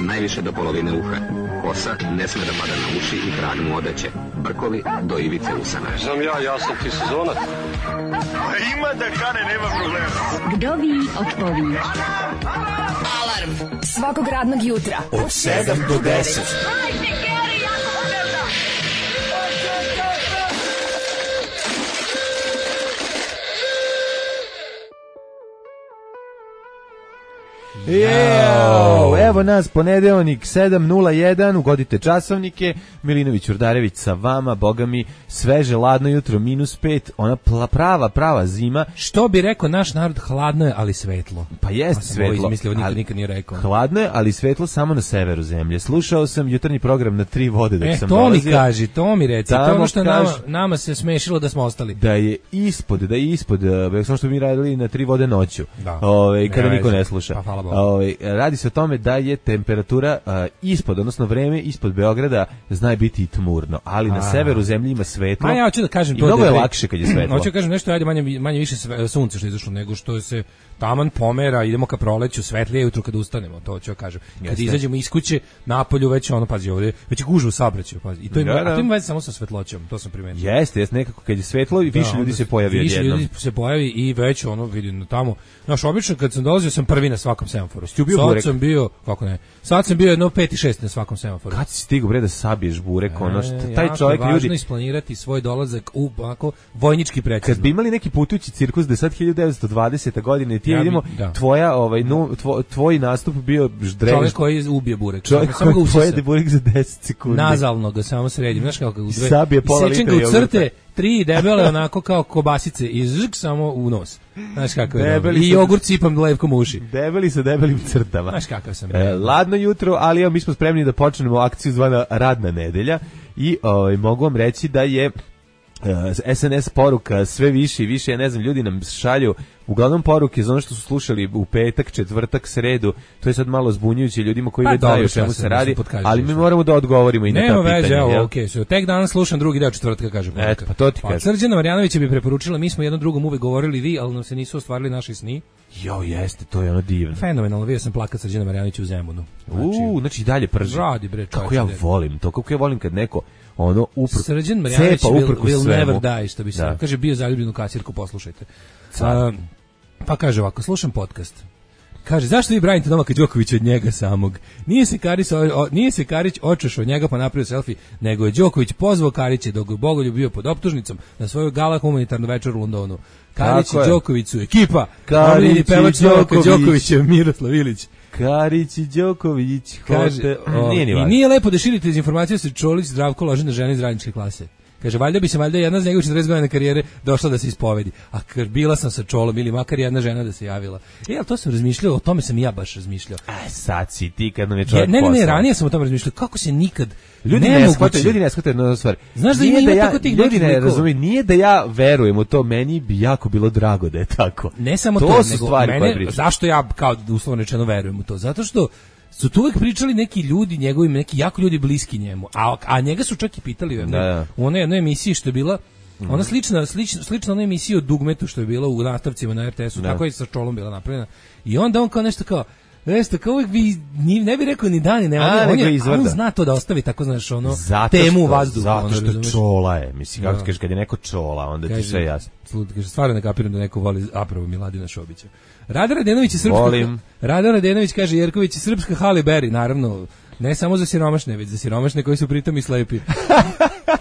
najviše do polovine uha. Kosa ne sme da pada na uši i krag mu odeće. Brkovi do ivice usana. Znam ja sam ti sezonac. Ima da kane, nema problema. Vdovi otpovi. Alarm svakog radnog jutra od 7 do 10. Evo nas, ponedeljnik 7:01, ugodite časovnike. Milinović Urdarević sa vama, boga mi, sveže, ladno jutro, -5, ona prava zima. Što bi rekao naš narod, hladno je, ali svetlo. Pa jeste svetlo, nikad nije rekao. Hladno je, ali svetlo samo na severu zemlje. Slušao sam jutarnji program na 3 vode dok sam to dolazio. Mi kaži, to mi reci, to ono što nama se smešilo da smo ostali. Da je ispod, samo što mi radili na 3 vode noću, kada niko ne sluša. Pa, hvala Bogu. Radi se o tome da je temperatura ispod, odnosno vreme ispod Beograda zna biti i tmurno, ali na severu zemlje ima svetlo. Ja hoću da kažem i mnogo je lakše kad je svetlo. Hoću da kažem nešto, ajde manje više sunce što je izašlo, nego što se taman pomera, idemo ka proleću, svetlije jutro kad ustanemo, to ću kažem. Kad izađemo iz kuće, napolju već pazi ovdje, već je gužva u saobraćaju, pazi. I to ima veze samo sa svetloćom, to sam primetio. Jeste, nekako kad je svetlo i više ljudi se pojavi odjednom. Više ljudi se pojavi i već vidim tamo. Znaš, obično kad sam dolazio sam prvi na svakom semaforu. Sad sam bio, sad sam bio jedno 5 i 6 na svakom semaforu. Kad si stigao bre da sabiješ burek, taj čovjek ljudi. Važno isplanirati svoj dolazak u vojnički precizno. Kad bi imali neki putujući cirkus da sad 1920. godine ti vidimo tvoj nastup bio ždrež. Čovjek koji ubije burek. Čovjek koji pojede burek za 10 sekundi. Nazalno ga samo sredim. Znaš kako u dve. Sabije pola litra u crte, 3 debele onako kao kobasice i žik samo u nos. Znaš kako je. I jogurt sipam lepkom u uši. Debeli sa debelim crtama. Znaš kakav sam. Ladno jutro, ali mi smo spremni da počnemo akciju zvana Radna nedelja i mogu vam reći da je SNS poruka sve više i više, ja ne znam, ljudi nam šalju uglavnom poruke za ono što su slušali u petak, četvrtak, sredu, to je sad malo zbunjujuće ljudima koji već znaju o čemu se radi, ali mi moramo da odgovorimo i na ta pitanja. Nema veze, okej, tek danas slušam drugi deo četvrtka, kaže poruka. Eto, pa to ti kažem. Srđana Marjanovića bi preporučila, mi smo jednom drugom uvek govorili vi, ali nam se nisu ostvarili naši sni. Jeste, to je divno. Fenomenalno, vidio sam plakat Srđana Marjanovića u Zemunu. Znači dalje prži. Radi bre, kako ja volim to, kako ja volim kad neko Srđan Marjanović will never die, što bi se kaže, bio zaljubljen u kasirku, poslušajte. Pa kaže ovako, slušam podcast. Kaže, zašto vi branite Novaka Đokovića od njega samog? Nije se Karić očešao od njega pa napravio selfie, nego je Đoković pozvao Karića dok je Bogoljub bio pod optužnicom na svoju gala humanitarnu večer u Londonu. Karić i Đoković su ekipa. Karić i pevač Novaka Đokovića, Miroslav Ilić. Karić i Đoković. Kaže, i nije lepo da širite dezinformacije da se Čolić Zdravko loži na žene iz radničke klase. Kaže, valjda bi se jedna z njegovih 40 godina karijere došla da se ispovedi. A bila sam sa Čolom ili makar jedna žena da se javila. Ali to sam razmišljao, o tome sam i ja baš razmišljao. Sad si ti kad nam je čovjek Ne, ranije sam o tome razmišljao. Kako se nikad... Ljudi ne shvataju jednu stvar. Znaš da ima tako tih ljudi ne razumiju, nije da ja verujem u to, meni bi jako bilo drago da je tako. Ne samo to nego mene, zašto ja kao uslovno rečeno verujem u to? Zato što su tu uvek pričali neki ljudi njegovim, neki jako ljudi bliski njemu, a njega su čak i pitali u onoj jednoj emisiji što je bila, ona slična onoj emisiji o Dugmetu što je bila u nastavcima na RTS-u, tako je sa Čolom bila napravljena. I onda on kao nešto kao uvijek ne bi rekao ni da ni ne, on zna to da ostavi tako, znaš, temu u vazduhu. Zato što Čola je, mislim, kako kažeš, kad je neko Čola, onda ti sve jasno. Kaže, stvarno ne kapiram da neko voli aprovo Miladina Šobića. Rada Radenović je srpska. Rada Radenović kaže, Jerković je srpska Halle Berry, naravno, ne samo za siromašne, već za siromašne koji su pritom i slepi.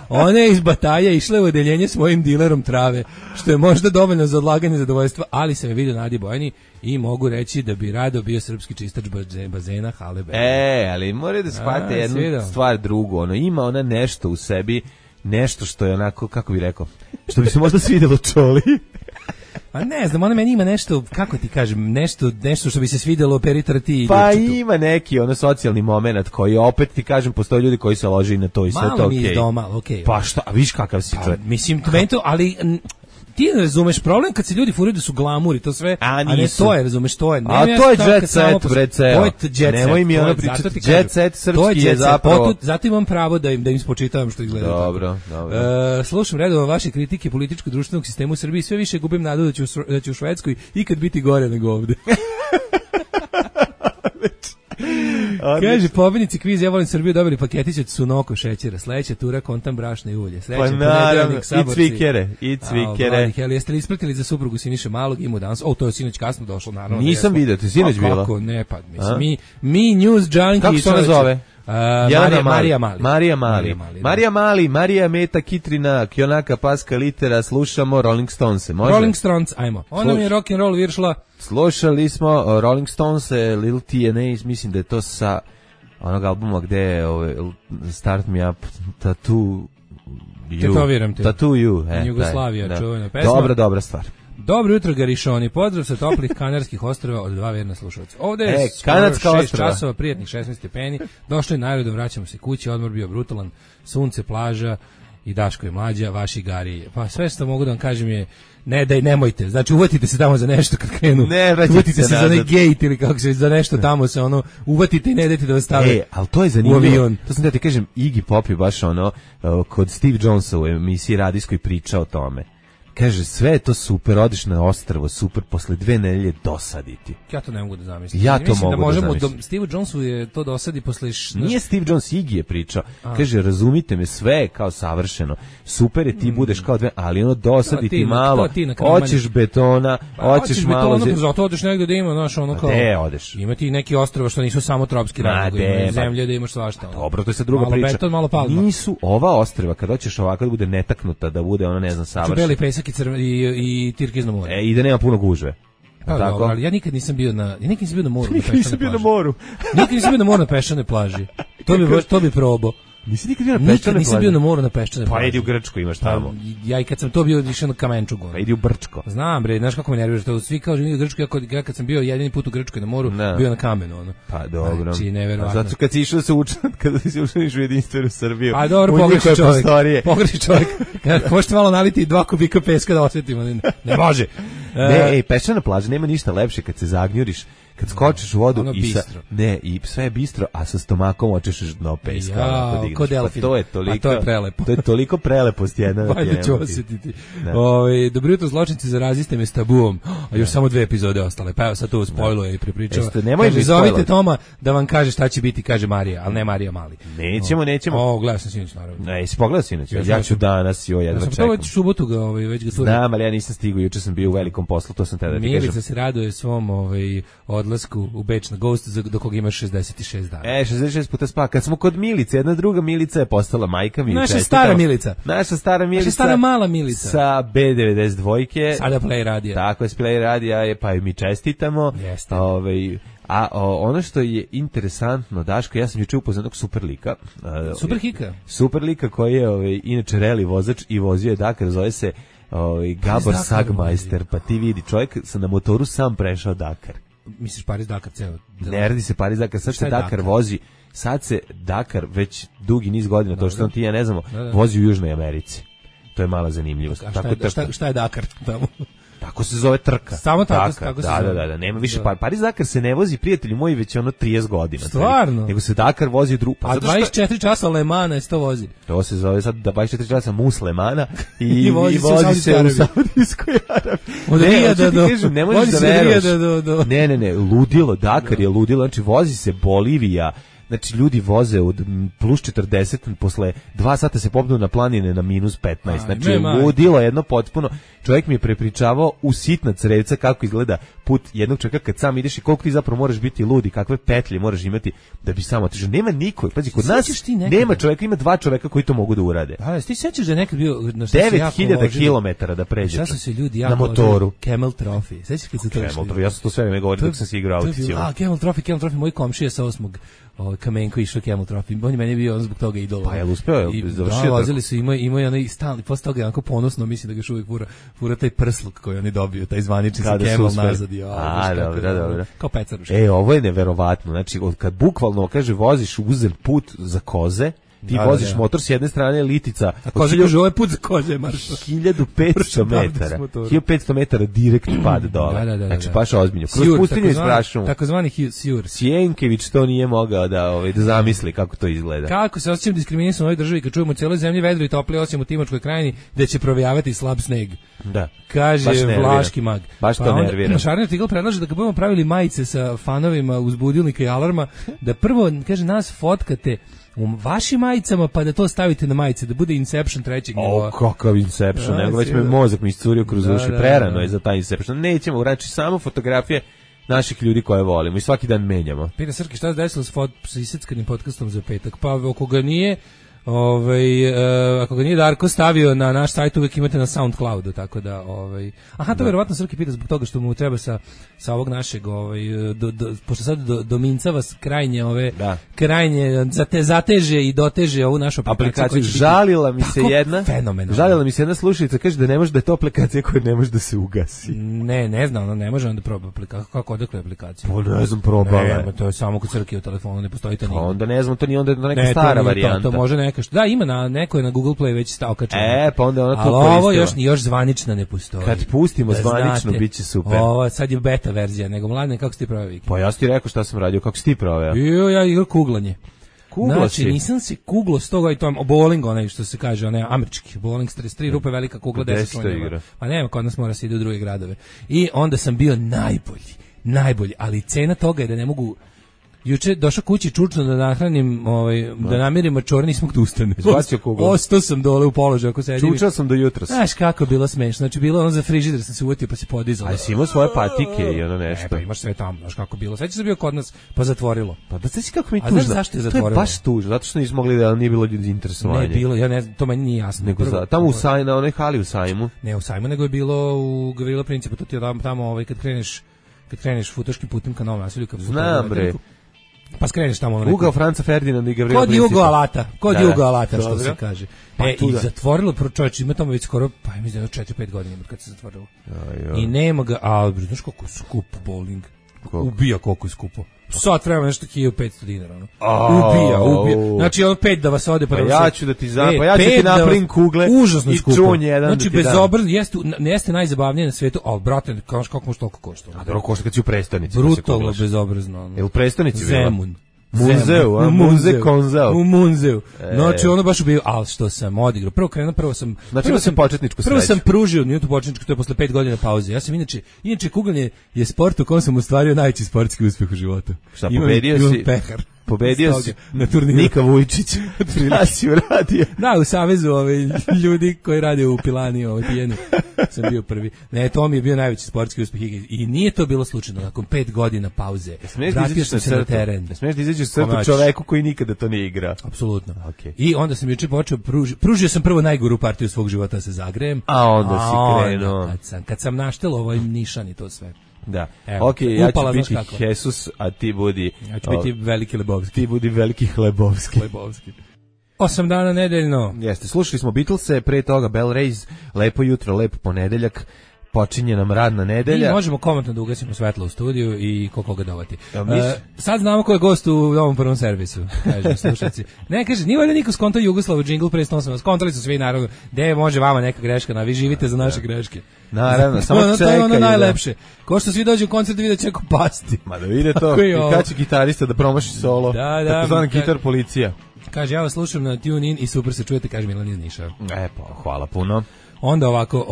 Ona je iz Bataja išla u odeljenje s mojim dilerom trave, što je možda dovoljno za odlaganje zadovoljstva, ali sam je vidio na Adi Bojani i mogu reći da bi rado bio srpski čistač bazena Halle Berry. Ali moraju da shvate jednu stvar drugu, ima ona nešto u sebi, nešto što je onako, kako bi rekao, što bi se možda svidjelo Čoli. Pa ne znam, ona meni ima nešto, kako ti kažem, nešto što bi se svidjelo peritrati. Pa ima neki socijalni moment koji opet ti kažem, postoje ljudi koji se loži na to i sve to okej. Malo mi iz doma, okej. Pa šta, viš kakav si čovjek. Mislim, ali ti ne razumeš problem kad se ljudi furaju da su glamuri, to sve, a ne to je, razumeš, to je. A to je jet set, bre, ceo. To je jet set. Nemoj mi ono pričati, jet set srpski je zapravo. Zato imam pravo da im spočitavam što izgleda. Dobro. Slušam redovno vaše kritike političko-društvenog sistema u Srbiji, sve više gubim nadu da će u Švedskoj ikad biti gore nego ovde. Kaže, pobednici kviza Ja volim Srbiju dobili paketić od Sunoko šećera, sledeća tura kontam brašna i ulje. Pa naravno, i cvikere. Jeste li ispratili za suprugu Siniše Malog, ima danas, to je sinoć kasno došlo, naravno. Nisam vidio, ti sinoć bila? Kako ne, pa mislim, mi news junkie. Kako se ona zove? Marija Mali. Marija Meta Kitrina, Kionaka Paska Litera, slušamo Rolling Stones, može? Rolling Stones, ajmo. Ona mi je rock and roll viršla. Slušali smo Rolling Stones, Lil TNA, mislim da je to sa onog albuma gde je Start Me Up, Tattoo You, Jugoslavija, čuvena pesma. Dobra stvar. Dobro jutro, Garišoni, pozdrav sa toplih Kanarskih ostrva od 2 verna slušalca. Ovde je Kanadska 6 ostrva. časova, prijatnih 16 stepeni, došli najrodom, vraćamo se kući, odmor bio brutalan, sunce, plaža i Daško je mlađa, vaši Gari. Pa sve što mogu da vam kažem je, nemojte, znači uvatite se tamo za nešto kad krenu, uvatite se za onaj gate ili kako se, za nešto tamo se uvatite i ne dajte da vas stave ali to je zanimljivo, to sam da ti kažem, Iggy Pop je baš kod Steve Jonesa u emisiji radijskoj priča o tome. Kaže, sve je to super, odiš na ostrvo, super, posle 2 nedelje dosaditi. Ja to ne mogu da zamislim. Ja to mogu da zamislim. Steve Jonesu je to dosadi posle... Nije Steve Jones, Iggy je pričao. Kaže, razumite me, sve je kao savršeno. Super je, ti budeš kao ali dosadi ti malo. Hoćeš betona, hoćeš malo... Zato odeš negde da ima, kao... Gde odeš? Ima ti neki ostrva što nisu samo tropski rad, nego ima zemlje da imaš svašta. Dobro, to je sad druga priča. Malo beton, malo palma. Nisu ova ostrva, kad hoćeš ovako da bude netaknuta, da bude savršeno. I Tirkizno more. I da nema puno gužve. Tako? Ali ja nikad nisam bio na moru. Nikad nisam bio na moru. Nikad nisam bio na moru na peščanoj plaži. To bi probao. Nisi nikad bio na peščanoj plaži? Nisam bio na moru na peščanoj plaži. Pa idi u Grčku, imaš tamo. Ja i kad sam to bio išao na Kamenčugu. Pa idi u Brčko. Znam bre, znaš kako me nerviraš, to svi kažu idi u Grčku, ja kad sam bio jedini put u Grčkoj na moru, bio na kamenu Pa dobro. Znači neverovatno. Zato kad si išao se učiti, kada si ušao u jedinstvenu Srbiju. A dobro, pogreši čovjek. Možete malo naliti 2 kubika peska da osvetimo. Ne može. Peščana plaža nema ništa lepše kad se zagnjuriš. Kad skočiš u vodu i sve je bistro, a sa stomakom očešeš dno peska. Ko delfin. To je prelepo. To je toliko prelepost jedna. Vajde ću osjetiti. Dobro jutro, zločinci, zaraziste me s tabuom. A još samo 2 epizode ostale. Pa evo sad to spojluje i prepričava. Kaže, zovite Toma da vam kaže šta će biti, kaže Marija, ali ne Marija Mali. Nećemo. Gledao sam sinoć, naravno. Jesi pogledao sinoć? Ja ću danas, jedva čekam. Sam već subotu ga, već ga turim. Znam, ali ja nisam stigao, juče sam bio u velikom poslu, to sam tada da ti kažem. Milica se raduje svom odlasku u Beč na Ghost, do koga imaš 66 dana. 66 puta spa. Kad smo kod Milice, jedna druga Milica je postala majka mi. Naša stara Milica. Naša stara mala Milica. Sa B92. Sada Play radija. Tako je, Play radija, pa mi čestitamo. Jeste. A ono što je interesantno, Daško, ja sam juče upoznao jednog super lika koji je inače reli vozač i vozio je Dakar, zove se Gabor Sagmeister, pa ti vidi, čovjek na motoru sam prešao Dakar. Misliš Paris-Dakar ceo? Ne radi se Paris-Dakar, sad se Dakar vozi, sad se Dakar već dugi niz godina, to što on ti ja ne znamo, vozi u Južnoj Americi. To je mala zanimljivost. Šta je Dakar tamo? Tako se zove trka. Samo tako se zove. Da, nema više. Paris-Dakar se ne vozi, prijatelji moji, već 30 godina. Stvarno? Nego se Dakar vozi u drugu. A 24 časa Le Mana se to vozi. To se zove sad 24 časa mus Le Mana i vozi se u Saudijskoj Arabiji. Ne možeš da veruješ. Ne, ludilo, Dakar je ludilo, znači vozi se Bolivija. Znači, ljudi voze od plus 40, posle 2 sata se popnu na planine na minus 15. Znači, ludilo jedno potpuno. Čovjek mi je prepričavao u sitna crevca kako izgleda put jednog čovjeka kad sam ideš i koliko ti zapravo moraš biti ludi, kakve petlje moraš imati da bi samo otišao. Nema niko, pazi, kod nas nema čovjeka, ima 2 čovjeka koji to mogu da urade. A ti sećaš da je nekad bio 9000 km da pređe. Šta su se ljudi jako na motoru? Camel Trophy. Sećaš kad se to Camel, ja sam to sve vreme govorio dok sam se igrao aukciju. Camel Trophy, moj komšija sa 8. Kamenko išao Camel Trophy. On je meni bio zbog toga idol. Pa je uspeo, završio. Vozili su, imaju onaj stalni, posle toga onako ponosno, mislim da ga još uvijek fura taj prsluk koji oni dobiju, taj zvanični sa Camel nazad. Dobro. Kao pecaruška. Ovo je neverovatno. Znači, kad bukvalno, kaže, voziš uzem put za koze, Ti voziš motor s jedne strane litica. A koze kaže, ovo je put za koze, marš. 1500 metara. 1500 metara direkt pad dole. Znači, baš ozbiljno. Kroz pustinju isprašamo. Takozvani sjur. Sjenkević to nije mogao da zamisli kako to izgleda. Kako se osjećam diskriminisan u ovoj državi kad čujemo u cijeloj zemlji vedro i toplije osim u Timočkoj krajini gde će provijavati slab sneg. Da. Kaže Vlaški mag. Baš to nervira. Šarni Tigl predlaže da kad budemo pravili majice sa fanovima uz budilnika i alarma, da prvo, kaže, nas fotkate u vašim majicama, pa da to stavite na majice, da bude Inception trećeg nivoa. Kakav Inception, nego već me mozak mi iscurio kroz uši, prerano je za taj Inception. Nećemo, znači samo fotografije naših ljudi koje volimo i svaki dan menjamo. Pita Srki, šta se desilo s iseckanim podcastom za petak? Pa ako ga nije ako ga nije Darko stavio na naš sajt, uvek imate na SoundCloudu, tako da to verovatno Srki pita zbog toga što mu treba sa ovog našeg pošto sad domincava krajnje zateže i doteže ovu našu aplikaciju. Žalila mi se jedna slušalica, kaže da ne može, da je to aplikacija koja ne može da se ugasi. Ne znam, ona ne može onda proba aplikaciju. Kako odakle aplikacija? Pa ne znam, probala. To je samo kod Srki u telefonu, ne postoji to nigde. Onda ne znam, to nije onda neka stara varijanta. To može neka što. Da, ima neko je na Google Play već okačeno. Pa onda ona to koristila. Ali ovo još zvanična ne postoji. Kad pustimo zvanično, bit će super. Ovo sad je beta verzija, nego mladine, kako si ti proveo vikend? Pa ja si ti rekao šta sam radio, kako si ti proveo? Ja igrao kuglanje. Znači, nisam se kuglo s toga i to bowling, onaj što se kaže, onaj američki bowling, 33 rupe, velika kugla, 10 slonjeva. Pa nema, kod nas mora se ide u druge gradove. I onda sam bio najbolji, ali cena toga je da ne mogu. Juče došao kući čučno da nahranim, da namirim mačore, nisam da ustane. Izbacio kuglu. Ostao sam dole u položaju ako sedim. Čučao sam do jutra. Znaš kako je bilo smešno. Znači bilo ono za frižider sam se uvatio pa se podizalo. A si imao svoje patike i ono nešto. Pa imaš sve tamo, znaš kako je bilo. Sveće se bio kod nas pa zatvorilo. Pa da se kako mi tužno. A znaš zašto je zatvorilo? To je baš tužno, zato što nismo mogli da nije bilo ljudi interesovanje. Ne bilo, ja ne znam, to meni nije jasno. Nego tamo u Sajmu, na onoj hali u Sajmu. Ne u Sajmu, nego je bilo u Gavrila Principa, to ti je tamo kad kreneš futoškim putem ka Novom naselju. Znam bre. Pa skreneš tamo ono. Ugao Franca Ferdinanda i Gavrila Principa. Kod Jugo Alata, što se kaže. I zatvorilo, čovječ, ima tamo već skoro, pa mislim 4-5 godina kad se zatvorilo. I nema ga, znaš koliko je skup bowling. Ubija koliko je skupo. Sat vremena nešto 1500 dinara. Ubija. Znači, 5 da vas ode. Pa ja ću da ti napravim kugle i čun jedan. Znači, bezobrazno, jeste najzabavnije na svetu, ali, brate, kako može toliko košta? A dobro košta kad si u prestonici. Brutalno bezobrazno. Je u prestonici bilo? Zemun. U Munzeu. Znači, ono baš ubio, ali što sam odigrao. Prvo sam početničku sreću. Prvo sam pružio minutu početničku, to je posle 5 godina pauze. Ja sam inače kuglanje je sport u kojem sam ostvario najveći sportski uspeh u životu. Šta, pobedio si? Pehar. Pobedio si na turniru. Nika Vujčić. Da si uradio. Da, u savezu ljudi koji rade u Pilani, pijeni. Sam bio prvi. Ne, to mi je bio najveći sportski uspeh i nije to bilo slučajno. Nakon 5 godina pauze vratio sam se na teren. Smiješ da izađeš crtu čoveku koji nikada to nije igrao. Apsolutno. I onda sam juče počeo, pružio sam prvo najgoru partiju svog života sa Zagrejem. A onda si krenuo. Kad sam naštelo ovaj nišan i to sve. Da. Okay, ja ću biti Jesus, a ti budi... Ja ću biti veliki Lebovski. Ti budi veliki Hlebovski. 8 dana nedeljno. Jeste, slušali smo Beatlese, pre toga Bell Rays, lepo jutro, lep ponedeljak, počinje nam radna nedelja. I možemo komentno da ugasimo svetlo u studiju i koga dovati. Sad znamo ko je gost u ovom prvom servisu, kaže slušaci. Ne, kaže, nije valjda niko skontao Jugoslavu džingl pre 108 vas. Skontali su svi, naravno, gde može vama neka greška, vi živite za naše greške. Naravno, samo čekaj. To je ono najlepše. Ko što svi dođu u koncert vidjet će ako pasti. Ma da vide to, i kad će gitarista da promaši solo, takozvani gitar policija. Kaže, ja vas slušam na TuneIn i super se čujete, kaže Milan iz Niša. Pa, hvala puno. Onda ovako,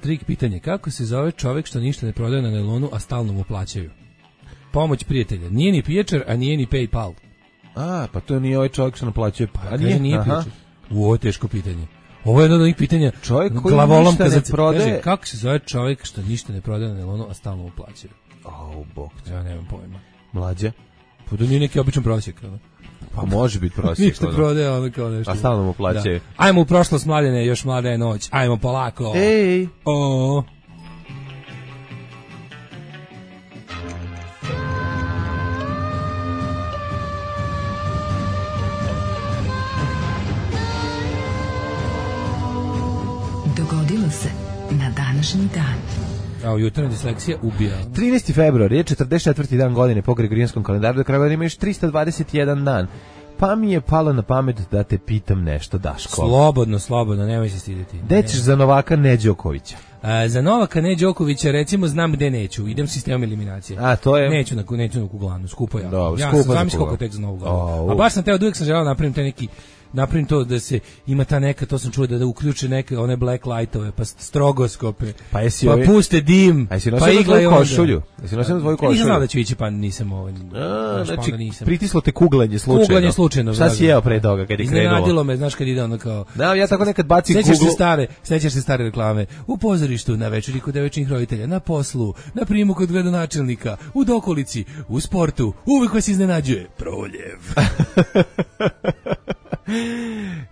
trik pitanje, kako se zove čovjek što ništa ne prodaje na nelonu, a stalno mu plaćaju? Pomoć prijatelja. Nije ni pijačar, a nije ni PayPal. Pa to nije ovaj čovjek što naplaćuje. Nije pijačar. Ovo je teško pitanje. Ovo je jedno od onih pitanja. Čovjek koji ništa ne prodaje. Kaže, kako se zove čovjek što ništa ne prodaje na nelonu, a stalno mu plaćaju? Bog. Ja nemam pojma. Mlađe? Pa da nije neki običan prosjek, Pa može biti prosjek. Ništa prodaje, ono kao nešto. A stalno mu plaćaju. Ajmo u prošlost, mladene, još mlada je noć. Ajmo polako. Ej. Dogodilo se na današnji dan. Jutarnja disleksija ubija. 13. februar je 44. dan godine po Gregorijanskom kalendaru, do kraja godine ima još 321 dan. Pa mi je palo na pamet da te pitam nešto, Daško. Slobodno, nemoj se stiditi. Gde ćeš za Novaka Neđokovića? Za Novaka Neđokovića recimo znam gde neću. Idem sistemom eliminacije. A to je neću na Kuglanu, skupo ja. Dobro, ja sam zamisli koliko tek za Novu Godinu. A baš sam teo, uvijek sam želeo napravim to da se ima ta neka, to sam čuo da uključe neke one black lightove, pa strogoskope, pa puste dim, pa iglaju košulju. Jesi nosio svoju košulju? Nisam znao da ću ići, pa nisam znači, pritislo te kuglanje slučajno. Šta si jeo pre toga kad je krenulo? Iznenadilo me, znaš kad ide ono kao... Da, ja tako nekad bacim kuglu. Sećaš se stare reklame. U pozorištu, na večeri kod devojčinih roditelja, na poslu, na primu kod gradonačelnika, u dokolici, u sportu, uvek vas iznenađuje Proljev.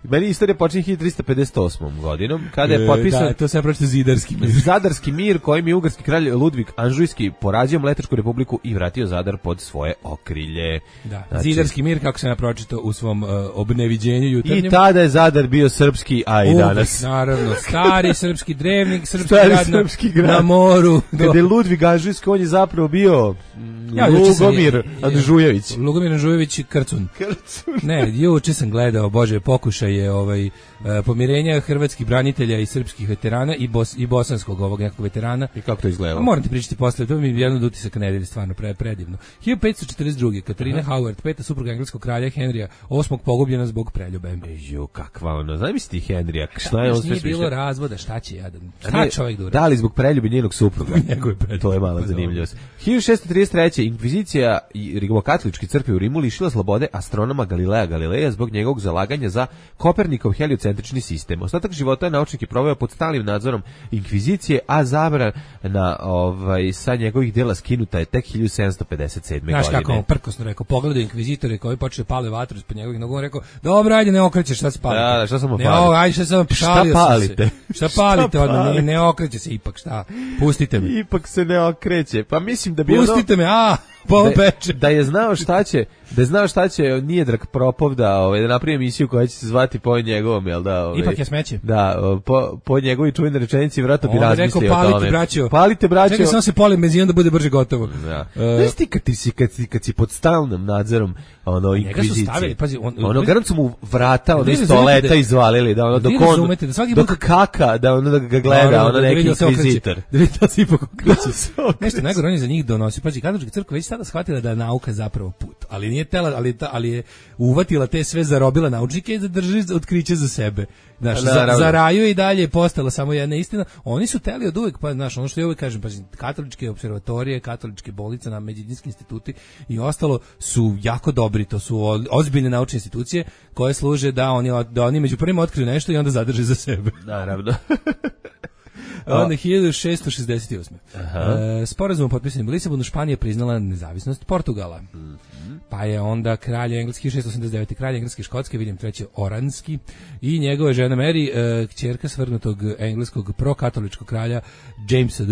Meni istorija počinje 1358. godinom, kada je potpisan... Da, to se pročito Zidarski mir. Zadarski mir, kojim je ugarski kralj Ludvig Anžujski porazio Mletačku republiku i vratio Zadar pod svoje okrilje. Da, znači, Zidarski mir, kako sam ja pročito u svom obneviđenju jutarnjem. I tada je Zadar bio srpski, a i danas. Naravno, stari srpski drevnik, srpski grad na moru. Kada je Ludvig Anžujski, on je zapravo bio... Lugomir Andžujević. Lugomir Andžujević Krcun. Ne, juče sam gledao, bože, pokušaj je pomirenja hrvatskih branitelja i srpskih veterana i bosanskog ovog nekog veterana. I kako to izgledalo? Moram ti pričati posle, to mi je jedan od utisaka nedelje, stvarno predivno. 1542. Katarina Howard, peta supruga engleskog kralja Henrija VIII, pogubljena zbog preljube. Jo, kakva ono, zamisli ti Henrija, šta je on sve smišljeno? Nije bilo razvoda, šta će jadan? Šta čovjek dura? Da li zbog preljube njenog supruga? To je mala zanimljivost. 1633. Inkvizicija i rimokatolički crkve u Rimu lišila slobode astronoma Galileja Galileja zbog njegovog zalaganja za Kopernikov heliocentrični sistem. Ostatak života je naučnik proveo pod stalnim nadzorom inkvizicije, a zabrana sa njegovih dela skinuta je tek 1757. godine. Znaš kako on prkosno rekao, pogledaj inkvizitore koji počeli pale vatru ispod njegovih nogu, on rekao, dobro, ajde, ne okreće, šta se palite? Da, šta samo palite? Ajde, šta sam šalio palite? Šta palite? Ne okreće se ipak, šta? Pustite me. Ipak se ne okreće. Pa mislim da bi pustite me, da je znao šta će Nijedrag Propov da napravi emisiju koja će se zvati po njegovom, jel da? Ipak je smeće. Da, po njegovi čuvene rečenici vjerojatno bi razmislio o tome. Palite braćo. Čekaj, samo se polim benzin da bude brže gotovo. Da. Znaš ti kad si pod stalnim nadzorom inkvizicije. Garant su mu vrata, iz toaleta izvalili, da dok kaka, da ga gleda, neki inkvizitor. Da vidi da se ipak okreće. Nešto najgore on je za njih donosi. Pazi, katolička crkva već sada shvatila da je nauka zapravo put, ali nije tela, ali je uvatila te sve, zarobila naučnike i zadrži otkriće za sebe. Znaš, za raju i dalje je postala samo jedna istina. Oni su teli od uvek, pa znaš, ono što ja uvek kažem, pa katoličke observatorije, katoličke bolnice, na medicinski instituti i ostalo su jako dobri, to su ozbiljne naučne institucije koje služe da oni među prvima otkriju nešto i onda zadrže za sebe. Naravno. Onda 1668. Sporazum potpisan u Lisabonu, Španija priznala nezavisnost Portugala. Pa je onda kralj engleski 689. kralj engleski Škotske, William III. Oranski i njegova žena Mary, kćerka svrgnutog engleskog prokatoličkog kralja Jamesa II.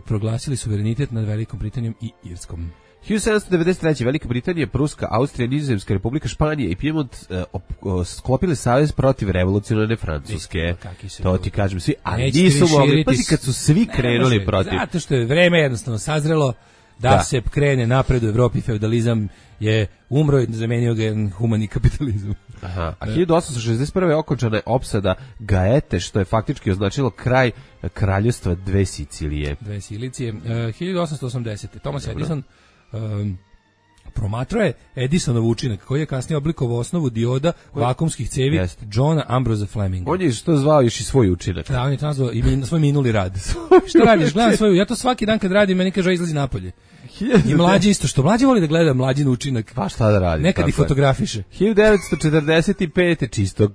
Proglasili suverenitet nad Velikom Britanijom i Irskom. 1793. Velika Britanija, Pruska, Austrija, Nizozemska republika, Španija i Piemont sklopili savez protiv revolucionarne Francuske. To ti kažem svi, ali nisu mogli, pazi kad su svi krenuli protiv. Zato što je vreme jednostavno sazrelo da se krene napred u Evropi, feudalizam je umro i zamenio ga jedan humani kapitalizam. Aha. A 1861. okončana je opsada Gaete, što je faktički označilo kraj kraljevstva dve Sicilije. 1880. Thomas Edison promatrao je Edisonov učinak koji je kasnije oblikovao osnovu dioda vakumskih cevi Johna Ambrose Fleminga. On je što zvao još i svoj učinak. Da, on je to nazvao i svoj minuli rad. Šta radiš? Gledam svoju, ja to svaki dan kad radim, meni kaže izlazi napolje. I mlađi isto, što mlađi voli da gleda mlađin učinak. Pa šta da radi? Nekad i fotografiše. 1945. čisto,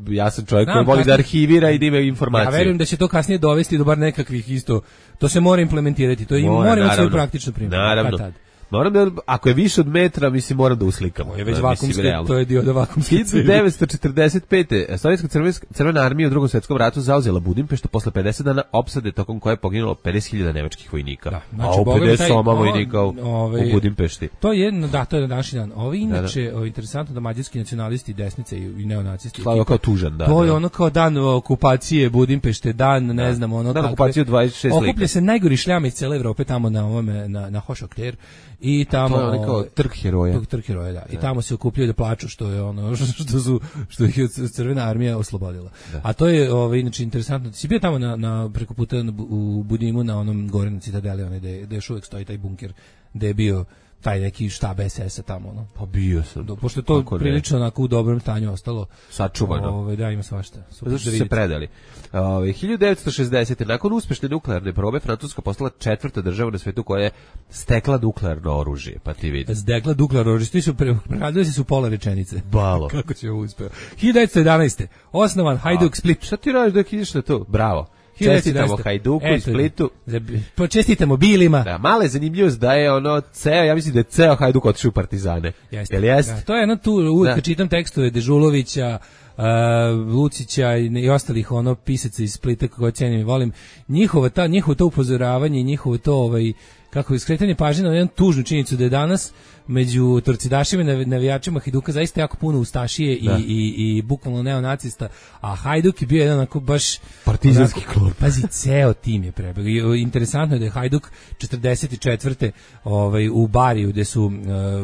ja sam čovjek koji voli da arhivira i da ima informacije. Ja verujem da će to kasnije dovesti do bar nekakvih isto, to se mora implementirati, to mora imati svoju praktičnu primjenu. Naravno. Moram da, ako je više od metra, mislim, moram da uslikamo. To je već vakumski, to je dio da vakumski. 1945. Sovjetska crvena armija u Drugom svjetskom ratu zauzela Budimpeštu posle 50 dana opsade tokom koje je poginulo 50.000 nemačkih vojnika. Da, znači, a u 50 vojnika u Budimpešti. To je na današnji dan. Ovo inače, interesantno da mađarski nacionalisti, desnice i neonacisti. Slavio kao tužan, da. To je ono kao dan okupacije Budimpešte, dan, ne znam, ono dan okupacije 26 lipnja. Okuplja se najgori šljama iz cele Evrope tamo na ovome, na Hošokter. I tamo to je kao trg heroja. Trg heroja, da. I tamo se okupljaju da plaču što je ono što ih je Crvena armija oslobodila. Da. A to je inače interesantno. Si bio tamo na preko puta u Budimu na onom gore na Citadeli, onaj gde još uvek stoji taj bunker, gde je bio taj neki štab SS-a tamo, no. Pa bio sam. Pošto je to prilično onako u dobrom stanju ostalo. Sačuvano. Da, ima svašta. Zašto su se predali. 1960. nakon uspešne nuklearne probe, Francuska postala 4. država na svetu koja je stekla nuklearno oružje, pa ti vidi. Stekla nuklearno oružje, ti su prehadili se u pola rečenice. Balo. Kako će ovo uspeo. 1911. Osnovan Hajduk Split. Šta ti radiš dok ideš na to? Bravo. Čestitamo Hajduku i Splitu. Čestitamo Bilima. Da, mala je zanimljivost da je ja mislim da je ceo Hajduk otišao u Partizane. Jeste. Da, to je jedno tu, uvijek čitam tekstove Dežulovića, Lucića i ostalih pisaca iz Splita koje cenim i volim. Njihovo to upozoravanje i njihovo to kako je skretanje pažnje na jednu tužnu činjenicu da je danas među torcidašima i navijačima Hajduka zaista jako puno ustašije i bukvalno neonacista, a Hajduk je bio jedan onako baš partizanski klub. Pazi, ceo tim je prebegao. Interesantno je da je Hajduk 44. U Bariju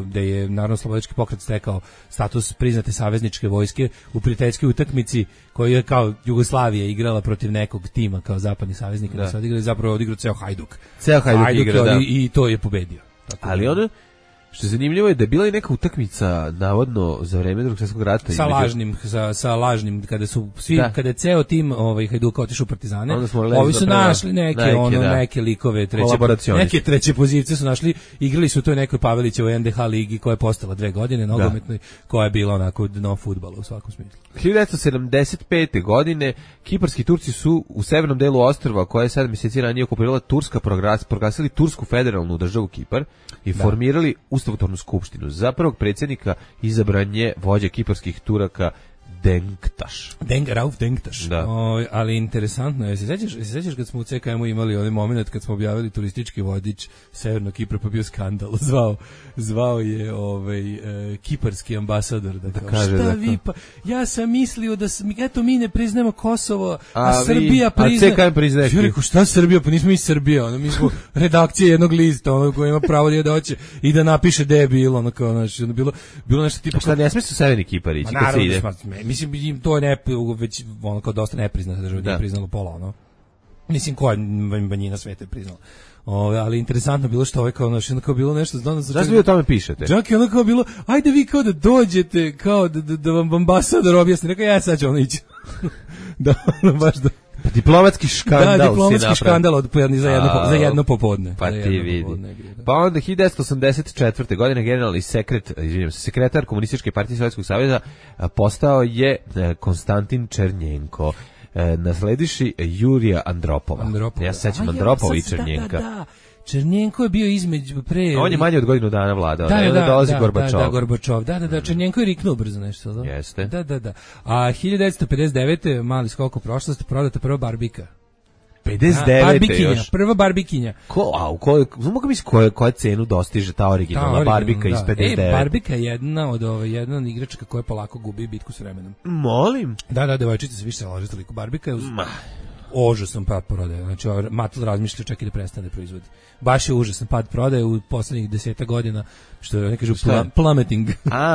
gde je Narodno-slobodilački pokret stekao status priznate savezničke vojske u prijateljskoj utakmici koju je kao Jugoslavija igrala protiv nekog tima kao zapadni saveznik, da se odigrali, zapravo odigrao ceo Hajduk. Ceo Hajduk igra, da. I to je pobedio. Tako ali ono što je zanimljivo je da je bila i neka utakmica navodno za vreme Drugog svjetskog rata sa lažnim kada su svi kada je ceo tim Hajduka otišao u Partizane, ovi su našli neke likove neke treće pozicije su našli, igrali su u toj nekoj Pavelićevoj NDH ligi koja je postala 2 godine nogometnoj, koja je bila onako dno fudbala u svakom smislu. 1975. godine kiparski Turci su u severnom delu ostrva koje je 7 mjeseci ranije okupirala Turska proglasili Tursku federalnu državu Kipar i formirali ustavotvornu skupštinu. Za prvog predsjednika izabran je vođa kiparskih Turaka Denktaš. Rauf Denktaš. Da. Ali interesantno je, se sjećaš kad smo u CKM-u imali onaj moment kad smo objavili turistički vodič Severnog Kipra, pa bio skandal. Zvao je kiparski ambasador da kaže šta vi pa ja sam mislio da mi ne priznajemo Kosovo, a Srbija priznaje. A CKM priznaje. Ja rekao šta Srbija, pa nismo mi Srbija, mi smo redakcija jednog lista, koji ima pravo da hoće i da napiše da je bilo, bilo nešto tipa. Šta ne smije su Severni Kipar ići kad se ide? Mislim, to je već kao dosta nepriznata država, nije priznalo pola, Mislim, koja manjina sveta je priznala. Ali interesantno bilo što kao bilo nešto Zašto vi o tome pišete? Čak je kao bilo, ajde vi kao da dođete, kao da vam ambasador objasni. Rekao, ja sad ću ići. Baš da. Diplomatski škandal. Da, diplomatski škandal za jedno popodne. Pa ti vidi. Pa onda 1984. godine generalni sekretar Komunističke partije Sovjetskog saveza postao je Konstantin Černjenko. Naslediši Jurija Andropova. Ja se sećam Andropova i Černjenka. Da. Černjenko je bio između pre... On je manje od godinu dana vladao. Dolazi Gorbačov. Da, Gorbačov. Da. Černjenko je riknuo brzo nešto. Da? Jeste. Da. A 1959. mali skok u prošlost, prodata prva barbika. 59. još. Prva barbikinja. Mogu misli koja cenu dostiže ta originalna barbika iz 59. Barbika je jedna od igračaka koja polako gubi bitku s vremenom. Molim? Da, devojčice se više se laže toliko. Barbika je užasan pad prodaje. Znači, Mattel razmišlja čak i da prestane proizvodi. Baš je užasan pad prodaje u poslednjih 10 godina, što ne kažu plummeting.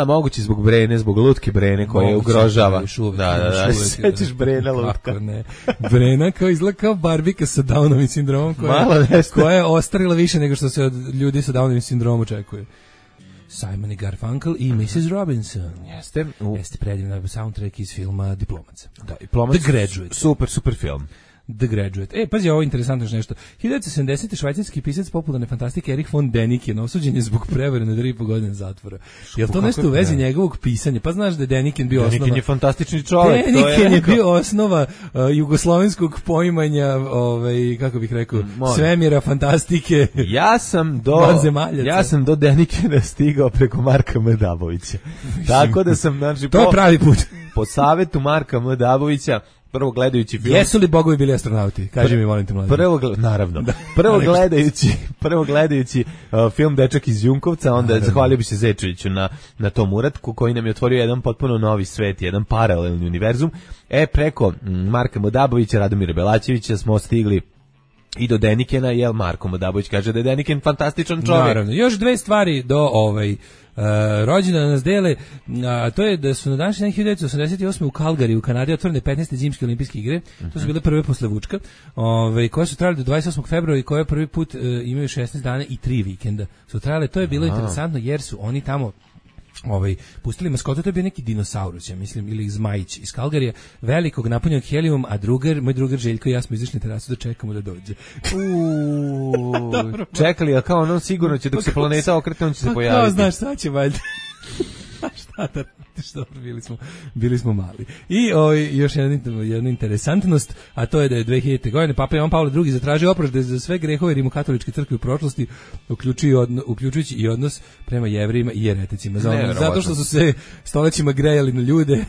Moguće zbog Brene, zbog lutke Brene koje ugrožava. Da, sećaš Brena lutka. Kako ne. Brena izgleda kao Barbika sa Downovim sindromom koja je ostarila više nego što se od ljudi sa Downovim sindromom očekuje. Simon i Garfunkel i Mrs. Robinson. Jeste predivna soundtrack iz filma Diplomac. Da, Diplomac. The Graduate. Super film. The Graduate. Pazi, ovo je interesantno nešto. 1970. švajcarski pisac popularne fantastike Erich von Däniken osuđen je zbog prevare na 3,5 godine zatvora. Je li to nešto u vezi njegovog pisanja? Pa znaš da je Däniken bio osnova... Däniken je fantastični čovjek. Däniken je bio osnova jugoslovenskog poimanja, kako bih rekao, svemira, fantastike. Ja sam do Dänikena stigao preko Marka Mdabovića. Tako da sam, znači... To je pravi put. Po savetu Marka Mdabovića, prvo gledajući film... Jesu li bogovi bili astronauti? Kaži mi, molim te, mladen. Naravno. Prvo gledajući film Dečak iz Junkovca, onda zahvalio bi se Zečeviću na tom uratku koji nam je otvorio jedan potpuno novi svet, jedan paralelni univerzum. Preko Marka Mdabovića, Radomira Belačevića smo stigli I do Denikena, jel Marko Modabović kaže da je Deniken fantastičan čovjek. Naravno, još dve stvari do rođendana nas dele, a to je da su na današnji dan 1988. u Calgary u Kanadi otvorene 15. zimske olimpijske igre. To su bile prve posle Vučka, koje su trajale do 28. februara i koje prvi put imaju 16 dana i 3 vikenda. Su trajale, to je bilo interesantno jer su oni tamo pustili maskotu, to je bio neki dinosaurus, ja mislim, ili zmajić iz Calgaryja, velikog napunjenog helijumom, a moj drugar Željko i ja smo izašli na terasu da čekamo da dođe. Čekali, a kao ono sigurno će dok se planeta okretne, on će se pojaviti. Kao znaš, sad će valjda. Šta da bili smo mali. I još jedna interesantnost, a to je da je 2000. godine Papa Jovan Pavle II zatražio oprost za sve grehove Rimokatoličke crkve u prošlosti, uključujući i odnos prema Jevrejima i jereticima. Zato što su se stolećima grejali na ljude,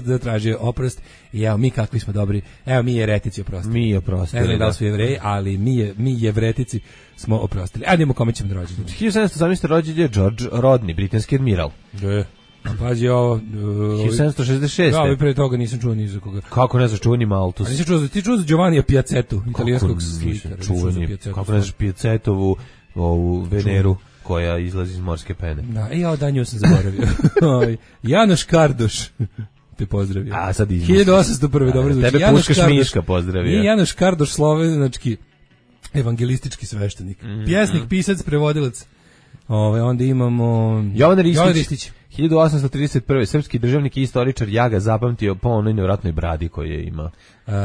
zatražio oprost. I evo mi kakvi smo dobri. Evo mi jeretici oprostili. Mi oprostili. Ne znam da li su Jevreji, ali mi jevretici smo oprostili. Ajde kome ćemo da rođendan. 1718. rođen je George Rodney, britanski admiral. Pazi ovo... 1766. Da, ali pre toga nisam čuo ni za koga. Kako ne znaš, čuveni Malthus. Ti čuo za Giovannija Piacetu, italijanskog slikara. Kako ne znaš Piacetovu Veneru koja izlazi iz morske pene. Da, ja da nju sam zaboravio. Janoš Kardoš te pozdravio. A sad 1801. dobro zvuči. Tebe Puškaš Miška pozdravio. Nije Janoš Kardoš, slovenački evangelistički sveštenik. Pjesnik, pisac, prevodilac. Onda imamo Jovan Ristić. 1831. srpski državnik i istoričar, ja ga zapamtio po onoj nevjerojatnoj bradi koju je imao.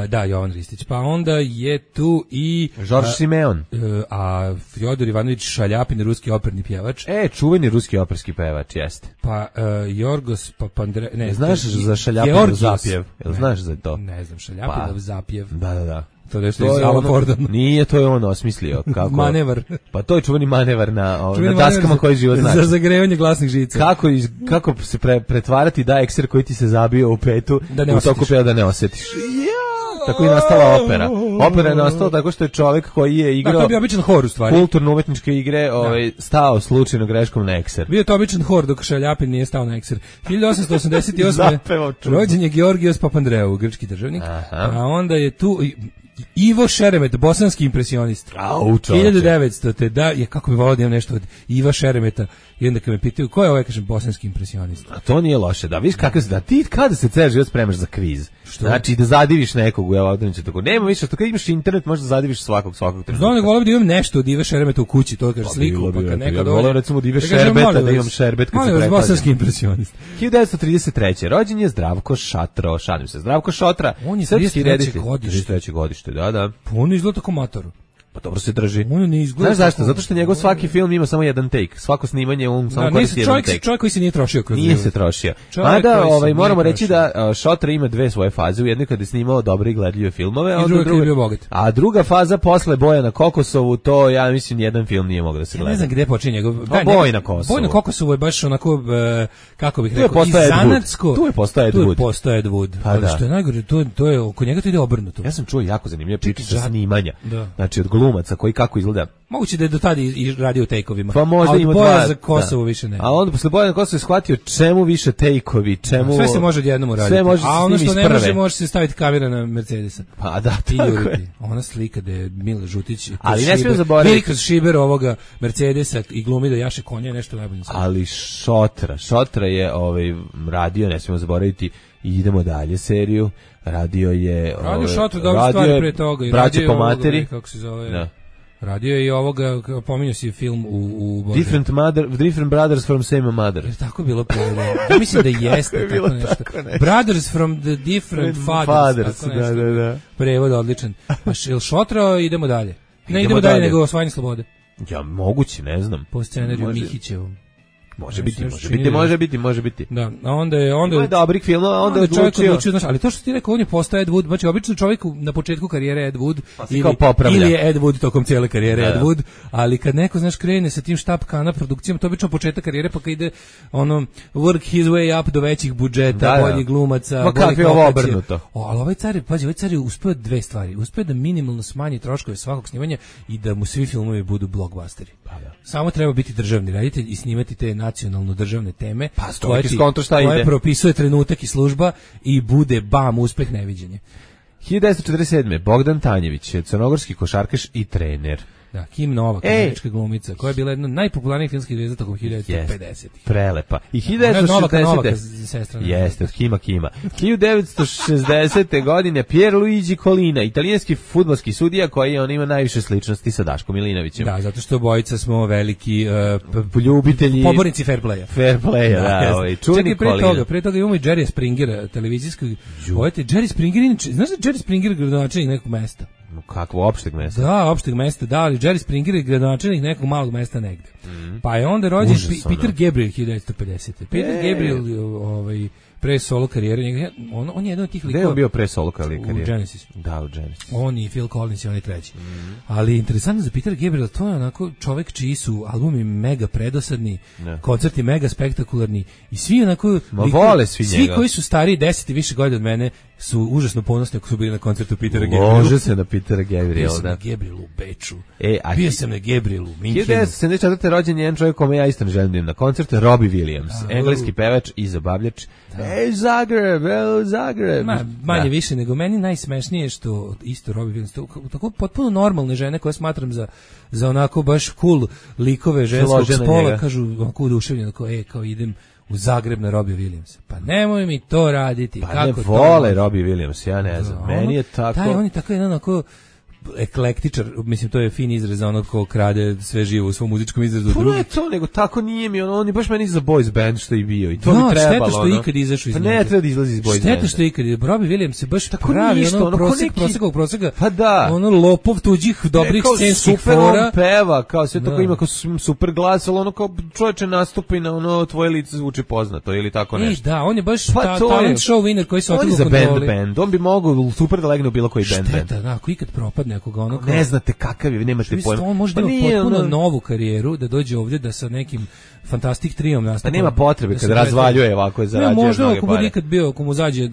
Da, Jovan Ristić. Pa onda je tu i Žorž Simeon. A Fjodor Ivanović Šaljapin, ruski operni pjevač. Čuveni ruski operski pevač, jeste. Pa Jorgos Papandre... Ne, znaš za Šaljapinov zapjev? Jel znaš za to? Ne znam, Šaljapinov zapjev. Da. To nešto iz Alan Fordon. Nije, to je on osmislio. Kako? Manevar. Pa to je čuveni manevar na daskama koji život znači. Za zagrevanje glasnih žica. Kako se pretvarati da ekser koji ti se zabio u petu, u toku peva da ne osjetiš. Tako je nastala opera. Opera je nastala tako što je čovjek koji je igrao... to je bio običan hor u stvari. Kulturno-umetničke igre stao slučajno greškom na ekser. Bio je to običan hor dok Šaljapin nije stao na ekser. 1888. rođen je Georgijos Papandreou, grčki državnik. A onda je tu... Ivo Šeremet, bosanski impresionist. 1900. Da, kako bi volao da imam nešto od Iva Šeremeta. I onda kad me pitaju ko je ovaj, kažem, bosanski impresionist. A to nije loše, da vidiš kako se da ti kada se ceo život spremaš za kviz. Što? Znači da zadiviš nekog, evo određenje tako. Nema više što kad imaš internet možeš da zadiviš svakog trenutka. Znam da voleo da imam nešto od Ive Šeremeta u kući, to kaže sliku, pa kad neka dođe. Voleo recimo od Ive Šerbeta da imam šerbet kad se pretplaćam. Bosanski impresionist. 1933. rođen je Zdravko Šatro, šalim se. Zdravko Šotra, on je 33. godište, da. On izgleda tako matoru. Pa dobro se drži. On ne izgleda. Znaš zašto? Zato što njegov svaki film ima samo jedan take. Svako snimanje on samo koristi jedan take. Čovjek koji se nije trošio kroz Nije se trošio. Mada moramo reći da Šotra ima dve svoje faze. U jednoj kada je snimao dobre i gledljive filmove, a druga faza posle Boja na Kokosovu, to ja mislim jedan film nije mogao da se gleda. Ne znam gde počinje njegov. Boj na Kosovu. Boj na Kosovu je baš onako kako bih rekao, zanatsko. Tu je postao Ed Wood. Ali što je najgore, to je oko njega to ide obrnuto. Ja sam čuo jako zanimljive priče sa snimanja. Znači od glumaca koji kako izgleda. Moguće da je do tada i radio take-ovima. Pa možda ima Boja za Kosovo više ne. A onda posle Boja na Kosovo je shvatio čemu više take-ovi, čemu... Sve se može odjednom uraditi. Sve može a ono što ne može se staviti kamera na Mercedesa. Pa da, tako je. Ona slika da je Mila Žutić ali ne smijemo zaboraviti kroz šiber ovoga Mercedesa i glumi da jaše konja nešto najbolje. Ali Šotra je radio, ne smijemo zaboraviti, i idemo dalje seriju. Radio Šotra dobre stvari pre toga i Braće po materi, kako se zove. Da. Radio je i ovoga, pominjao si film u Different Brothers from Same Mother. Je tako bilo prevedeno? Ja mislim da jeste tako nešto. Brothers from the Different Fathers. Da. Prevod odličan. Pa Šotra, idemo dalje. Ne idemo dalje nego Osvajanje slobode. Ja, moguće, ne znam. Po scenariju Mihićevom. Može biti. Da, a onda je dobrih filmova, onda je odlučio. Znaš, ali to što ti rekao, on je postao Ed Wood, znači obično čovjek na početku karijere Ed Wood ili je Ed Wood tokom cijele karijere Ed Wood, ali kad neko, znaš, krene sa tim štapkana produkcijama, to je obično početak karijere, pa kad ide work his way up do većih budžeta, boljih glumaca, boljih lokacija. Ovo obrnuto. Ali ovaj car je uspeo dve stvari. Uspeo da minimalno smanji troškove svakog snimanja i da mu svi filmovi budu blockbusteri. Samo treba biti državni reditelj i snimati te nacionalno državne teme koje propisuje trenutak i služba i bude bam, uspeh neviđenje. 1947. Bogdan Tanjević, crnogorski košarkaš i trener. Da, Kim Novak, američka glumica, koja je bila jedna od najpopularnijih filmskih zvezda tokom 1950-ih. Prelepa. I 1960. Novaka, sestra. Jeste, od Kima. 1960. godine Pierluigi Collina, italijanski fudbalski sudija koji ima najviše sličnosti sa Daškom Milinovićem. Da, zato što obojica smo veliki ljubitelji pobornici fair playa. Fair playa, da, čuveni Collina. Pre toga imamo i Jerry Springera, televizijskog. Jerry Springer, znaš da Jerry Springer gradonačelnik nekog mesta? Kakvo, opšteg mesta? Da, opšteg mesta, da, ali Jerry Springer je gradonačelnik nekog malog mesta negde. Pa je onda rođen Peter Gabriel 1950. Peter Gabriel, pre solo karijere, on je jedan od tih likova. Gde je on bio pre solo karijere? U Genesis. Da, u Genesis. On i Phil Collins i on je treći. Ali interesantno za Peter Gabriel, to je onako čovek čiji su albumi mega predosadni, koncerti mega spektakularni i svi onako... vole svi njega. Svi koji su stariji 10 i više godina od mene su užasno ponosni ako su bili na koncertu Petera Gabriela. Može se na Petera Gabriela, da. Bio sam na Gabrielu u Beču. Bio sam na Gabrielu u Minhenu. 1974. rođen je jedan čovjek kome ja isto ne želim da im na koncert, Robbie Williams, engleski pevač i zabavljač. Zagreb. Manje više, nego meni najsmešnije što isto Robbie Williams, tako potpuno normalne žene koje smatram za onako baš cool likove ženskog spola, kažu onako uduševljeno, kao idem u Zagreb na Robbie Williamsa. Pa nemoj mi to raditi. Pa kako ne vole Robbie Williams, ja ne znam. Meni je tako... On je tako jedan onako eklektičar, mislim to je fin izraz za onog ko krade sve živo u svom muzičkom izrazu. Pa ne to, nego tako nije mi, on je baš meni za boys band što je bio i to mi trebalo. Šteta što je ikad izašao iz njega. Pa ne treba da izlazi iz boys banda. Šteta što je ikad, Robbie Williams se baš tako pravi, proseka, pa da. Ono lopov tuđih dobrih scenskih fora. Super on peva, kao sve tako ima kao super glas, ali ono kao čovječe nastupi na ono tvoje lice zvuči poznato ili tako nešto. Da, on je baš talent show winner koji se otišao u kontroli. Band, on bi mogao super da legne u bilo koji band. Šteta, da, ako ikad propadne nekoga ono ne znate kakav je, nemate pojma. On može da ima potpuno novu karijeru, da dođe ovdje da sa nekim Fantastic Triom nastupa. Pa nema potrebe kad razvaljuje ovako je zarađuje mnoge pare. Možda ako bude ikad bio, ako mu zađe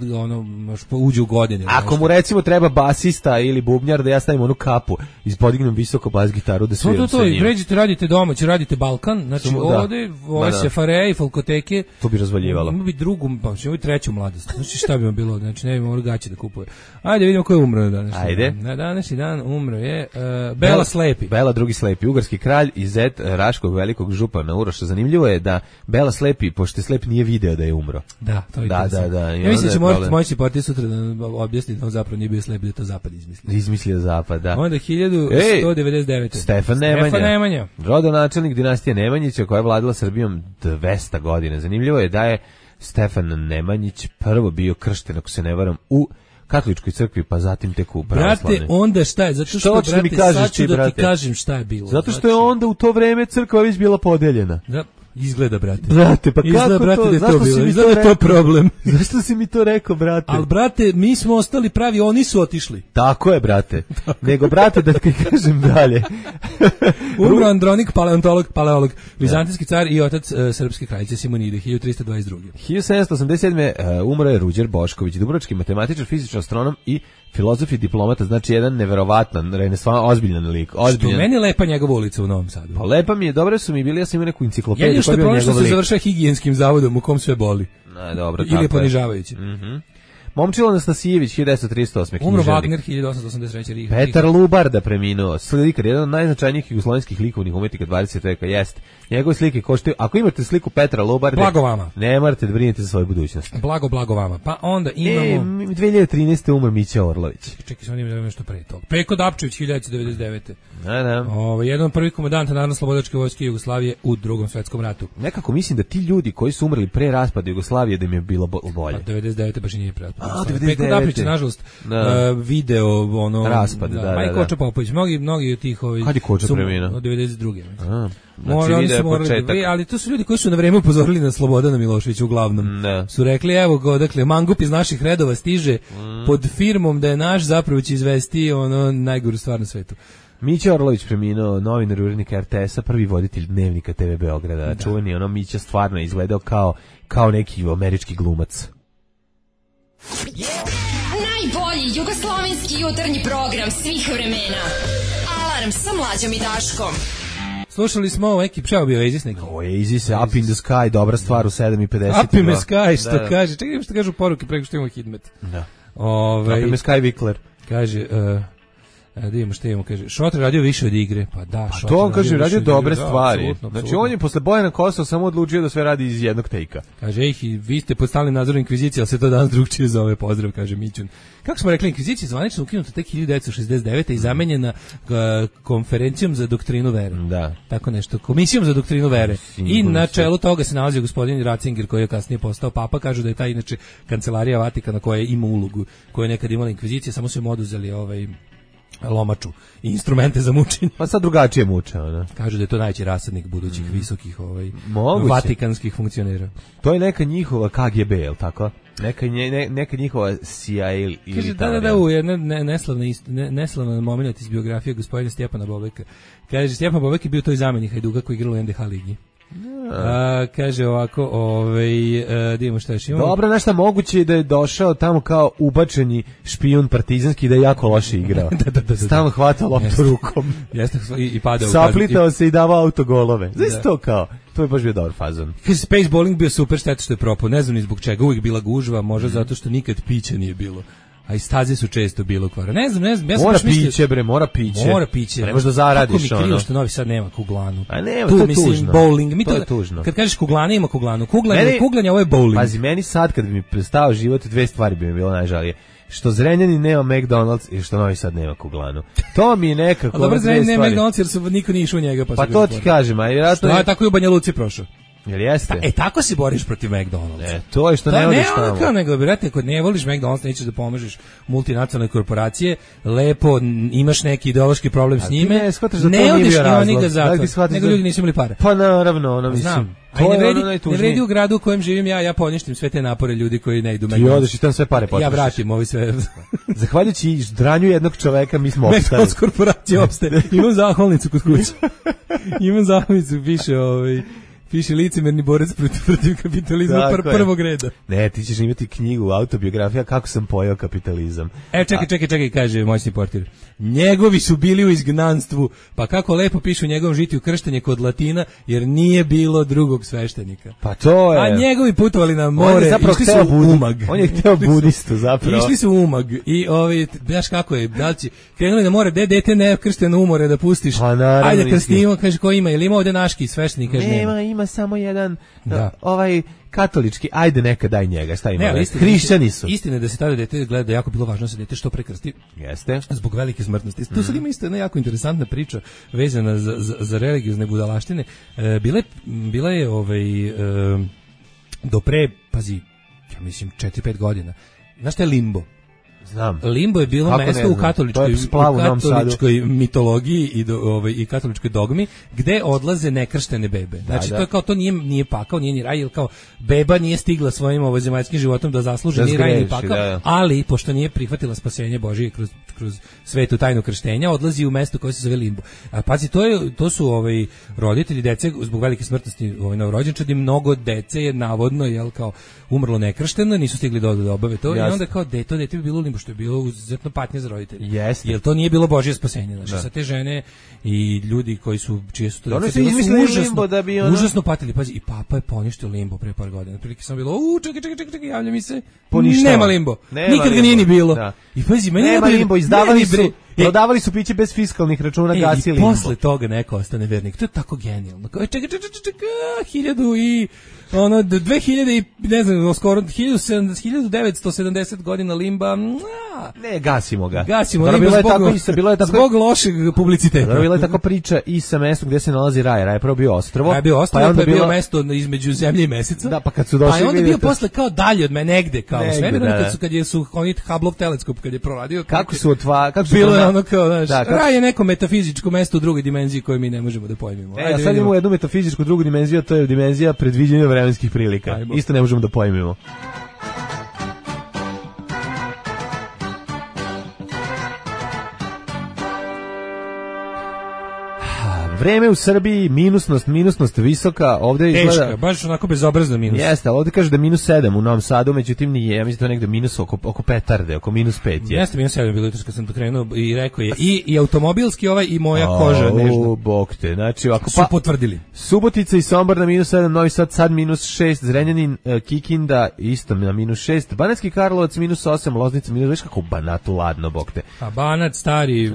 uđe u godine. Ako mu recimo treba basista ili bubnjar da ja stavim onu kapu i podignem visoko bas gitaru da sviram sa njim. Pređite, radite domaći, radite Balkan, znači ovdje, ove Sefareje i Folkoteke. To bi razvaljivalo. Ima bi drugu, pa ima bi treću mladost. Znači šta bi vam bilo, znači ne bi morao gaće da kupuje. Ajde vidimo ko je umro na današnji dan. Ajde. Na današnji dan umro je Bela Slepi. Bela drugi Slepi, ugarski kralj i zet Raškog velikog župana Uroša. Zanimljivo je da Bela Slepi, pošto je slep, nije video da je umro. Da, to je da. Ja mislim da će moći partij sutra da objasni da on zapravo nije bio slep, da je to Zapad izmislio. Izmislio Zapad, da. Onda 1199. Stefan Nemanja. Rodonačelnik dinastije Nemanjića koja je vladala Srbijom 200 godina. Zanimljivo je da je Stefan Nemanjić prvo bio kršten, ako se ne varam, u katoličkoj crkvi, pa zatim tek u pravoslavnoj. Brate, onda šta je? Zato što, brate, sad ću da ti kažem šta je bilo. Zato što je onda u to vreme crkva već bila podeljena. Da. Izgleda, brate. Brate, pa izgleda, kako brate, to? Da je to bilo? Izgleda je to problem. Zašto si mi to rekao, brate? Ali, brate, mi smo ostali pravi, oni su otišli. Tako je, brate. Nego, brate, da ti kažem dalje. Umro Andronik, paleolog, vizantijski car i otac srpske kraljice Simonide, 1322. 1787. Umro je Ruđer Bošković, dubrovački matematičar, fizičar, astronom i filozof i diplomata, znači jedan neverovatan, ozbiljan lik. Što meni lepa njegova ulica u Novom Sadu. Pa lepa mi je, dobro su mi bili, ja sam imao neku enciklopediju. Jedino što je problem što se završava higijenskim zavodom u kom sve boli. Dobro, ili je ponižavajuće. Momčilo Anastasijević, 1938. Umro Wagner, 1883. Petar Lubarda preminuo, slikar, jedan od najznačajnijih jugoslovenskih likovnih umetnika 20. veka, jest. Njegove slike koštaju, ako imate sliku Petra Lubarde, blago vama. Ne morate da brinete za svoju budućnost. Blago vama. Pa onda imamo... 2013. umr Mića Orlović. Čekaj, sam imamo nešto pre toga. Peko Dapčević, 1999. Da. Jedan od prvih komandanta Narodno-slobodačke vojske Jugoslavije u Drugom svetskom ratu. Nekako mislim da ti ljudi koji su umrli pre raspada Jugoslavije da im je bilo bolje. 99. baš i nije pre raspada. Peko Dapčević je, nažalost, video raspad, da. Koča Popović, mnogi od tih kad je Koča preminuo? Od 92. Znači, ali to su ljudi koji su na vreme upozorili na Slobodana Miloševića uglavnom. Su rekli, evo ga, dakle, mangup iz naših redova stiže pod firmom da je naš, zapravo će izvesti najgoru stvar na svetu. Mića Orlović preminuo, novinar i urednik RTS-a, prvi voditelj Dnevnika TV Beograda. Čuveni, Mića stvarno izgledao kao neki američki glumac. Najbolji jugoslovenski jutarnji program svih vremena. Alarm sa Mlađom i Daškom. Slušali smo ovo neki pšao bio Oasis neki. Oasis, Up in the Sky, dobra stvar u 7:50. Up in the Sky, što kaže. Čekaj što kažu poruke preko što imamo Hidmet. Da. Naprimjer Sky Wickler. Kaže, da vidimo šta imamo, kaže, Šotra radio više od igre, pa da, Šotra to on kaže, radio dobre stvari. Znači on je posle Bojana Kosova samo odlučio da sve radi iz jednog tejka. Kaže, vi ste pod stalnim nadzorom inkvizicije, ali se to danas drugčije zove, pozdrav, kaže Mićun. Kako smo rekli, inkvizicija je zvanično ukinuta tek 1969. i zamenjena konferencijom za doktrinu vere. Da. Tako nešto, komisijom za doktrinu vere. I na čelu toga se nalazio gospodin Ratzinger, koji je kasnije postao papa. Kažu da je ta inače kancelarija Vatikana koja ima ulogu, koja je nekad imala inkvizicija, samo su im oduzeli lomaču i instrumente za mučenje. Pa sad drugačije muče, ona. Kažu da je to najveći rasadnik budućih visokih vatikanskih funkcionera. To je neka njihova KGB, je li tako? Neka njihova CIA ili kaže, da, neslavna moment iz biografije gospodina Stjepana Bobeka. Kaže, Stjepan Bobek je bio toj zamenik Hajduka koji igrao u NDH ligi. Kaže ovako, idemo šta još imamo. Dobro, nešto moguće je da je došao tamo kao ubačeni špijun partizanski, da je jako loše igrao. da. Stalno hvatao loptu rukom. Jeste, i padao. Saplitao se i davao autogolove. Znaš to kao? To je baš bio dobar fazon. Kaže, Space Bowling bio super, šteta što je propao. Ne znam ni zbog čega, uvijek bila gužva, možda zato što nikad pića nije bilo. A i staze su često bilo kvara. Ne znam. Ja mora piće, bre, mora piće. Pa ne možeš da zaradiš, kako mi krivo što Novi Sad nema kuglanu. A nema, to je tužno. Bowling. To je tužno. Kad kažeš kuglana, ima kuglanu. Kuglanje, ovo je bowling. Pazi, meni sad kad bi mi prestao život, dve stvari bi mi bilo najžalije. Što Zrenjanin nema McDonald's i što Novi Sad nema kuglanu. To mi je nekako... A dobro, Zrenjanin nema McDonald's jer niko nije išao u njega. Pa to ti kažem, a vjerojatno... Što je tako i u Banja Luci prošao. Jel jeste? Tako se boriš protiv McDonald'sa. To je što ne voliš tamo. Kao nego bi rekao, kod ne voliš McDonald's, nećeš da pomožeš multinacionalne korporacije, lepo imaš neki ideološki problem s njime, ne odeš ni ga zato, nego ljudi nisu imali pare. Pa naravno, mislim. Ne vredi u gradu u kojem živim ja poništim sve te napore ljudi koji ne idu McDonald's. I odeš i tam sve pare potrošiš. Ja vratim ovi sve. Zahvaljujući dranju jednog čoveka mi smo opstali. McDonald's korporacija opstaje. Imam zahvalnicu kod kuće. Piše licemerni borac protiv kapitalizma prvog reda. Ne, ti ćeš imati knjigu, autobiografija kako sam pojao kapitalizam. Čekaj, kaže moćni portir. Njegovi su bili u izgnanstvu, pa kako lepo pišu u njegovom žitiju krštenje kod Latina, jer nije bilo drugog sveštenika. Pa to je. A njegovi putovali na more, išli su u Umag. On je hteo budistu zapravo. Išli su u Umag i znaš kako je, dalci, krenuli na more, dete ne kršteno umore da pustiš. Pa naravno. Ajde krstimo, kaže ko ima, ili ima ovde naški sveštenik, kaže nema. Ima samo jedan katolički, ajde neka daj njega, šta ima? Hrišćani su. Istina je da se tada dete gleda, jako bilo važno da se dete što prekrsti. Jeste. Zbog velike smrtnosti. Tu sad ima isto jedna jako interesantna priča vezana za religiozne budalaštine. Bila je do pre, pazi, ja mislim 4-5 godina. Znaš šta je limbo? Znam. Limbo je bilo mesto u katoličkoj mitologiji i katoličkoj dogmi gde odlaze nekrštene bebe. Znači to je kao, to nije pakao, nije ni raj, jer kao beba nije stigla svojim ovozemaljskim životom da zasluži ni raj ni pakao, ali pošto nije prihvatila spasenje Božije kroz svetu tajnu krštenja, odlazi u mesto koje se zove Limbo. A pazi, to su roditelji dece zbog velike smrtnosti novorođenčadi, mnogo dece je navodno kao umrlo nekršteno, nisu stigli da obave to. Jasne. I onda kao to dete bi bilo u Limbo, što je bilo izuzetno patnje za roditelje. Yes. Jer to nije bilo Božje spasenje. Znači, sa te žene i ljudi koji su, čije su to dece, užasno patili. Pazi, i papa je poništio Limbo pre par godina. Prilike sam bilo, čekaj, javlja mi se. Nema Limbo. Nikad ga nije ni bilo. Da. I pazi, nema Limbo, prodavali su piće bez fiskalnih računa, gasili Limbo. I posle toga neko ostane vernik. To je tako genijalno. Čekaj, 2000 i ne znam, skoro 1970 godina Limba. Ne, gasimo ga. Bilo je tako zbog lošeg publiciteta. Bila je tako priča i sa mestom gdje se nalazi raj. Raj je prvo bio ostrvo. Raj je bio ostrvo, pa je bio mesto između zemlje i meseca. Da, pa kad su došli... Pa je onda bio posle kao dalje od me, negde, kao svemirom, kad su oni Hubbleov teleskop, kad je proradio. Kako su bilo je ono kao, znaš, raj je neko metafizičko mesto u drugoj dimenziji koje mi ne možemo da pojmimo. Ja sad imamo jednu metafizičku drugu dimenziju, to je dimenzija predviđenja vremenskih prilika. Isto ne možemo da pojmimo. Vreme u Srbiji, minusnost visoka, ovde izgleda... Teška, baš onako bezobrazno minus. Jeste, ali ovde kaže da -7 u Novom Sadu, međutim nije, ja mislim da negde minus oko petarde, oko -5 je. Jeste, -7 bilo jutros kad sam krenuo i rekao je i automobilski i moja koža nežna. Bog te, znači ovako su potvrdili. Subotica i Sombor na -7, Novi Sad -6, Zrenjanin, Kikinda isto na -6, Banatski Karlovac -8, Loznica -, kako u Banatu ladno, bog te. A Banat stari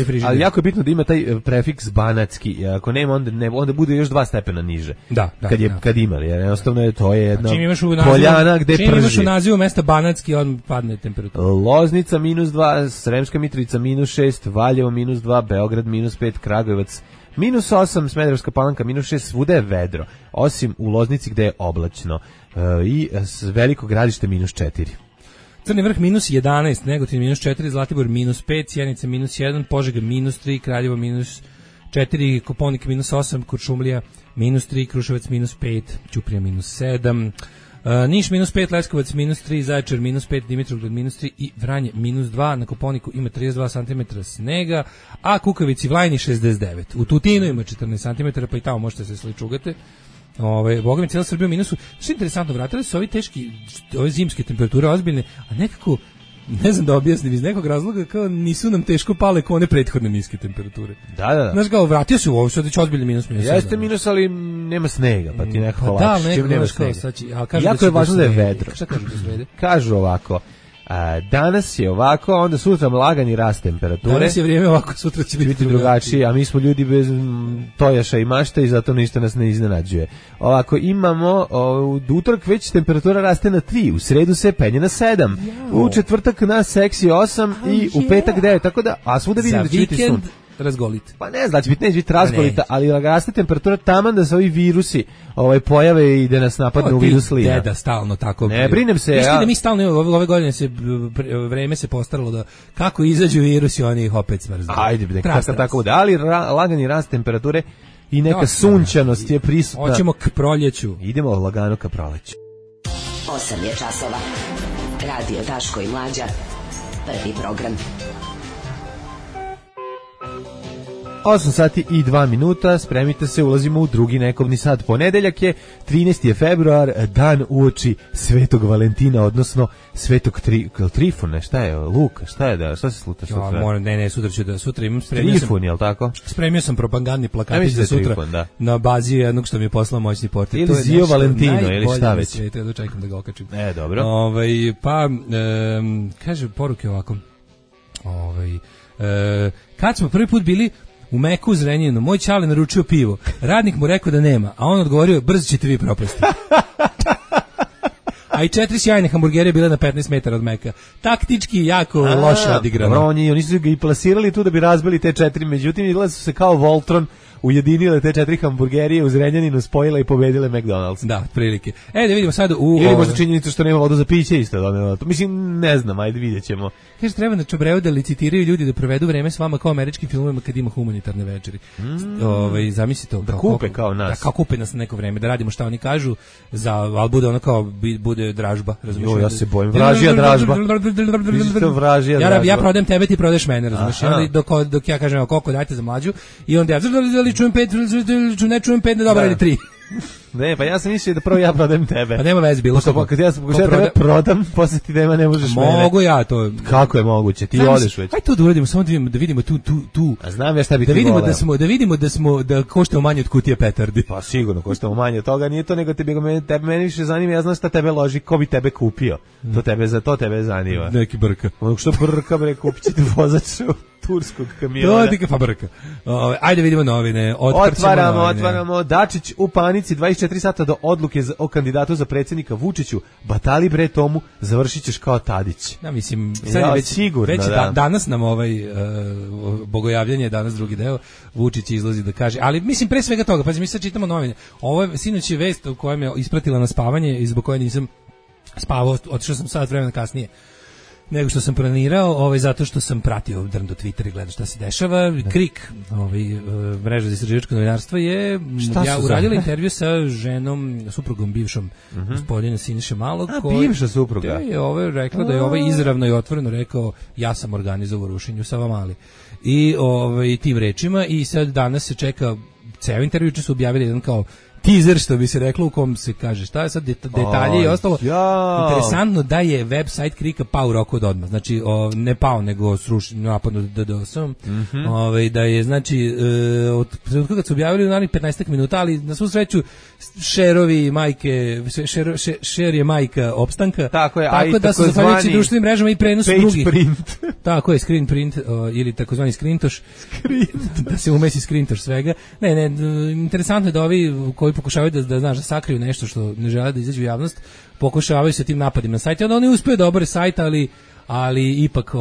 frižider. Ali jako je bitno da ima taj prefiks banatski, ako nema onda bude još 2 stepena niže. Kad ima, jer jednostavno to je jedna poljana gde prži. Čim imaš u nazivu mesta Banatski, on padne temperatura. Loznica -2, Sremska Mitrovica -6, Valjevo -2, Beograd -5, Kragujevac -8, Smederevska Palanka -6, svuda je vedro, osim u Loznici gde je oblačno i Veliko Gradište -4. Crni Vrh -11, Negotin -4, Zlatibor -5, Sjenica -1, Požega -3, Kraljevo -4, Koponik -8, Kuršumlija -3, Kruševac -5, Ćuprija -7, Niš -5, Leskovac -3, Zaječar -5, Dimitrovgrad -3 i Vranje -2. Na Koponiku ima 32 cm snega, a Kukavici Vlajni 69. U Tutinu ima 14 cm, pa i tamo možete se sličugati. Boga mi cijela Srbija u minusu. Što je interesantno, vratili su ove zimske temperature ozbiljne, a nekako, ne znam da objasnim, iz nekog razloga kao nisu nam teško pale kao one prethodne niske temperature. Da. Znaš kao, vratio se u ovo, sad će ozbiljni minus. Jeste minus, ali nema snega, pa ti nekako lakše. Čim nema snega. Jako je važno da je vedro. Šta kažu da svede? Kažu ovako, danas je ovako, onda sutra lagani rast temperature. Danas je vrijeme ovako, sutra će biti drugačije, a mi smo ljudi bez tojaša i mašta i zato ništa nas ne iznenađuje. Ovako, imamo u utorak već temperatura raste na 3, u sredu se penje na 7, u četvrtak na seksi 8 i u petak 9, tako da, a svuda vidim da će biti sun. Razgolite. Pa ne znači, neće biti razgolita, ali raste temperatura taman da se ovi virusi pojave i da nas napadne u vidu slina. Deda stalno tako. Ne brinem se. Da mi stalno ove godine vreme se postaralo da kako izađu virusi, oni ih opet smrznu. Ajde, tako bude. Ali lagani rast temperature i neka sunčanost je prisutna. Hoćemo k proljeću. Idemo lagano ka proleću. 8 je časova. Radio Daško i Mlađa. Prvi program. 8 sati i 2 minuta, spremite se, ulazimo u drugi nekovni sat. Ponedeljak je, 13. je februar, dan uoči Svetog Valentina, odnosno Svetog Trifona, šta je, Luka, šta se sluta sutra? Sutra imam Trifon, jel tako? Spremio sam propagandni plakatić za sutra Trifon, na bazi jednog što mi je poslao moćni portir. Ili Zio Valentino, ili šta već? Da čekam da ga okačim. Dobro. Kaže poruke ovako, kad smo prvi put bili u Meku u Zrenjaninu, moj čale naručio pivo. Radnik mu rekao da nema, a on odgovorio, brzo ćete vi propasti. A i 4 sjajne hamburgerije bile na 15 metara od Meka. Taktički jako loše odigrano. Oni su ga i plasirali tu da bi razbili te 4, međutim vidjeli su se kao Voltron, ujedinile te 4 hamburgerije u Zrenjaninu, spojile i pobedile McDonald's. Da, prilike. Da vidimo sad ili možda činjenicu što nema vodu za piće isto donelo. Mislim, ne znam, ajde vidjet ćemo. Kaže, treba na Čobreu da licitiraju ljudi da provedu vreme s vama kao američkim filmovima kad ima humanitarne večeri. Zamisli to. Da kupe kao nas. Da, kao kupe nas na neko vreme, da radimo šta oni kažu, ali bude ono kao, bude dražba. Jo, ja se bojim. Vražija dražba. Ja prodajem tebe, ti prodaješ mene, razumiješ? Dok ja kažem, koliko dajte za Mlađu, i onda ja čujem 5, ne čujem 5, ne dobro, ili 3. Ne, pa ja sam mislio da prvo ja prodajem tebe. Pa nema veze, bilo što. Kad ja tebe prodam, posle ti nema, ne možeš mene. Mogu ja to. Kako je moguće? Ti odeš već. Aj to da uradimo, samo da vidimo tu. A znam ja šta bi ti voleo. Da vidimo da koštamo manje od kutije petardi. Pa sigurno koštamo manje od toga, nije to nego mene više zanima, ja znam šta tebe loži, ko bi tebe kupio. To tebe zanima. Neki brka. Ono što brka, bre, kupit ćete vozač turskog kamiona. To je fabrika. Ajde vidimo novine. Otvaramo. Dačić u panici, 24 sata do odluke o kandidatu za predsjednika Vučiću. Batali bre Tomu, završit ćeš kao Tadić. Ja mislim, sad je sigurno, danas nam bogojavljanje, danas drugi deo, Vučić izlazi da kaže, ali mislim pre svega toga, pazi, mi sad čitamo novine. Ovo je sinoć je vest u kojem je ispratila na spavanje i zbog koje nisam spavao, otišao sam sat vremena kasnije. nego što sam planirao, zato što sam pratio drndo Twitter i gledao šta se dešava. KRIK, mreža za istraživačko novinarstvo, je uradila intervju sa ženom, suprugom bivšom gospodina Siniše Malog. Bivša supruga. Je rekla da je izravno i otvoreno rekao, ja sam organizovao rušenje u Savamali. I tim rečima, i sad danas se čeka ceo intervju, su objavili jedan kao teaser, što bi se reklo, u kom se kaže šta je sad detalje i ostalo. Interesantno da je website KRIK-a pao u roku od odmah. Znači, ne pao, nego srušen, napadno DDoS-om. Da je, znači, od trenutka kad su objavili u narednih 15 minuta, ali na svu sreću šerovi majke, šer je majka opstanka. Tako je, tako da su zahvaljujući društvenim mrežama i prenosu drugih. Print. Tako je, screen print, ili takozvani skrintoš. Da se umesi skrintoš svega. Ne, interesantno je da ovi koji pokušavaju da sakriju nešto što ne žele da izađe u javnost, pokušavaju se tim napadima na sajt. Onda oni uspeju da obore sajt, ali ipak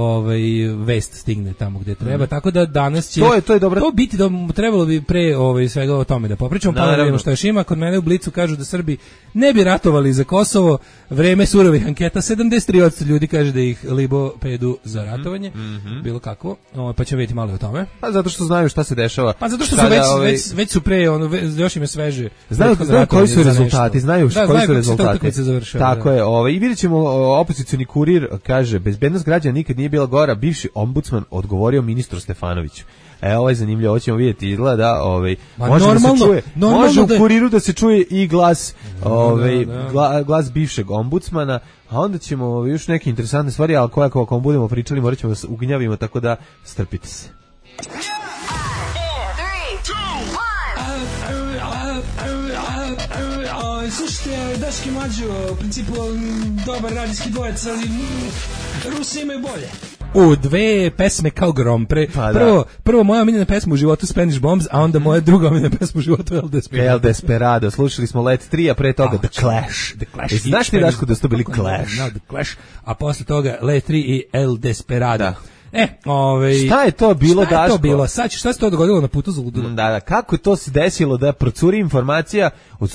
vest stigne tamo gde treba. Tako da danas će to je dobro. To biti trebalo bi pre svega o tome da popričamo, pa da vidimo šta još ima. Kod mene u Blicu kažu da Srbi ne bi ratovali za Kosovo, vreme surovih anketa, 73% ljudi kaže da ih libo pedu za ratovanje, bilo kakvo, pa ćemo vidjeti malo o tome. Pa zato što znaju šta se dešava. Pa zato što su već su pre, još im je sveže. Znaju koji su rezultati, znaju koji su rezultati. Tako je, i vidjet ćemo, opozicioni kurir kaže, bezbednost građana nikad nije bila gora, bivši ombudsman odgovorio ministru Stefanoviću. Ovo je zanimljivo, ovo ćemo vidjeti, izgleda, može da se čuje, može u kuriru da se čuje i glas, glas bivšeg ombudsmana, a onda ćemo još neke interesantne stvari, ali koje ako budemo pričali, morat ćemo da ugnjavimo, tako da strpite se. Slušajte, Daški Mlađo, u principu dobar radijski dvojec, ali Rusi imaju bolje. U dve pesme kao grom. Prvo moja omiljena pesma u životu Spanish Bombs, a onda moja druga omiljena pesma u životu El Desperado. El Desperado. Slušali smo Let 3, a pre toga The Clash. Znaš ti, Daško, da su to bili Clash? The Clash, a posle toga Let 3 i El Desperado. Da. Šta je to bilo, Daško? Šta je to bilo? Sad, šta se to dogodilo na putu za ludilo? Da, kako to se desilo da procuri informacija od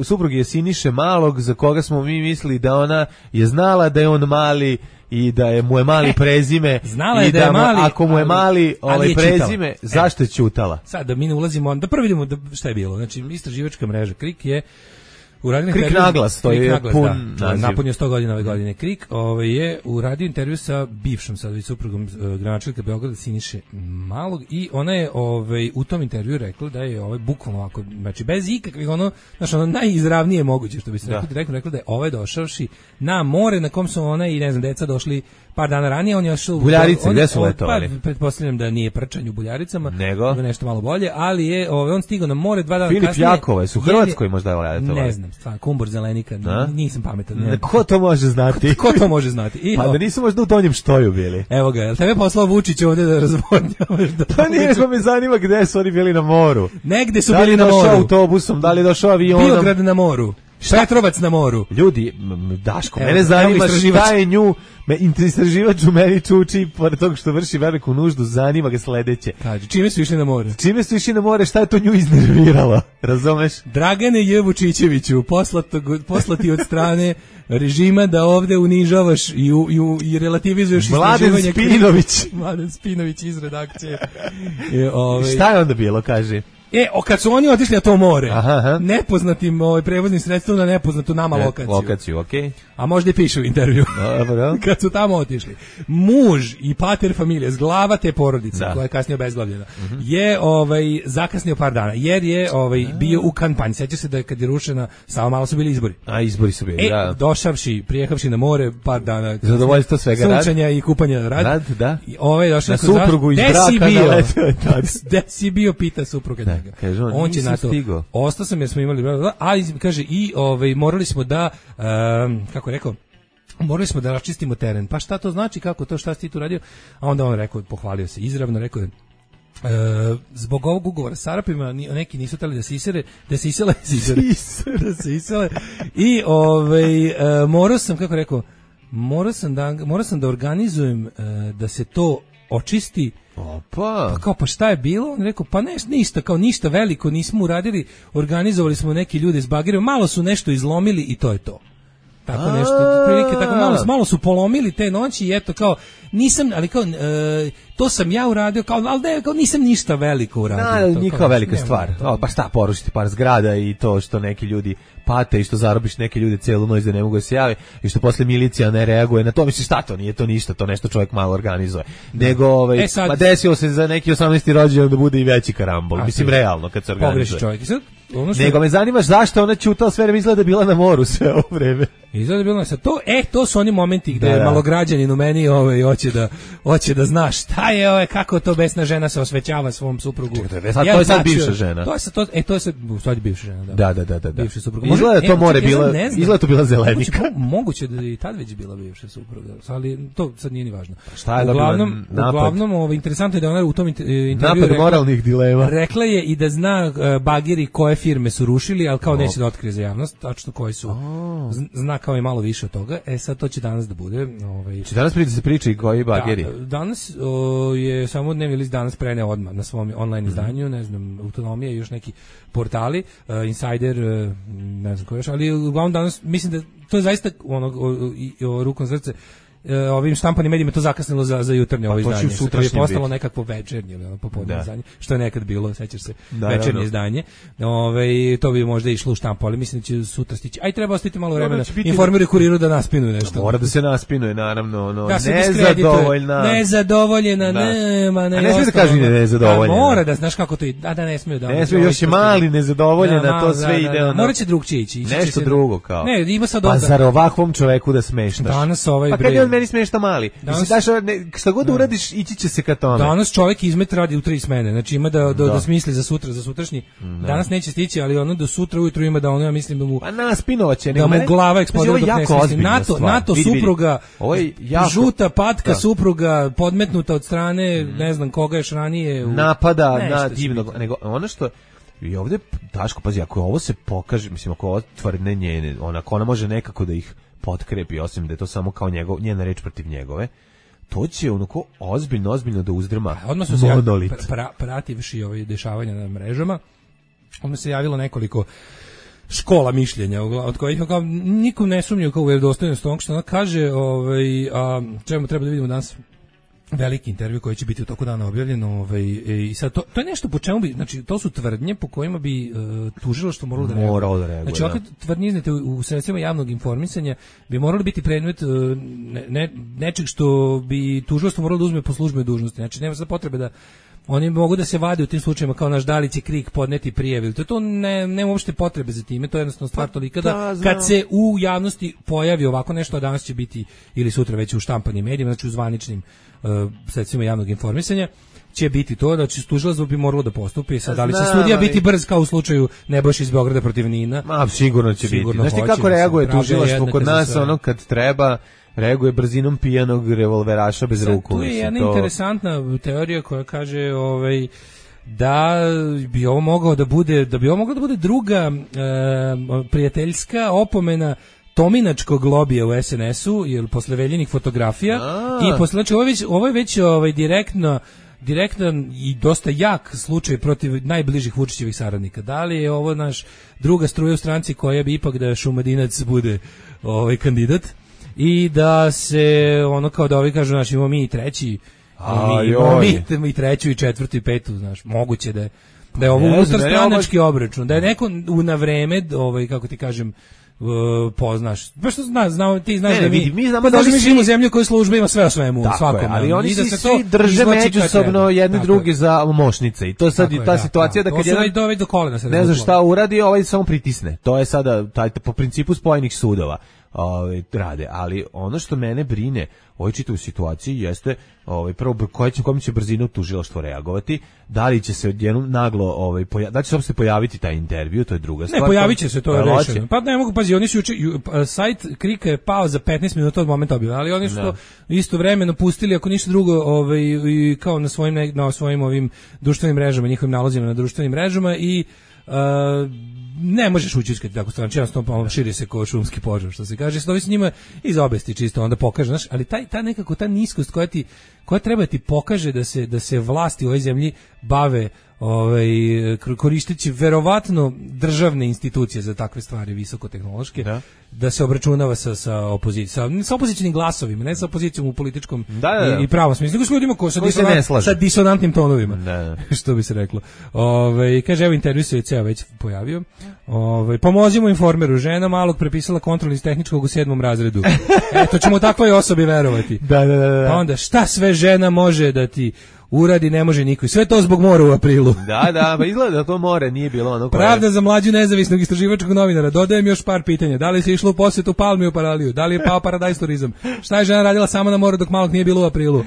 supruge Siniše Malog, za koga smo mi mislili da ona je znala da je on mali i da mu je mali prezime. Znala je da je mali, ako mu je mali prezime, zašto je ćutala? Sad da mi ne ulazimo, da prvo vidimo šta je bilo. Znači, istraživačka mreža KRIK je KRIK naglas, to je pun naziv. Napunio 100 godina ove godine. KRIK je uradio intervju sa bivšom suprugom gradonačelnika Beograda Siniše Malog i ona je u tom intervju rekla da je bukvalno ovako, znači bez ikakvih najizravnije moguće što bi se rekla da je došavši na more na kom su ona i deca došli par dana ranije. On je ošao Buljarice, gde su letovali? Pretpostavljam da nije prčanj u Buljaricama, nego nešto malo bolje, ali je on stigao na more 2 dana kasnije. Filip Jakova, su u Hrvatskoj možda letovali? Ne znam, stvarno, Kumbor Zelenika, nisam pametan. Ko to može znati? Ko to može znati? Pa da nisu možda u Donjem Štoju bili. Evo ga, jel tebe poslao Vučić ovdje da razvodnjavaš? Pa nije, nego me zanima gde su oni bili na moru. Negde su bili na moru. Da li došao autobusom, da li došao avionom? Biograd na moru. Petrovac na moru. Ljudi, Daško, mene zanima šta je nju, istraživač u meni čuči, pored toga što vrši veliku nuždu, zanima ga sledeće. Kaže, čime su išli na more? Šta je to nju iznerviralo? Razumeš? Dragane J. Vučićeviću, poslati od strane režima da ovde unižavaš i relativizuješ istraživanje. Mladen Spinović iz redakcije. Šta je onda bilo, kaže? Kad su oni otišli na to more, nepoznatim prevoznim sredstvom na nepoznatu nama lokaciju. Okay. A možda i piše u intervju. Kad su tamo otišli. Muž i pater familije, zglava te porodice, koja je kasnije obezglavljena, je zakasnio par dana, jer je bio u kampanji. Sjeća se da kad je rušena, samo malo su bili izbori. A izbori su bili, da. Prijehavši na more, par dana zadovoljstvo svega, sunčanja i kupanja rad. Da. Došao na suprugu iz braka naletio. Gde si bio, pita supruga njega. Kaže on će na to. Ostao sam jer smo imali, ali kaže i morali smo da kako rekao, morali smo da raščistimo teren. Pa šta to znači, kako to, šta si ti tu radio? A onda on rekao, pohvalio se izravno, rekao je zbog ovog ugovora s Arapima neki nisu hteli da se isele i morao sam, kako rekao, morao sam da organizujem da se to očisti. Pa šta je bilo? On rekao, pa ništa veliko nismo uradili, organizovali smo neki ljude s bagerima, malo su nešto izlomili i to je to. tako nešto, prilike tako malo su polomili te noći i eto kao nisam, ali kao to sam ja uradio, kao al da kao nisam ništa veliko uradio. Nije kao velika stvar. Pa šta, porušiti par zgrada i to što neki ljudi pate i što zarobiš neke ljude celu noć da ne mogu da se jave i što posle milicija ne reaguje na to, misliš šta to, nije to ništa, to nešto čovjek malo organizuje. Nego pa desilo se za neki 18. rođendan da bude i veći karambol. Mislim realno kad se organizuje. Čovjek. Nego me zanima zašto ona ćutala sve vreme, izgleda bila na moru sve ovo vreme. Izgleda bila na to, to su oni momenti gde malograđanin u meni hoće da zna šta je, kako to besna žena se osvećava svom suprugu. To je sad bivša žena. To je sad u stvari bivša žena, da. Bivša supruga. Izgleda to more bila, izgleda to bila Zelenika. Moguće da i tad već bila bivša supruga, ali to sad nije ni važno. Šta je uglavnom interesantno je da ona u tom intervjuu napad moralnih dilema. Rekla je i da zna bageri koje firme su rušili, ali kao neće da otkrije za javnost, tačno koji su. Zna kao i malo više od toga. Sad to će danas da bude. Će danas se priča i koji bageri? Danas je samo dnevni list danas preneo odmah na svom online izdanju, ne znam, Autonomija i još neki portali, Insider, ne znam ko još, ali uglavnom danas mislim da to je zaista rukom srce ovim štampanim medijima to zakasnilo za jutarnje ovo izdanje, što je postalo nekakvo večernje ili popodne izdanje, što je nekad bilo, sećaš se, večernje izdanje. To bi možda išlo u štampu, ali mislim da će sutra stići. Aj treba ostaviti malo vremena. Informiraju Kuriru da naspinuje nešto. Mora da se naspinuje, naravno, nezadovoljena, nema, ne. A ne smije da kaže nezadovoljena. Mora da znaš kako to ide, da ne smije da. Ne smije, još je mali nezadovoljena, to sve ide. Moraće drugčije ići. Nešto drugo kao. Ne, ima sad pa zar ovakvom čoveku da smeštaš? Danas meni smešta mali. Mislim šta god uradiš ići će se ka tome. Danas čovjek izmet radi u 3 smene. Znači ima da smisli za sutra, za sutrašnji. Danas neće stići, ali ono do sutra ujutru ima da ono, ja mislim da mu pa naspinovaće, da mu glava eksplodira dok ne smisli. NATO supruga, žuta patka supruga podmetnuta od strane, ne znam koga još ranije napada na divnog, nego ono što i ovdje Daško, pazi, ako ovo se pokaže, mislim, ako ovo tvrdne njene, ona može nekako da ih potkrepi, osim da je to samo kao njena reč protiv njegove, to će onako ozbiljno da uzdrma monolit. Prativši ove dešavanja na mrežama, onda se javilo nekoliko škola mišljenja, od kojih kao nikom ne sumnju kao u vjerodostojnost onog što ona kaže, čemu treba da vidimo danas veliki intervju koji će biti u toku dana objavljen, i sad to je nešto po čemu bi, znači to su tvrdnje po kojima bi tužilaštvo moralo da reaguje. Znači ovakve tvrdnje iznete u sredstvima javnog informisanja bi morali biti predmet nečeg što bi tužilaštvo moralo da uzme po službenoj dužnosti. Znači nema sad potrebe da oni mogu da se vade u tim slučajevima kao naš da li će KRIK podneti prijave. To nema uopšte potrebe za time, to je jednostavno stvar tolika da kad se u javnosti pojavi ovako nešto, a danas će biti ili sutra već u štampanim medijima, znači u zvaničnim sredstvima javnog informisanja, će biti to da će tužilaštvo bi moralo da postupi. Sad da li će sudija biti brz kao u slučaju Nebojše iz Beograda protiv Nina? Sigurno će biti. Znaš ti kako reaguje tužilaštvo kod nas, ono kad treba reaguje brzinom pijanog revolveraša bez ruku. Tu je jedna interesantna teorija koja kaže da bi ovo moglo da bude druga prijateljska opomena tominačkog lobija u SNS-u, jer posle veljenih fotografija i posle, znači ovo je već direktan i dosta jak slučaj protiv najbližih Vučićevih saradnika. Da li je ovo naš druga struja u stranci koja bi ipak da Šumadinac bude kandidat i da se ono kao da ovi kažu, znači imamo mi i treći, mi i treću i četvrtu i petu, znaš, moguće da je ovo unutarstranački obračun, da je neko na vreme, kako ti kažem, poznaš. Pa što ti znaš da mi znamo da mi živimo u zemlji koja služba ima sve o svemu, svakom. Ali oni se svi drže međusobno jedni drugi za mošnice i to sad i ta situacija da kad jedan dovede do kolena se ne zna šta uradi, samo pritisne. To je sada po principu spojenih sudova rade, ali ono što mene brine u čitavoj situaciji jeste prvo kojom će brzinom tužilaštvo reagovati, da li će se odjednom naglo da će se pojaviti taj intervju, to je druga stvar. Ne, pojavit će se, to je rešeno. Pa ne mogu, pazi, oni su sajt Krika je pao za 15 minuta od momenta objave, ali oni su to istovremeno pustili, ako ništa drugo, kao na svojim ovim društvenim mrežama, njihovim nalozima na društvenim mrežama i ne možeš ućiskati tako strano, jednostavno širi se kao šumski požar, što se kaže, stovi s njima iz obesti čisto, onda pokaže, znaš, ali ta niskost koja treba ti pokaže da se vlasti u ovoj zemlji bave koristeći verovatno državne institucije za takve stvari visokotehnološke, da se obračunava sa opozicijom, sa opozicijnim glasovima, ne sa opozicijom u političkom i pravom smislu, nego s ljudima koji sa disonantnim tonovima, što bi se reklo. Kaže, evo intervju se ceo već pojavio. Pomozimo Informeru, žena malog prepisala kontrol iz tehničkog u 7. razredu. Eto, ćemo takvoj osobi verovati. Pa onda, šta sve žena može da ti uradi, ne može niko. Sve to zbog mora u aprilu. Pa izgleda da to more nije bilo ono koje... Pravda za mlađu nezavisnog istraživačkog novinara. Dodajem još par pitanja. Da li se išlo u posjetu Palmi u Paraliju? Da li je pao Paradise turizam? Šta je žena radila sama na moru dok malog nije bilo u aprilu?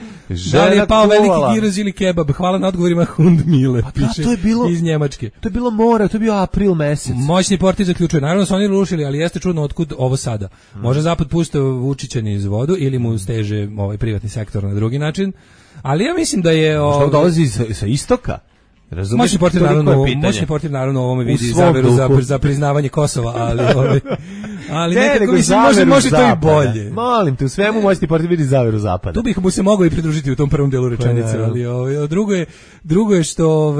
Da li je pao veliki giroz ili kebab? Hvala na odgovorima Hundmile. Pa to je bilo iz Njemačke. To je bilo more, to je bio april mesec. Moćni portir zaključuje. Naravno su oni rušili, ali jeste čudno otkud ovo sada. Može zapad pustiti Vučića niz vodu ili mu steže privatni sektor na drugi način. Ali ja mislim da je... Što dolazi sa istoka? Moćni portir naravno ovome vidi zaveru za priznavanje Kosova, ali nekako mislim može to i bolje. Molim te, u svemu moćni portir vidi zaveru zapada. Tu bih mu se mogao i pridružiti u tom prvom delu rečenice, ali drugo je što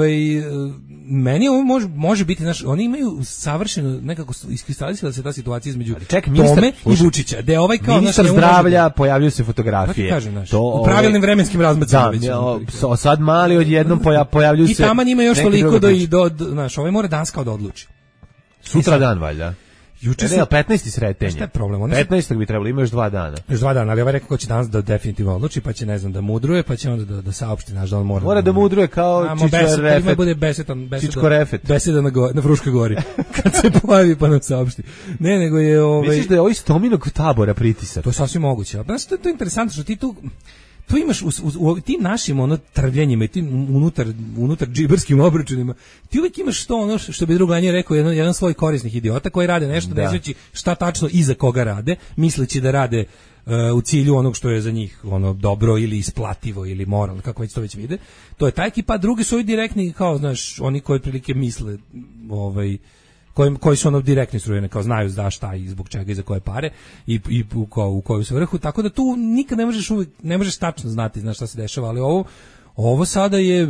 meni ovo može biti, oni imaju savršeno nekako iskristalisala se ta situacija između Tome i Vučića, da je kao ministar zdravlja, pojavljaju se fotografije. U pravilnim vremenskim razmacima. Sad mali odjednom pojavljuju se. I tamo njima još toliko znaš, ovaj mora danas kao da odluči. Sutra dan, valjda. Juče se 15. sretenje. Šta je problem? 15. bi trebalo, ima još 2 dana. Još 2 dana, ali ovaj rekao ko će danas da definitivno odluči, pa će ne znam da mudruje, pa će onda da saopšti, znaš, da on mora da mudruje kao Čičko bude beseda na Fruškoj gori. Kad se pojavi pa nam saopšti. Ne, nego je Misliš da je ovo iz Tominog tabora pritisak? To je sasvim moguće. Znaš, to je interesantno što ti tu imaš u tim našim trvljenjima i tim unutar džiberskim obračunima, ti uvijek imaš to što bi Druglanje rekao, jedan sloj korisnih idiota koji rade nešto ne znajući šta tačno i za koga rade, misleći da rade u cilju onog što je za njih dobro ili isplativo ili moralno, kako već to već vide. To je ta ekipa, drugi su ovi direktni, kao znaš, oni koji otprilike misle koji su direktni strujene, kao znaju za šta i zbog čega i za koje pare i u koju svrhu, tako da tu nikad ne možeš tačno znati šta se dešava, ali ovo sada je...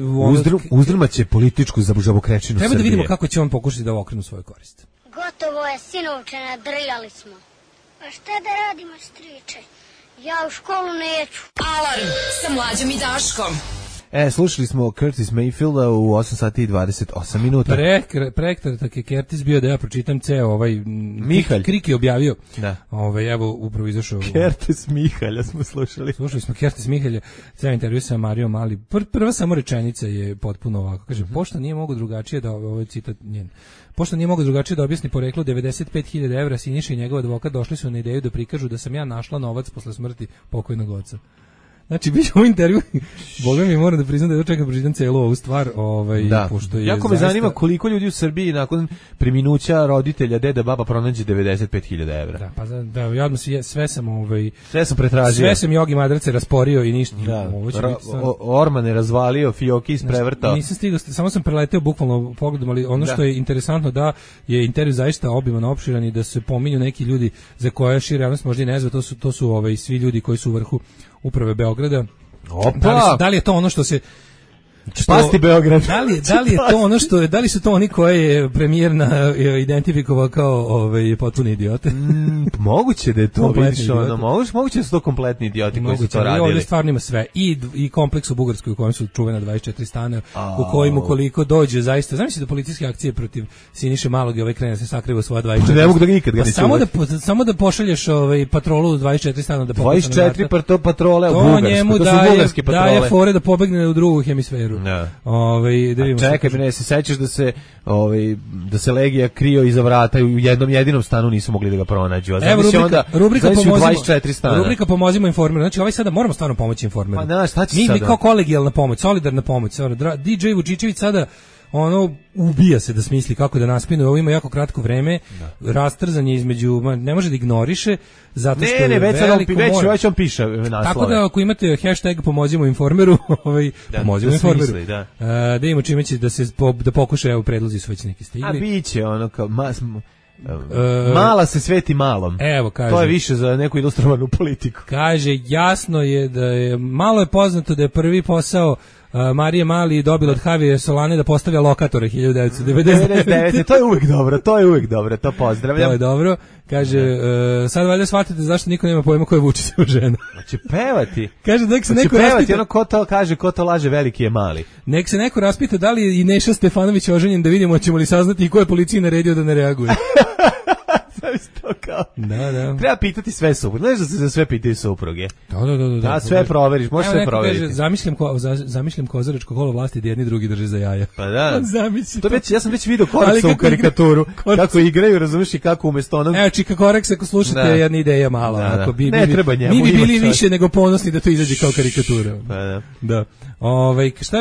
Uzdrmaće političku žabokrečinu Srbije. Treba da vidimo kako će on pokušati da okrenu svoju korist. Gotovo je, sinovče, nadrljali smo. A šta da radimo, striče? Ja u školu neću. Alarm sa Mlađom i Daškom. Slušali smo Curtis Mayfielda u 8 sati i 28 minuta. Prekratak je Curtis bio da ja pročitam ceo Mihalj. Krik je objavio. Da. Evo upravo izašao. Curtis Mihalja smo slušali. Slušali smo Curtis Mihalja, ceo intervju sa Marijom Mali. Prva samo rečenica je potpuno ovako. Kaže, pošto nije mogo drugačije da, ovo je citat njen, pošto nije mogo drugačije da objasni poreklo 95.000 evra, Siniša i njegov advokat došli su na ideju da prikažu da sam ja našla novac posle smrti pokojnog oca. Znači, biće u intervju, Boga mi moram da priznam da ja čekam pročitam celu ovu stvar, pošto je jako me zanima koliko ljudi u Srbiji nakon preminuća roditelja, deda, baba pronađe 95.000 evra. Da, pa ja odmah sve sam pretražio. Sve sam Jogi Madrace rasporio i ništa. Da, Orman je razvalio, Fioki isprevrtao. Nisam stigao, samo sam preleteo bukvalno pogledom, ali ono što je interesantno da je intervju zaista obiman, opširan i da se pominju neki ljudi za koje šira javnost možda i ne zna, to su svi ljudi koji su u vrhu uprave Beograda. Da li je to ono što se Spasti Beograd. Da li je to ono što je, da li su to oni koje je premijer identifikovao kao potpuni idiote? Moguće da je to, vidiš, moguće da su to kompletni idioti koji su to radili. Ovdje stvarno ima sve. I kompleks u Bugarskoj u kojem su čuvena 24 stana, u kojim ukoliko dođe zaista, znam da policijske akcije protiv Siniše Malog i krene se sakriva svoja 24. Ne mogu da nikad ga ne čuvaju. Samo da pošalješ patrolu 24 stana da pokuša 24 patrole u Bugarskoj. To njemu daje fore da pobegne u drugu hemisferu. Čekaj, ne se sećaš da se Legija krio iza vrata i u jednom jedinom stanu nisu mogli da ga pronađu. A evo rubrika pomozimo Informeru. Znači sada moramo stvarno pomoći Informeru. Pa šta će sada? Mi kao kolegijalna pomoć, solidarna pomoć. DJ Vučićević sada ubija se da smisli kako da naspinuje, ovo ima jako kratko vreme, rastrzanje između, ne može da ignoriše, zato što je veliko more. Već on piše naslove. Tako da ako imate hashtag pomozimo Informeru, pomozimo Informeru, da imamo čime će da pokuša, evo predlozi su već neki stigli. A biće kao mala se sveti malom. Evo, kaže, to je više za neku ilustrovanu politiku. Kaže, jasno je da je malo je poznato da je prvi posao Marije Mali dobila od Javiera Solane da postavlja lokatore 1999. To je uvek dobro, to pozdravljam. To je dobro. Kaže, sad valjda shvatite zašto niko nema pojma ko je Vučićeva žena. Hoće pevati. Kaže, nek se neko raspita. Ono ko to kaže, ko to laže, veliki je mali. Nek se neko raspita da li je i Neša Stefanović oženjen, da vidimo ćemo li saznati i ko je policiji naredio da ne reaguje. Da. Treba pitati sve supruge. Znaš da se za sve pitaju supruge. Da, sve proveriš, možeš sve proveriti. Kaže, zamišljam kozaračko kolo vlasti da jedni drugi drže za jaja. Pa da. To već, ja sam već video Koreksa u karikaturu. Kako igraju, razumiješ, i kako umjesto onog... Evo, Čika Koreks, ako slušate, jedna ideja mala. Ako ne treba njemu. Mi bi bili više nego ponosni da to izađe kao karikatura. Pa da.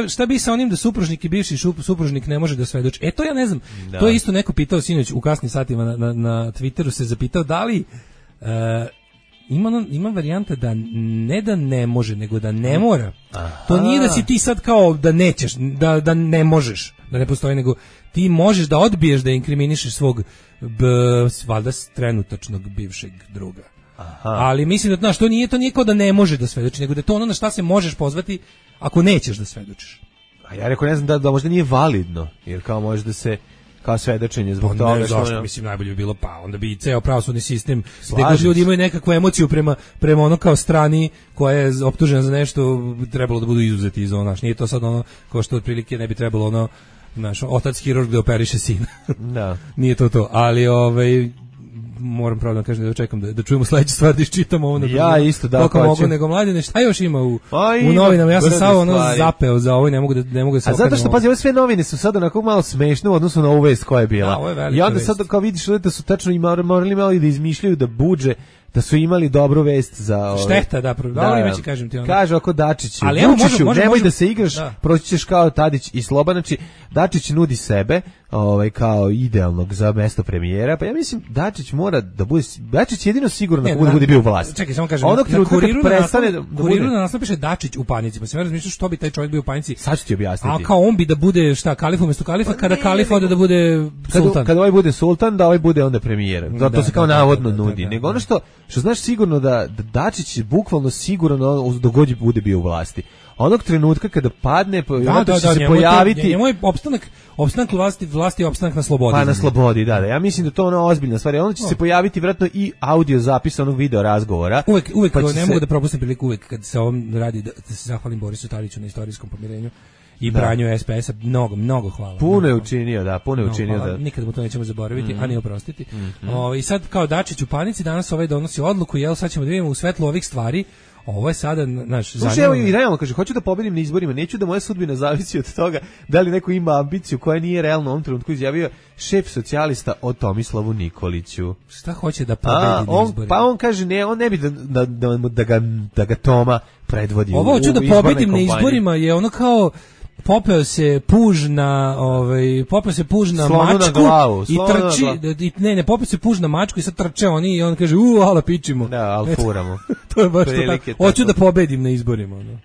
Šta bi sa onim da supružnik i bivši supružnik ne može da svedoči? To ja ne znam. To je isto neko pitao sinoć u kasnim satima na Twitteru, se zapitao da li ima varijanta da ne može, nego da ne mora. To nije da si ti sad kao da nećeš, da ne možeš, da ne postoji, nego ti možeš da odbiješ da inkriminišeš svog valjda trenutačnog bivšeg druga. Ali mislim da to nije kao da ne može da svedoči, nego da je to ono na šta se možeš pozvati ako nećeš da svedočiš. A ja rekao, ne znam, da možda nije validno, jer kao može da se kao svedočenje zbog toga što... Zašto, mislim, najbolje bi bilo, pa onda bi i ceo pravosudni sistem, gde god ljudi imaju nekakvu emociju prema ono kao strani koja je optužena za nešto, trebalo da budu izuzeti iz ono, nije to sad ono, kao što otprilike ne bi trebalo ono, znaš, otac hirurg da operiše sina. Da. Nije to, ali moram pravo da kažem da čekam da čujemo sledeću stvar da iščitamo ovo. Ja isto da hoću. Mogu nego Mladine, šta još ima u novinama? Ja sam samo zapeo za ovo, ne mogu da se okrenem. A zato što, pazi, ove sve novine su sad onako malo smešne u odnosu na ovu vest koja je bila. I onda sad kao vidiš da su tačno morali malo i da izmišljaju da budže, da su imali dobru vest za šteta, dobro ime će kažem ti ono. Kaže oko Dačiću, Vučiću, nemoj da se igraš, proći ćeš kao Tadić i Sloba, znači Dačić nudi sebe, kao idealnog za mesto premijera, pa ja mislim Dačić mora da bude, Dačić jedino sigurno da bude bio u vlasti. Čekaj, samo kažem, Kuriru na naslovu piše Dačić u panici, pa se razmišljam što bi taj čovjek bio u panici. Sad ću ti objasniti. A kao on bi da bude šta, kalif umjesto kalifa, kada kalif ode da bude sultan. Kada ovaj bude sultan, da ovaj bude onda premijer. To se kao navodno nudi. Nego ono što znaš sigurno da Dačić je bukvalno sigurno dogod bude bio u vlasti. Onog trenutka kada padne, će se pojaviti... Njemu je opstanak vlasti je opstanak na slobodi. Pa na slobodi, da. Ja mislim da to ono ozbiljna stvar. Onda će se pojaviti vjerojatno i audio zapis onog video razgovora. Uvek pa ne mogu da propustim priliku uvek kad se ovom radi da se zahvalim Borisu Tadiću na istorijskom pomirenju i branju SPS-a. Mnogo hvala. Puno je učinio. Nikad mu to nećemo zaboraviti, a ni oprostiti. I sad kao Dačić u panici, danas donosi odluku, sad ćemo da vidimo u svetlu ovih stvari. Ovo je sada naš zanimljivo. Evo i realno kaže, hoću da pobedim na izborima, neću da moja sudbina zavisi od toga da li neko ima ambiciju koja nije realno u ovom trenutku, izjavio šef socijalista o Tomislavu Nikoliću. Šta hoće da pobedi na izborima? Pa on kaže, ne, on ne bi da ga Toma predvodi. Ovo hoću da pobedim na izborima je ono kao popeo se puž na mačku i trči ne popeo se puž na mačku i sad trče oni i on kaže ala pičimo. Da, al furamo. To je baš to tako. Hoću da pobedim na izborima, no.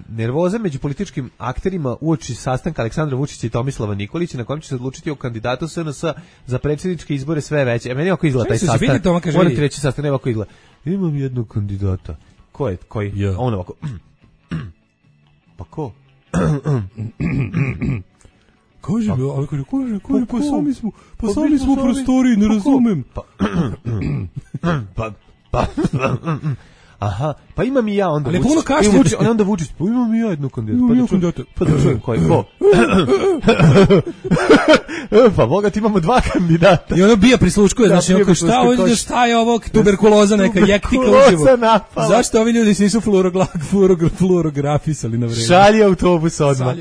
Nervoza među političkim akterima uoči sastanka Aleksandra Vučića i Tomislava Nikolića na kojem će se odlučiti o kandidatu SNS za predsjedničke izbore sve veće. Meni ovako izgleda taj sastanak. Moram ti reći sastanak, ovako izgleda. Imam jednog kandidata. Ko je? Koji? Yeah. On ovako. Pa ko? Kaže, pa sami smo prostori, ne razumem. Aha, pa imam i ja onda Vučić. Onda Vučić, pa imam i ja jednu kandidata. Pa da čujem koji, ko? Pa Boga, ti imamo dva kandidata. I ono bija prisluškuje, znači, šta je ovo, tuberkuloza neka, jektika uživo. Zašto ovi ljudi se nisu fluorografisali na vreme? Šalje autobus odmah.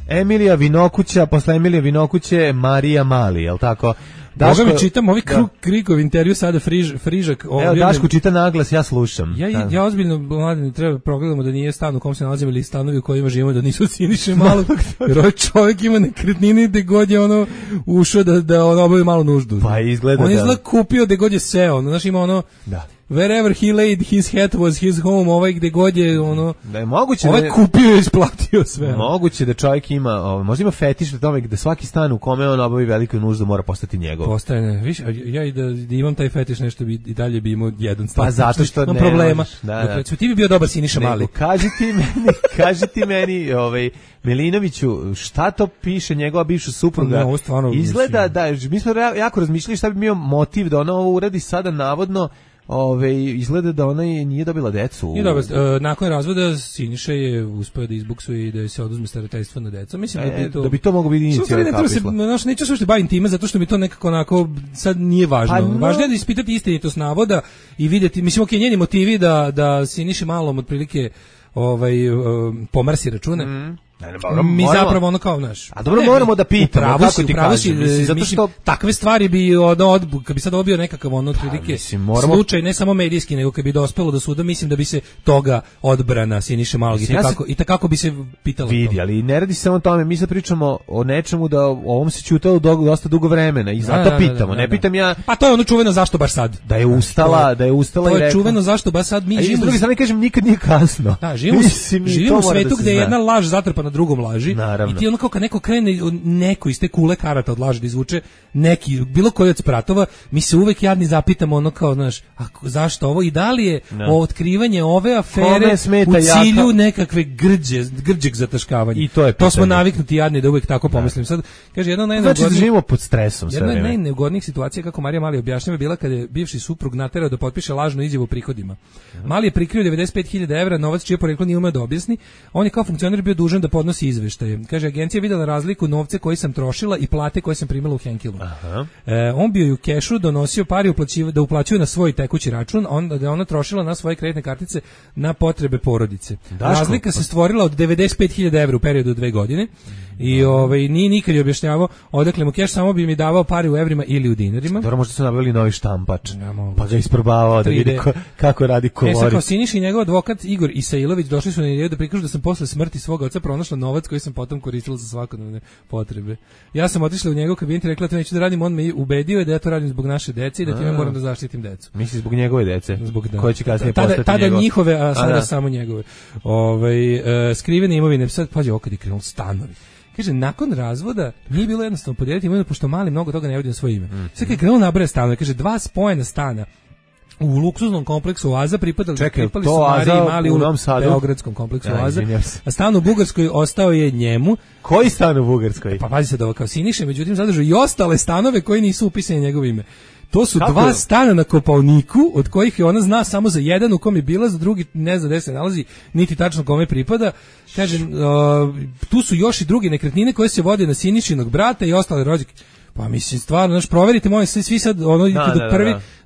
Emilija Vinokuća, posle Emilija Vinokuće, Marija Mali, jel tako? Boga mi čitam ovi Krikov intervju sada Frižak. Evo, Daško čita naglas, ja slušam. Ja ozbiljno, Mladine, treba progledamo da nije stan u kom se nalazimo ili stanovi u kojima živimo, da nisu Siniše Malog, jer ovaj čovjek ima nekretnine gde god je ono ušao da on obavi malo nuždu. Pa izgleda on izgleda kupio gde god je seo, znaš, ima ono... Da. wherever he laid his hat was his home, ovaj gde god je ono da je moguće ovaj kupio i isplatio sve. Moguće da čovjek ima, možda ima fetiš na tome da svaki stan u kome on obavi veliku nuždu mora postati njegov. Postane, viš, ja i da imam taj fetiš nešto bi i dalje bi imao jedan stan. Pa zato što imam problema. Da. Ti bi bio dobar Siniša Mali. Kaži ti meni, Milinoviću, šta to piše njegova bivša supruga? Izgleda da, mi smo jako razmišljali šta bi bio motiv da ona ovo uradi sada navodno. Izgleda da ona nije dobila decu. Nije dobila, nakon razvoda Siniša je uspeo da izbuksuje i da se oduzme starateljstvo na decu. Mislim da bi to moglo biti inicijalna kapisla. Neću se uopšte bavim time zato što mi to nekako onako sad nije važno. Važno je da ispitati istinitost navoda i vidjeti, mislim, njeni motivi da Siniši Malom otprilike pomersi račune. Mi zapravo ono kao naš. A dobro, moramo da pitamo kako ti kažeš, zato što takve stvari bi kad bi sad dobio nekakav otprilike slučaj ne samo medijski, nego kad bi dospelo do suda, mislim da bi se toga odbrana Siniše Malog i tako bi se pitalo. Vidi, ali ne radi se samo o tome, mi sad pričamo o nečemu da ovom se ćutalo dosta dugo vremena i zato pitamo, ne pitam ja. Pa to je ono čuveno zašto baš sad. Da je ustala to je čuveno zašto baš sad mi živimo. S druge strane kažem nikad nije kasno. Da, živimo u svetu gde je jedna laž zatrpana drugom laži. Naravno. I ti ono kao kad neko krene neko iz te kule karata od laži da izvuče neki, bilo koji od spratova, mi se uvek jadni zapitamo ono kao, znaš, zašto ovo i da li je otkrivanje ove afere u cilju nekakve grđeg zataškavanja. I to smo naviknuti jadni da uvek tako pomislim. Sad, kaže, znači da živimo pod stresom. Jedna od najneugodnijih situacija, kako Marija Mali objašnjava, bila kada je bivši suprug naterao da potpiše lažnu izjavu o prihodima. Mali je prikrio 95.000 evra, novac čije poreklo nije umeo da objasni. On je kao funkcioner bio dužan da podnosi izveštaje. Kaže, agencija je videla razliku novce koje sam trošila i plate koje sam primila u Henkilu. On bio i u kešu donosio pari da uplaćuje na svoj tekući račun, da je ona trošila na svoje kreditne kartice na potrebe porodice. Razlika se stvorila od 95.000 evra u periodu od 2 godine i nije nikad je objašnjavao odakle mu keš, samo bi mi davao pari u evrima ili u dinarima. Dobro, možda su nabavili novi štampač, pa ga isprobavao da vidi kako radi kolori. Sad kao Siniša i njegov advokat Igor Isailović došli su na ideju da prikažu da sam posle smrti svog oca pronašla novac koji sam potom koristila za svakodnevne potrebe. Ja sam otišla u njegov kabinet i rekla da neću da radim, on me ubedio da ja to radim zbog naše dece i da time moram da zaštitim decu. Misli zbog njegove dece? Koje će kasnije postati tada njihove, a sada samo njegove. Skrivene imovine, sad pađe okad je krenulo stanovi. Kaže, nakon razvoda nije bilo jednostavno podijeliti imovinu, pošto Mali mnogo toga ne vodi na svoje ime. Sad kad je krenulo nabraja stanove, kaže, 2 spojena stana u luksuznom kompleksu Oaza pripali su Mariji Mali u beogradskom kompleksu Oaza, a stan u Bugarskoj ostao je njemu. Koji stan u Bugarskoj? Pa pazi se da ovo kao Siniše, međutim zadržao i ostale stanove koji nisu upisani njegovo ime. To su 2 stana na Kopaoniku, od kojih je ona zna samo za jedan u kom je bila, za drugi ne zna gde se nalazi, niti tačno kome pripada. Kaže, tu su još i druge nekretnine koje se vode na Sinišinog brata i ostale rođake. Pa mislim, stvarno, znaš, proverite, molim, svi sad,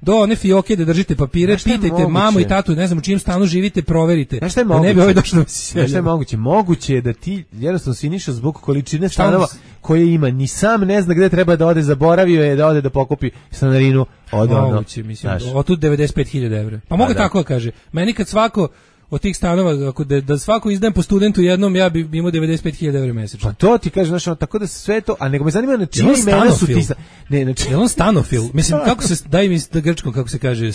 do one fioke da držite papire, pitajte mamu i tatu, ne znam u čijem stanu živite, proverite. Znaš šta je moguće? Da ne bi ovaj došlo da si selja. Znaš šta je moguće? Moguće je da ti, jednostavno Siniša zbog količine stanova koje ima, ni sam ne zna gde treba da ode, zaboravio je da ode da pokupi stanarinu od ono. Moguće, mislim, od tu 95.000 evra. Pa mogu tako da kaže. Meni kad svako od tih stanova, ako da svako izdajem po studentu jednom, ja bi imao 95.000 evra mesečno. Pa to ti kaže, znači, tako da sve to, a nego me zanima na čije imena su ti... Ne, znači, je on stanofil? Mislim, kako se, daj mi da grčko, kako se kaže,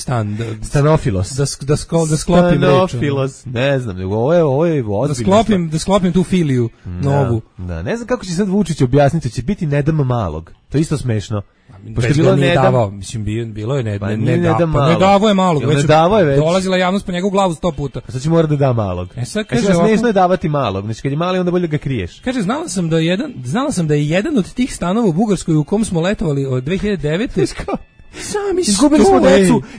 stanofilos. Da sklopim reč. Stanofilos, ne znam, ovo je ozbiljno. Da sklopim tu filiju novu. Da, ne znam kako će sad Vučić objasniti, će biti Nedam Malog. To je isto smešno. Već ga nije davao, mislim, bilo je ne davo je Malog, već dolazila javnost po njegovu glavu 100 puta. Sad će mora da da Malog. Sad kaže, smešno je davati Malog, znači kad je mali onda bolje ga kriješ. Kaže, znala sam da je jedan od tih stanova u Bugarskoj u kom smo letovali od 2009.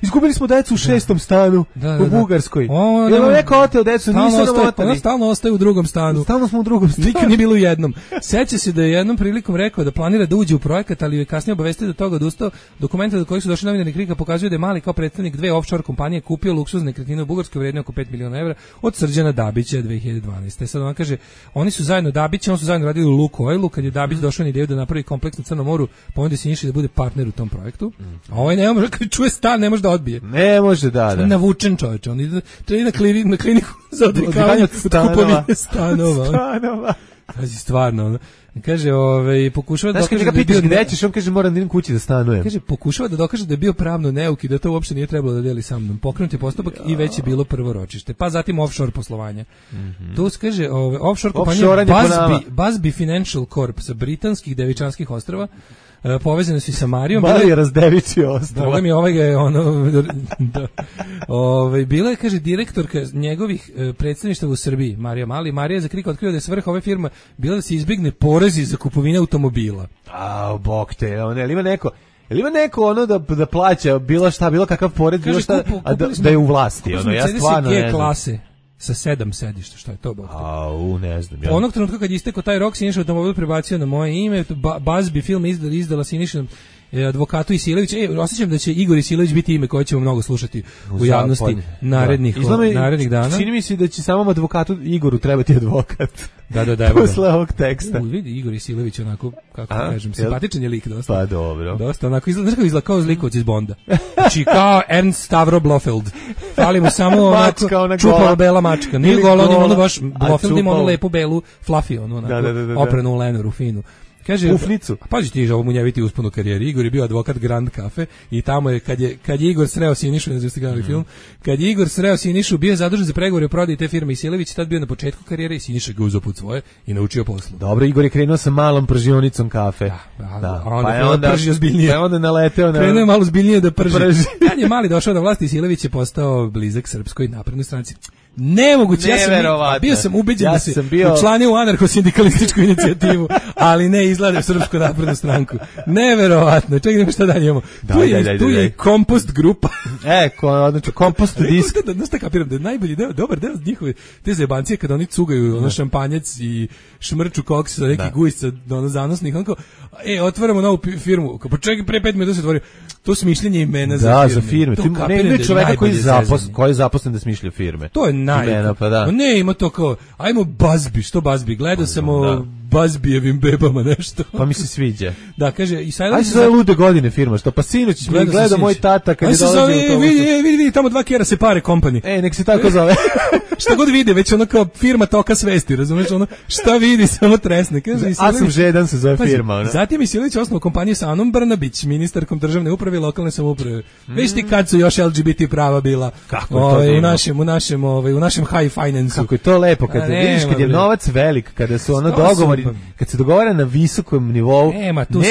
Izgubili smo decu u 6. stanu u Bugarskoj. Jel neko oteo decu, nisu nam oteli. Stalno ostaje u drugom stanu. Stalno smo u drugom stanu. Nikad nije bilo u jednom. Seća se da je jednom prilikom rekao da planira da uđe u projekat, ali je kasnije obavestio da toga odustao. Dokumenti do kojih su došli novinari Krika pokazuju da je Mali kao predstavnik 2 offshore kompanije kupio luksuzne nekretnine u Bugarskoj vrijedne oko 5 miliona evra od Srđana Dabića 2012. Sad on kaže, oni su zajedno Dabići, oni su zajedno radili u Lukoilu, kad je Dabić došao na ideju da napravi kompleks na Crnom moru, pa onda se Siniša da bude partner u tom projektu. A ovaj ne može, kad čuje stan, ne može da odbije. Ne može, da. Navučen čovječ, on ide na kliniku za odvikavanje od kupovine stanova. Pazi, stvarno. Kaže, pokušava da dokaže da je bio... Gde ćeš, on kaže, moram da idem kući da stanujem. Kaže, pokušava da dokaže da je bio pravno neuk i da to uopšte nije trebalo da deli sa mnom. Pokrenut je postupak i već je bilo prvo ročište. Pa zatim offshore poslovanja. Tu kaže, offshore kompanija Busby Financial Corp sa britanskih Devičanskih ostrava, povezane su i sa Marijom. Marija razdevičio ostrava. Da mi ga je bila je, kaže, direktorka njegovih predstavništava u Srbiji, Marija Mali. Marija je za krik otkrio da je svrha ove firme bila da se izbegne porezi za kupovine automobila. Bog te, ima neko ono da plaća bilo šta, bilo kakav porez, bilo šta, da je u vlasti. Ja stvarno ne znam. Klase sa 7 sedišta, šta je to, Bog te? Ne znam. Onog trenutka kad je istekao taj rok, Siniša automobil prebacio na moje ime, Busby film izdala Siniša advokatu Isilević. Osjećam da će Igor Isilević biti ime koje ćemo mnogo slušati u javnosti narednih dana. Čini mi se da će samom advokatu Igoru trebati advokat. Da. Posle ovog teksta. Vidi, Igor Isilević onako, kako kažem, simpatičan je lik dosta. Pa dobro. Dosta, onako, izgleda kao zlikovac iz Bonda. Znači, kao Ernst Stavro Blofeld. Fali mu samo onako čupava bela mačka. Nije gola, on ima ono baš, Blofeld ima onu lepu belu fluffy, onu onako, oprenu u Lenoru, finu. Kaže, Ufnicu. Pazi ti, ovo munjeviti usponu karijeri. Igor je bio advokat Grand Cafe i tamo je, kad je Igor sreo Sinišu, ne znam ste gledali film, kad je Igor sreo Sinišu, bio je zadužen za pregovore o prodaji te firme Isilević, tad bio na početku karijere i Siniša ga uzeo put svoje i naučio poslu. Dobro, Igor je krenuo sa malom pržionicom kafe. Da. A onda pržio zbiljnije. Pa onda naleteo na... Krenuo je malo zbiljnije da prži. Kad je Mali došao na vlast, Isilević je postao blizak Srpskoj naprednoj stranci. Nemoguće, bio sam ubeđen da se učlanio u anarcho-sindikalističku inicijativu, ali ne izgleda u Srpsku naprednu stranku. Neverovatno. Čekaj, šta dalje imamo? Tu je i kompost grupa. Znači kompost disk. Znaš šta kapiram, da je najbolji deo, dobar deo njihove te zajebancije kada oni cugaju ono šampanjac i šmrču koks sa neki gujsca zanosnih, onako, otvaramo novu firmu. Pa čekaj, pre 5 minuta se otvorio. To smišljenje imena za firme. Ne čoveka koji je zaposlen da smišlja firme. To je Ne, ima to kao, ajmo Busby, što Busby? Gledao sam o Busbyjevim bebama nešto. Pa mi se sviđa. Da, kaže, i sad... Ajde se zove Lude godine firma, što pa sinoć gledao moj tata kad je dolazio u autobusu. Vidi, tamo 2 kera se pare company. Nek se tako zove. Šta god vide, već ono kao firma toka svesti, razumeš, ono, šta vidi, samo tresne. A sam žedan se zove firma. Zatim Isilević osnovao kompaniju sa Anom Brnabić, ministarkom državne uprave i lokalne samouprave. Već ti kad su još LGBT prava bila u našem high finance. Kako je to lepo, kad vidiš kad je novac velik, kada su ono dogovori, kad se dogovara na visokom nivou, nema tu,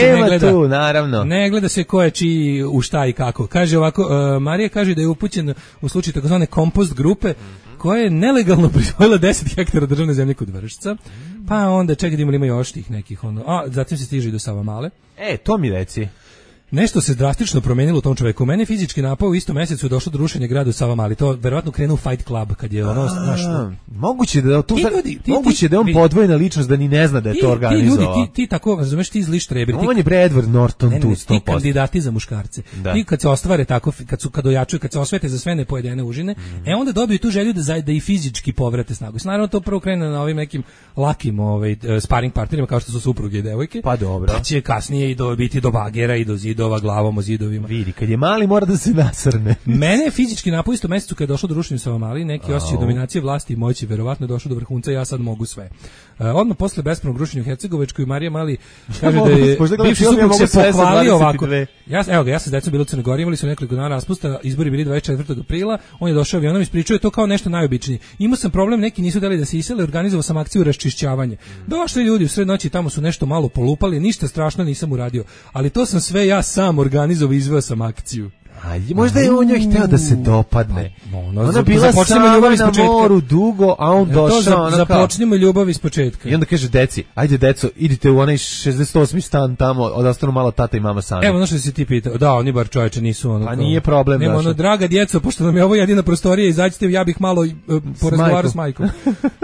naravno. Ne gleda se ko je čiji u šta i kako. Kaže ovako, Marija kaže da je upućen u slučaju takozvane kompost grupe, koja je nelegalno prisvojila 10 hektara državne zemlje kod Vršca, pa onda čekaj da ima još tih nekih, zatim se stiže i do Savamale. To mi reci. Nešto se drastično promenilo u tom čoveku. Mene fizički napao u istom mesecu je došlo do rušenja grada u Savamali. To verovatno krenuo Fight Club kad je ono našlo. Moguće da je on podvojena ličnost da ni ne zna da je to organizovao. Ti tako, razumeš, ti zli štreberi. On je bre Edward Norton tu 100%. Ti kandidati za muškarce. Ti kad se ostvare tako, kad ojačuju, kad se osvete za sve nepojedene užine, onda dobiju tu želju da i fizički povrate snagu. Naravno to prvo krene na ovim nekim lakim sparing partnerima kao što su supruge i devojke. Pa dobro. Pa će kasnije i biti do bagera i do zidova glavom o zidovima. Vidi, kad je Mali mora da se nasrne. Mene je fizički napao isto mesecu kad je došlo do rušenja Savamali, neki osjećaj dominacije vlasti i moći, verovatno je došlo do vrhunca, ja sad mogu sve. Odmah posle bespravnog rušenja u Hercegovačkoj, Marija Mali kaže da je bivši suprug se pohvalio ovako. Ja sam s decom bilo u Crnoj Gori, imali su nekoliko dana raspusta, izbori bili 24. aprila, on je došao avionom, ispričao je to kao nešto najobičnije. Imao sam problem, neki nisu dali da se isele, organizovao sam akciju raščišćavanja. Došli ljudi u sred noći, tamo su nešto malo polupali, ništa strašno nisam uradio, ali to sam sve ja sam organizovao i izveo sam akciju. Možda je on njoj hteo da se dopadne. Ona bila sama na moru dugo, a on došao. Započnimo ljubav iz početka. I onda kaže deci, ajde deco, idite u onaj 68. stan tamo, odostanu malo tata i mama sami. Evo, ono što si ti pitao, da, oni bar čoveče nisu ono. A nije problem. Nema ono, draga djeco, pošto nam je ovo jedina prostorija, izađite, ja bih malo porazgovarao s majkom.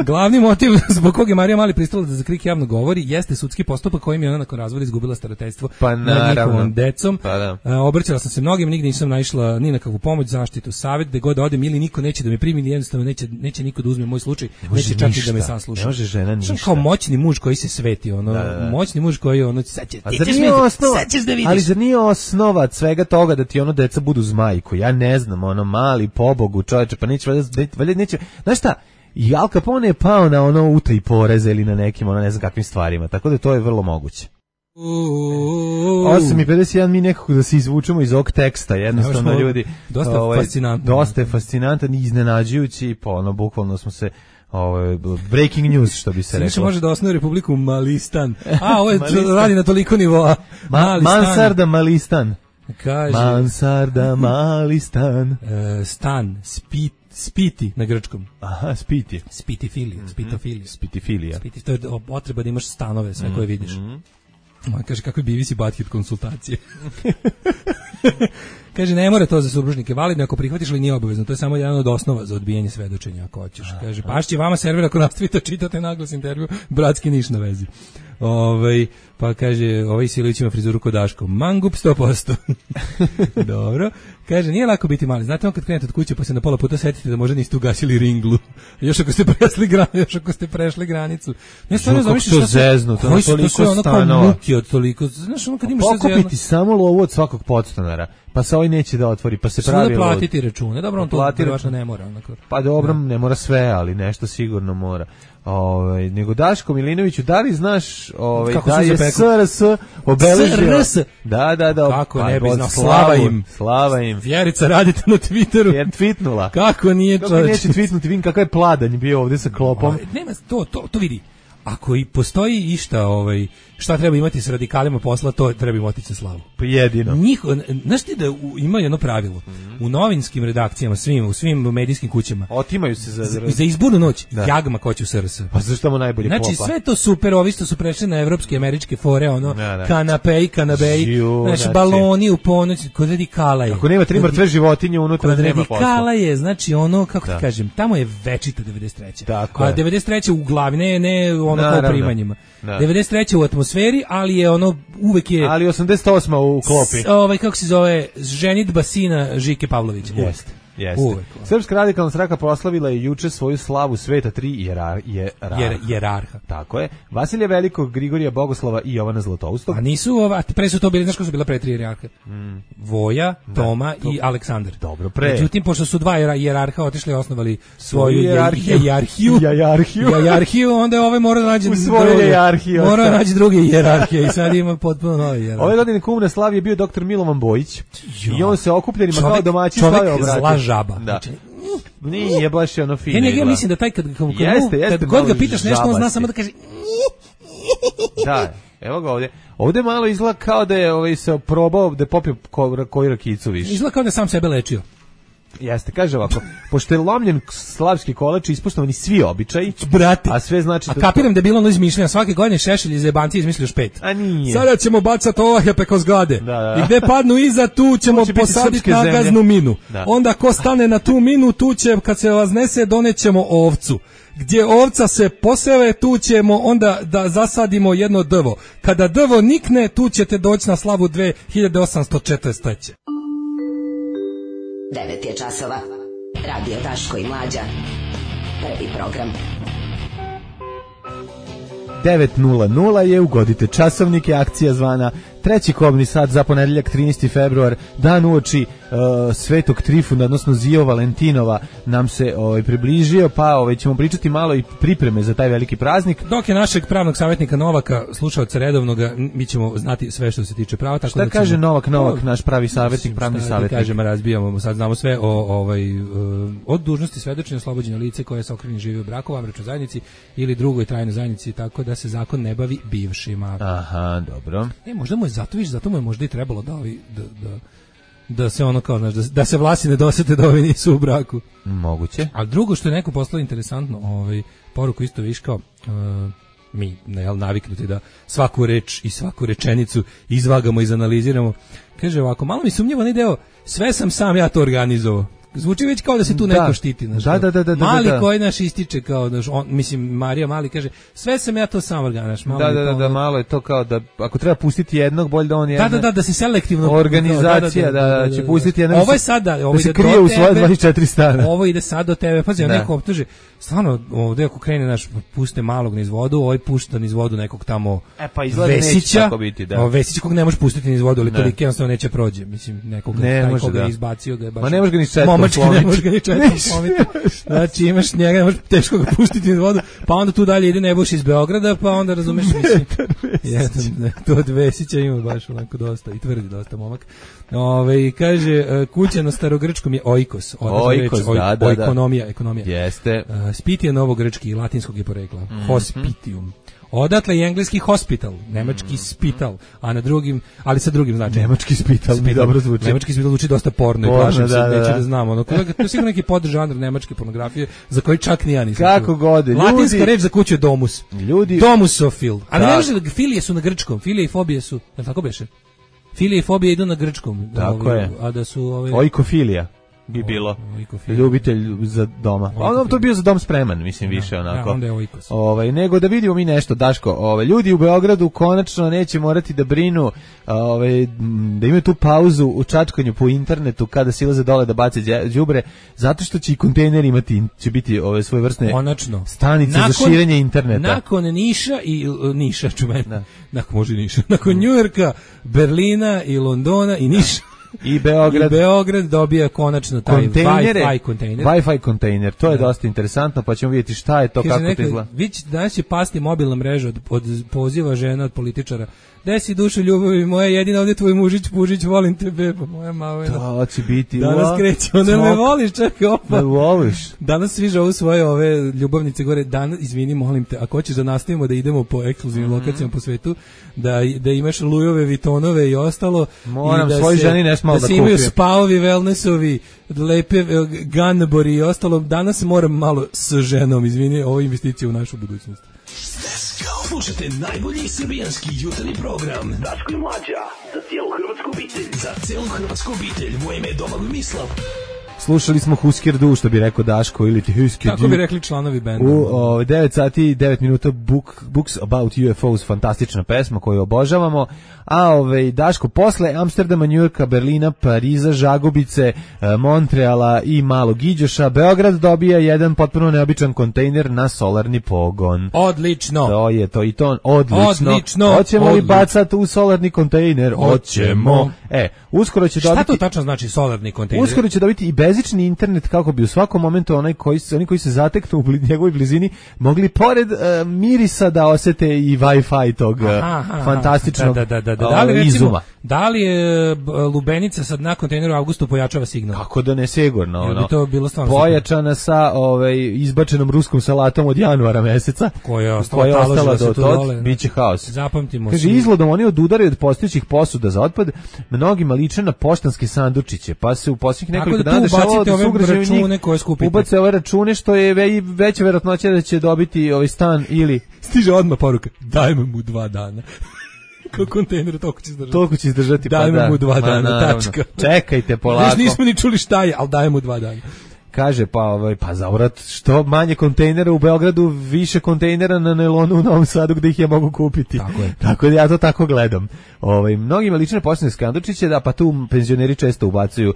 Glavni motiv zbog kog je Marija Mali pristala da za krik javno govori jeste sudski postupak kojim je ona nakon razvoda izgubila starateljstvo nad njihovom decom. Obraćala sam se mnogim, nigdje nisam naišla ni na kakvu pomoć, zaštitu, savjet, gde god odem ili niko neće da me primi, jednostavno neće niko da uzme moj slučaj, neće čak i da me sasluša. Ne može žena ništa. Kao moćni muž koji se sveti, moćni muž koji sad ćeš da vidiš. Ali zar nije osnova svega toga da ti deca budu zmajko? Ja ne znam, Mali, pobogu, čoveče, pa neće, znaš šta? I Al Capone je pao na ono utaji poreza ili na nekim, ono ne znam kakvim stvarima, tako da to je vrlo moguće. 8:51 mi nekako da se izvučemo iz ovog teksta, jednostavno ljudi dosta je fascinantan i iznenađujući, pa ono bukvalno smo se breaking news što bi se reklo. Može da osnuje Republiku Malistan. Ovo je radi na toliko nivoa. Mansarda Malistan. Kaže Mansarda Malistan. Stan Spiti na grčkom. Aha, Spiti. Spitifilija. Spitifilija. To je potreba da imaš stanove sve koje vidiš. Kaže, kakve bivisi Butthead konsultacije. Kaže, ne mora to za supružnike validno ako prihvatiš, ali nije obavezno. To je samo jedan od osnova za odbijanje svedočenja ako hoćeš. Kaže, pašće vama server ako nastavite čitate naglas intervju, bratski niš na vezi. Pa kaže, Silović ima frizuru kod Daško. Mangup 100%. Dobro. Kaže, nije lako biti mali. Znate, kad krenete od kuće pa se na pola puta setite da možda niste ugasili ringlu. Još ako ste prešli granicu. Ne stvarno zamišljaš šta zeznu, to je toliko stanova. Muki od toliko. Znaš, ono kad imaš pokupiti samo lovu od svakog podstanara. Pa se ovaj neće da otvori, pa se pravi da platiti račune. Dobro, on to verovatno ne mora. Pa dobro, ne mora sve, ali nešto sigurno mora. Nego Daško Milinoviću, da li znaš da je SRS obeležio? Da. Kako ne bi znao, slava im. Vjerica, radite na Twitteru. Jer tweetnula. Kako nije čovječ? Kako neće tweetnuti, vidim kakav je pladanj bio ovdje sa klopom. Nema, to vidi. Ako i postoji išta, šta treba imati s radikalima posla, to treba im otići na slavu. Pa jedino. Znaš ti da ima jedno pravilo, u novinskim redakcijama, u svim medijskim kućama, otimaju se za izbornu noć, jagma ko će u SRS. Pa zašto mu najbolje klopa? Znači sve to super, ovi što su prešli na evropske, američke fore, kanapeji, znači baloni u ponoć, kod radikala je. Ako nema 3 mrtve životinje unutra, nema posla. Kod radikala je, znači kako ti kažem, tamo je večita 93. Tako a 93. u glavi, ne kao primanjima. 93. u atmosferi, ali je uvek je... Ali 88. u klopi. Kako se zove, ženitba sina Žike Pavlovića. Jeste. Srpska radikalna stranka proslavila je juče svoju slavu sveta 3 jerarha. Tako je. Vasilija Velikog, Grigorija Bogoslava i Jovana Zlatoustog. A nisu pre su to bili, znaš ko su bila pre 3 jerarha? Voja, Toma i Aleksandar. Dobro, pre. Međutim, pošto su 2 jerarha otišli i osnovali svoju jajarhiju, onda je mora da nađe druge jerarhije i sad ima potpuno nove jerarhije. Ove godine kum na slavi je bio dr. Milovan Bojić i on se okupljenima kao domaći stavio obratio. Žaba. Da. Nije baš ono fino. Ja mislim da taj kad god ga pitaš nešto, on zna samo da kaže da, evo ga ovdje. Ovdje malo izgleda kao da je se probao da je popio koju rakicu više. Izgleda kao da je sam sebe lečio. Jeste, kaže ovako, pošto je lomljen slavski kolač, ispoštovani svi običaji, brate, a sve znači... A kapiram da je bilo ono izmišljeno, svake godine Šešelj iz jebanci izmislio još 5. A nije. Sada ćemo bacati ovahe preko zgrade. Da. I gde padnu iza, tu ćemo posaditi nagaznu minu. Da. Onda ko stane na tu minu, tu će, kad se vaznese, donećemo ovcu. Gdje ovca se poseve, tu ćemo onda da zasadimo jedno drvo. Kada drvo nikne, tu ćete doći na slavu 2843. 9 je časova. Radio Daško i Mlađa. Prvi program. 9:00 je, ugodite časovnike, akcija zvana treći kobni sat za ponedeljak 13. februar, dan uoči Svetog Trifuna, odnosno Zio Valentinova nam se približio, pa ćemo pričati malo i pripreme za taj veliki praznik. Dok je našeg pravnog savjetnika Novaka, slušaoca redovnoga, mi ćemo znati sve što se tiče prava. Tako šta da kaže Novak, naš pravi savjetnik, pravni savjetnik? Kažemo, razbijamo, sad znamo sve od dužnosti svedočenja, oslobođenja lice koje se okrivljeno živi u braku, u vanbračnoj zajednici ili drugoj trajnoj zajednici, tako da se zakon ne bavi bivšima. Aha, dobro. Možda mu je zato mu je možda i trebalo da se ono kao, znaš, da se vlasi ne dosete da ovi nisu u braku. Moguće. A drugo što je neko poslao interesantno, poruku isto viš kao, mi naviknuti da svaku reč i svaku rečenicu izvagamo i izanaliziramo. Kaže ovako, malo mi sumnjivo onaj deo, sve sam ja to organizovao. Zvuči već kao da se tu neko štiti. Da. Mali koji naš ističe kao, Marija Mali kaže, sve sam ja to sam organizaš. Malo je to kao da, ako treba pustiti jednog, bolje da on je... Da se selektivno... Organizacija, da će pustiti jednog... Ovo je sada, da se krije u svoje 24 stana. Ovo ide sad do tebe, pazi, neko optuže, stvarno, ovdje ako krene naš, puste malog niz vodu, ovaj pušta niz vodu nekog tamo Vesića, Vesića kog ne može pustiti niz vodu, ali toliko jednostavno neće prođe, mislim, nekoga izbacio ga je baš... Ma ne može ga ni četko Nemački ne može ga ni četkom slomiti. Znači imaš njega, ne možeš teško ga pustiti u vodu, pa onda tu dalje ide Nebojš iz Beograda, pa onda razumeš mislim. To od Vesića ima baš onako dosta i tvrdi dosta momak. Kaže kuća na starogrčkom je oikos, ekonomija. Jeste. Spiti je novogrčki i latinskog je porekla. Hospitium. Odatle je engleski hospital, nemački spital, a na drugim, ali sa drugim značajem. Nemački spital mi dobro zvuči. Nemački spital zvuči dosta porno i plašim se, neće da znamo. Ono, to je sigurno neki podžanr nemačke pornografije za koji čak ni ja nisam. Kako god, ljudi. Latinska reč za kuću je domus. Ljudi. Domusofil. Ali ne može, filije su na grčkom, filije i fobije su, je li tako beše? Filije i fobije idu na grčkom. Tako je. A da su oikofilija bi bilo. Ljubitelj za doma. Ono to bio za dom spreman, mislim više onako. Onda je oikos. Nego da vidimo mi nešto, Daško. Ljudi u Beogradu konačno neće morati da brinu, da imaju tu pauzu u čačkanju po internetu kada silaze dole da bace đubre, zato što će i kontejner imati, će biti ove svojevrsne stanice za širenje interneta. Nakon Niša čumen. Nakon Njujorka, Berlina i Londona i Niša. I Beograd dobija konačno taj Wi-Fi kontejner. Wi-Fi kontejner, to je dosta interesantno, pa ćemo vidjeti šta je to, kako to izgleda. Danas će pasti mobilna mreža od poziva žena od političara. Gde si dušo ljubavi moja, jedina ovdje tvoj mužić, pužić, volim te beba, moja mavena. To će biti. Danas kreće, onda me voliš, čekaj, opa. Me voliš. Danas svi žovu svoje ove ljubavnice gore, izvini, molim te, ako hoćeš da nastavimo da idemo po ekskluzivnim lokacijama po svetu, da imaš Lujove, Vitonove i ostalo. Moram svoj ženi nešto malo da kupim. Da se imaju spaovi, wellnessovi, lepe Ganbori i ostalo. Danas moram malo s ženom, izvini, ovo je investicija u našu budućnost. Slušajte najbolji srbijanski jutarnji program Daško i Mlađa, za cijelu hrvatsku obitelj. Za cijelu hrvatsku obitelj, moje ime je Domagoj Mislav. Slušali smo Husker Du, što bi rekao Daško, ili ti Husker Du. Kako bi rekli članovi benda. U 9 sati i 9 minuta Books About UFOs, fantastična pesma koju obožavamo. A Daško, posle Amsterdama, Njujorka, Berlina, Pariza, Žagubice, Montreala i Malog Iđoša, Beograd dobija jedan potpuno neobičan kontejner na solarni pogon. Odlično. To je to i to, odlično. Hoćemo li bacati u solarni kontejner? Hoćemo. Uskoro će dobiti... Šta to tačno znači solarni kontejner? Uskoro će dobiti i bezični internet, kako bi u svakom momentu oni koji se zateknu u njegovoj blizini mogli pored mirisa da osete i Wi-Fi tog fantastičnog izuma. Da li je lubenica sad na kontejneru u avgustu pojačava signal? Kako da ne, sigurno. Bi to bilo pojačana sa izbačenom ruskom salatom od januara meseca, koja je ostala do tod, biće haos. Zapamtimo. Kaže, izgledom oni odudaraju od postojećih posuda za otpad, mnogima liče na poštanske sandučiće, pa se u posljednjih nekoliko dana dešavalo da su ugrađeni ubace ove račune, što je veća verovatnoća da će dobiti stan ili... Stiže odmah poruka, dajme mu 2 dana. Kao kontejner, toliko će izdržati. Dajme mu 2 dana, tačka. Čekajte polako. Još nismo ni čuli šta je, ali dajme mu 2 dana. Kaže, pa zavrat, što manje kontejnera u Beogradu, više kontejnera na nailonu u Novom Sadu gde ih ja mogu kupiti. Tako da ja to tako gledam. Mnogima lične posljedne sandučiće, pa tu penzioneri često ubacuju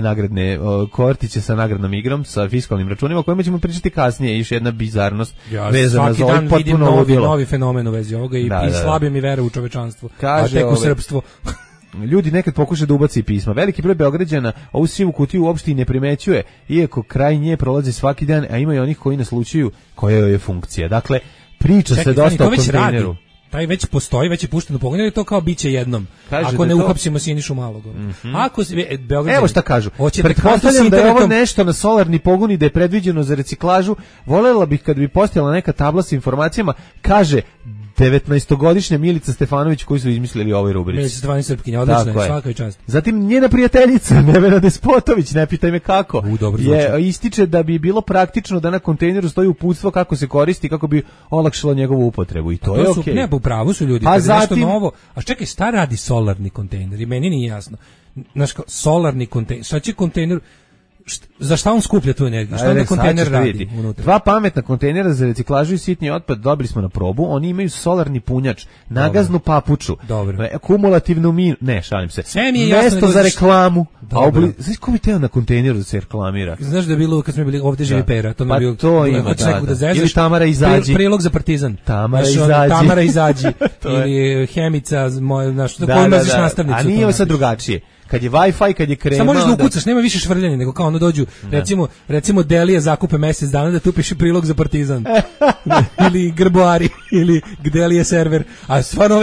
nagradne kortiće sa nagradnom igrom, sa fiskalnim računima, o kojima ćemo pričati kasnije. Još jedna bizarnost vezana za ovaj potpuno ludilo. Novi fenomen u vezi ovoga i slabe mi vere u čovečanstvo, kaže, a tek u srpstvo. Ljudi nekad pokušaju da ubaci pisma. Veliki broj Beograđana ovu sivu kutiju uopšte i ne primećuje, iako kraj nje prolazi svaki dan, a ima i onih koji naslučuju koja je funkcija. Dakle, priča se dosta o kontejneru. Taj već postoji, već je pušten u pogon, ili to kao biće jednom. Ako ne uhapsimo Sinišu Malog. Ako Beograđani... Evo šta kažu. Pretpostavljam da je ovo nešto na solarni pogon i da je predviđeno za reciklažu. Volela bih kad bi postojala neka tabla sa informacijama, kaže 19-godišnja Milica Stefanović, koji su izmislili ovoj rubrici. Milica Stefanović Srpkinja, odlična, svaka i čast. Zatim njena prijateljica Nevena Despotović, ne pitaj me kako, ističe da bi bilo praktično da na kontejneru stoji uputstvo kako se koristi, kako bi olakšalo njegovu upotrebu. I to je okej. Ne, po pravu su ljudi. A zatim... nešto novo. A čekaj, šta radi solarni kontejner? I meni nije jasno. Znaš, solarni kontejner, šta će kontejner... Za šta on skuplja tu energiju? Šta onaj kontejner radi unutra? 2 pametna kontejnera za reciklažu i sitni otpad dobili smo na probu. Oni imaju solarni punjač, nagaznu papuču, kumulativnu šalim se. Mesto za reklamu. Znaš ko bi teo na kontejneru da se reklamira? Znaš da je bilo kad smo bili ovdje živi pera, to je to ima, ili Tamara izađi. Prilog za Partizan. Tamara izađi. Ili Hemica, koju maziš nastavnicu. A nije ovo sad drugačije. kad je Wi-Fi, kad je krema. Samo možeš da ukucaš, nema više švrljanja, nego kao ono dođu, recimo Delije zakupe mesec dana da tu piše prilog za Partizan. Ili Grboari, ili Delije server. A stvarno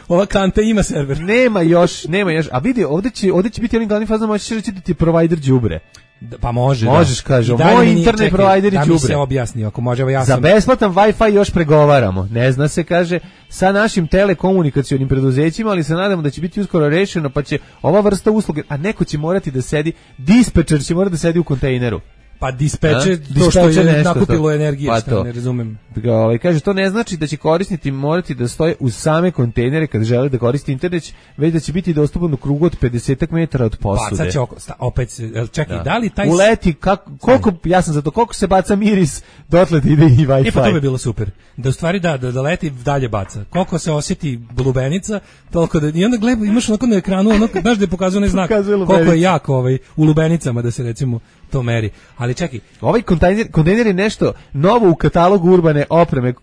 ova kanta ima server. Nema još. A vidi, ovdje će biti onim glavnim fazama, možeš reći da ti je provider đubre. Pa možeš, kaže, moj internet provider je đubre. Da mi se objasni, ako može, evo ja sam... Za besplatan Wi-Fi još pregovaramo. Ne zna se, kaže, sa našim telekomunikacionim preduzećima, ali se nadamo da će biti uskoro rešeno, pa će ova vrsta usluge, a neko će morati da sedi, dispečer će morati da sedi u kontejneru. Pa dispeče to što je nakupilo energije, pa što ne razumem. Kaže, to ne znači da će korisnici morati da stoje uz same kontejnere kad žele da koriste internet, već da će biti dostupan u krugu od 50 metara od posude. Bacat će opet, čekaj, da li taj... Uleti, koliko, ja sam za to, koliko se baca miris, dotle ide i Wi-Fi. Pa to bi bilo super. Da u stvari da leti dalje baca. Koliko se osjeti lubenica, toliko da... I onda gleda, imaš onako na ekranu, znaš da je pokazuje onaj znak, koliko je jako u lubenicama da se recimo to meri. Ali čekaj, ovaj kontejner je nešto novo u katalogu urbane opreme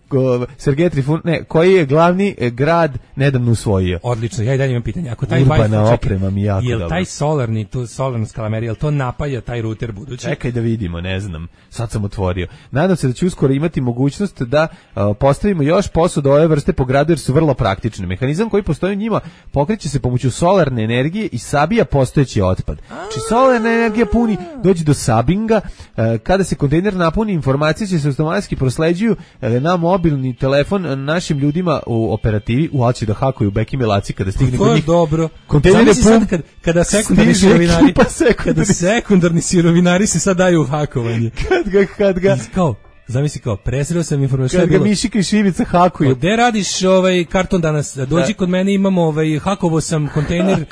Sergej Trifun, koji je glavni grad nedavno usvojio. Odlično, ja i dalje imam pitanje. Ako taj urbana oprema mi jako dobro. Jel taj solarna skalamerija, jel to napaja taj ruter budući? Čekaj da vidimo, ne znam. Sad sam otvorio. Nadam se da će uskoro imati mogućnost da postavimo još posuda ove vrste po gradu jer su vrlo praktične. Mehanizam koji postoji u njima pokreće se pomoću solarne energije i sabija postojeći otpad. Znači solarna energija puni, dođe do sabinga, kada se kontejner napuni, informacije će se automatski prosleđuju na mobilni telefon našim ljudima u operativi, će da hakuju Beki Melaci kada stigne kod njih. To je dobro. Kontejner je pun, kada sekundarni sirovinari se sad daju u hakovanje. Kad ga zamisli kao, presreo sam informaciju. Kad ga Mišika i Šivica hakuju. Gde radiš karton danas? Dođi kod mene, imamo hakovo sam kontejner.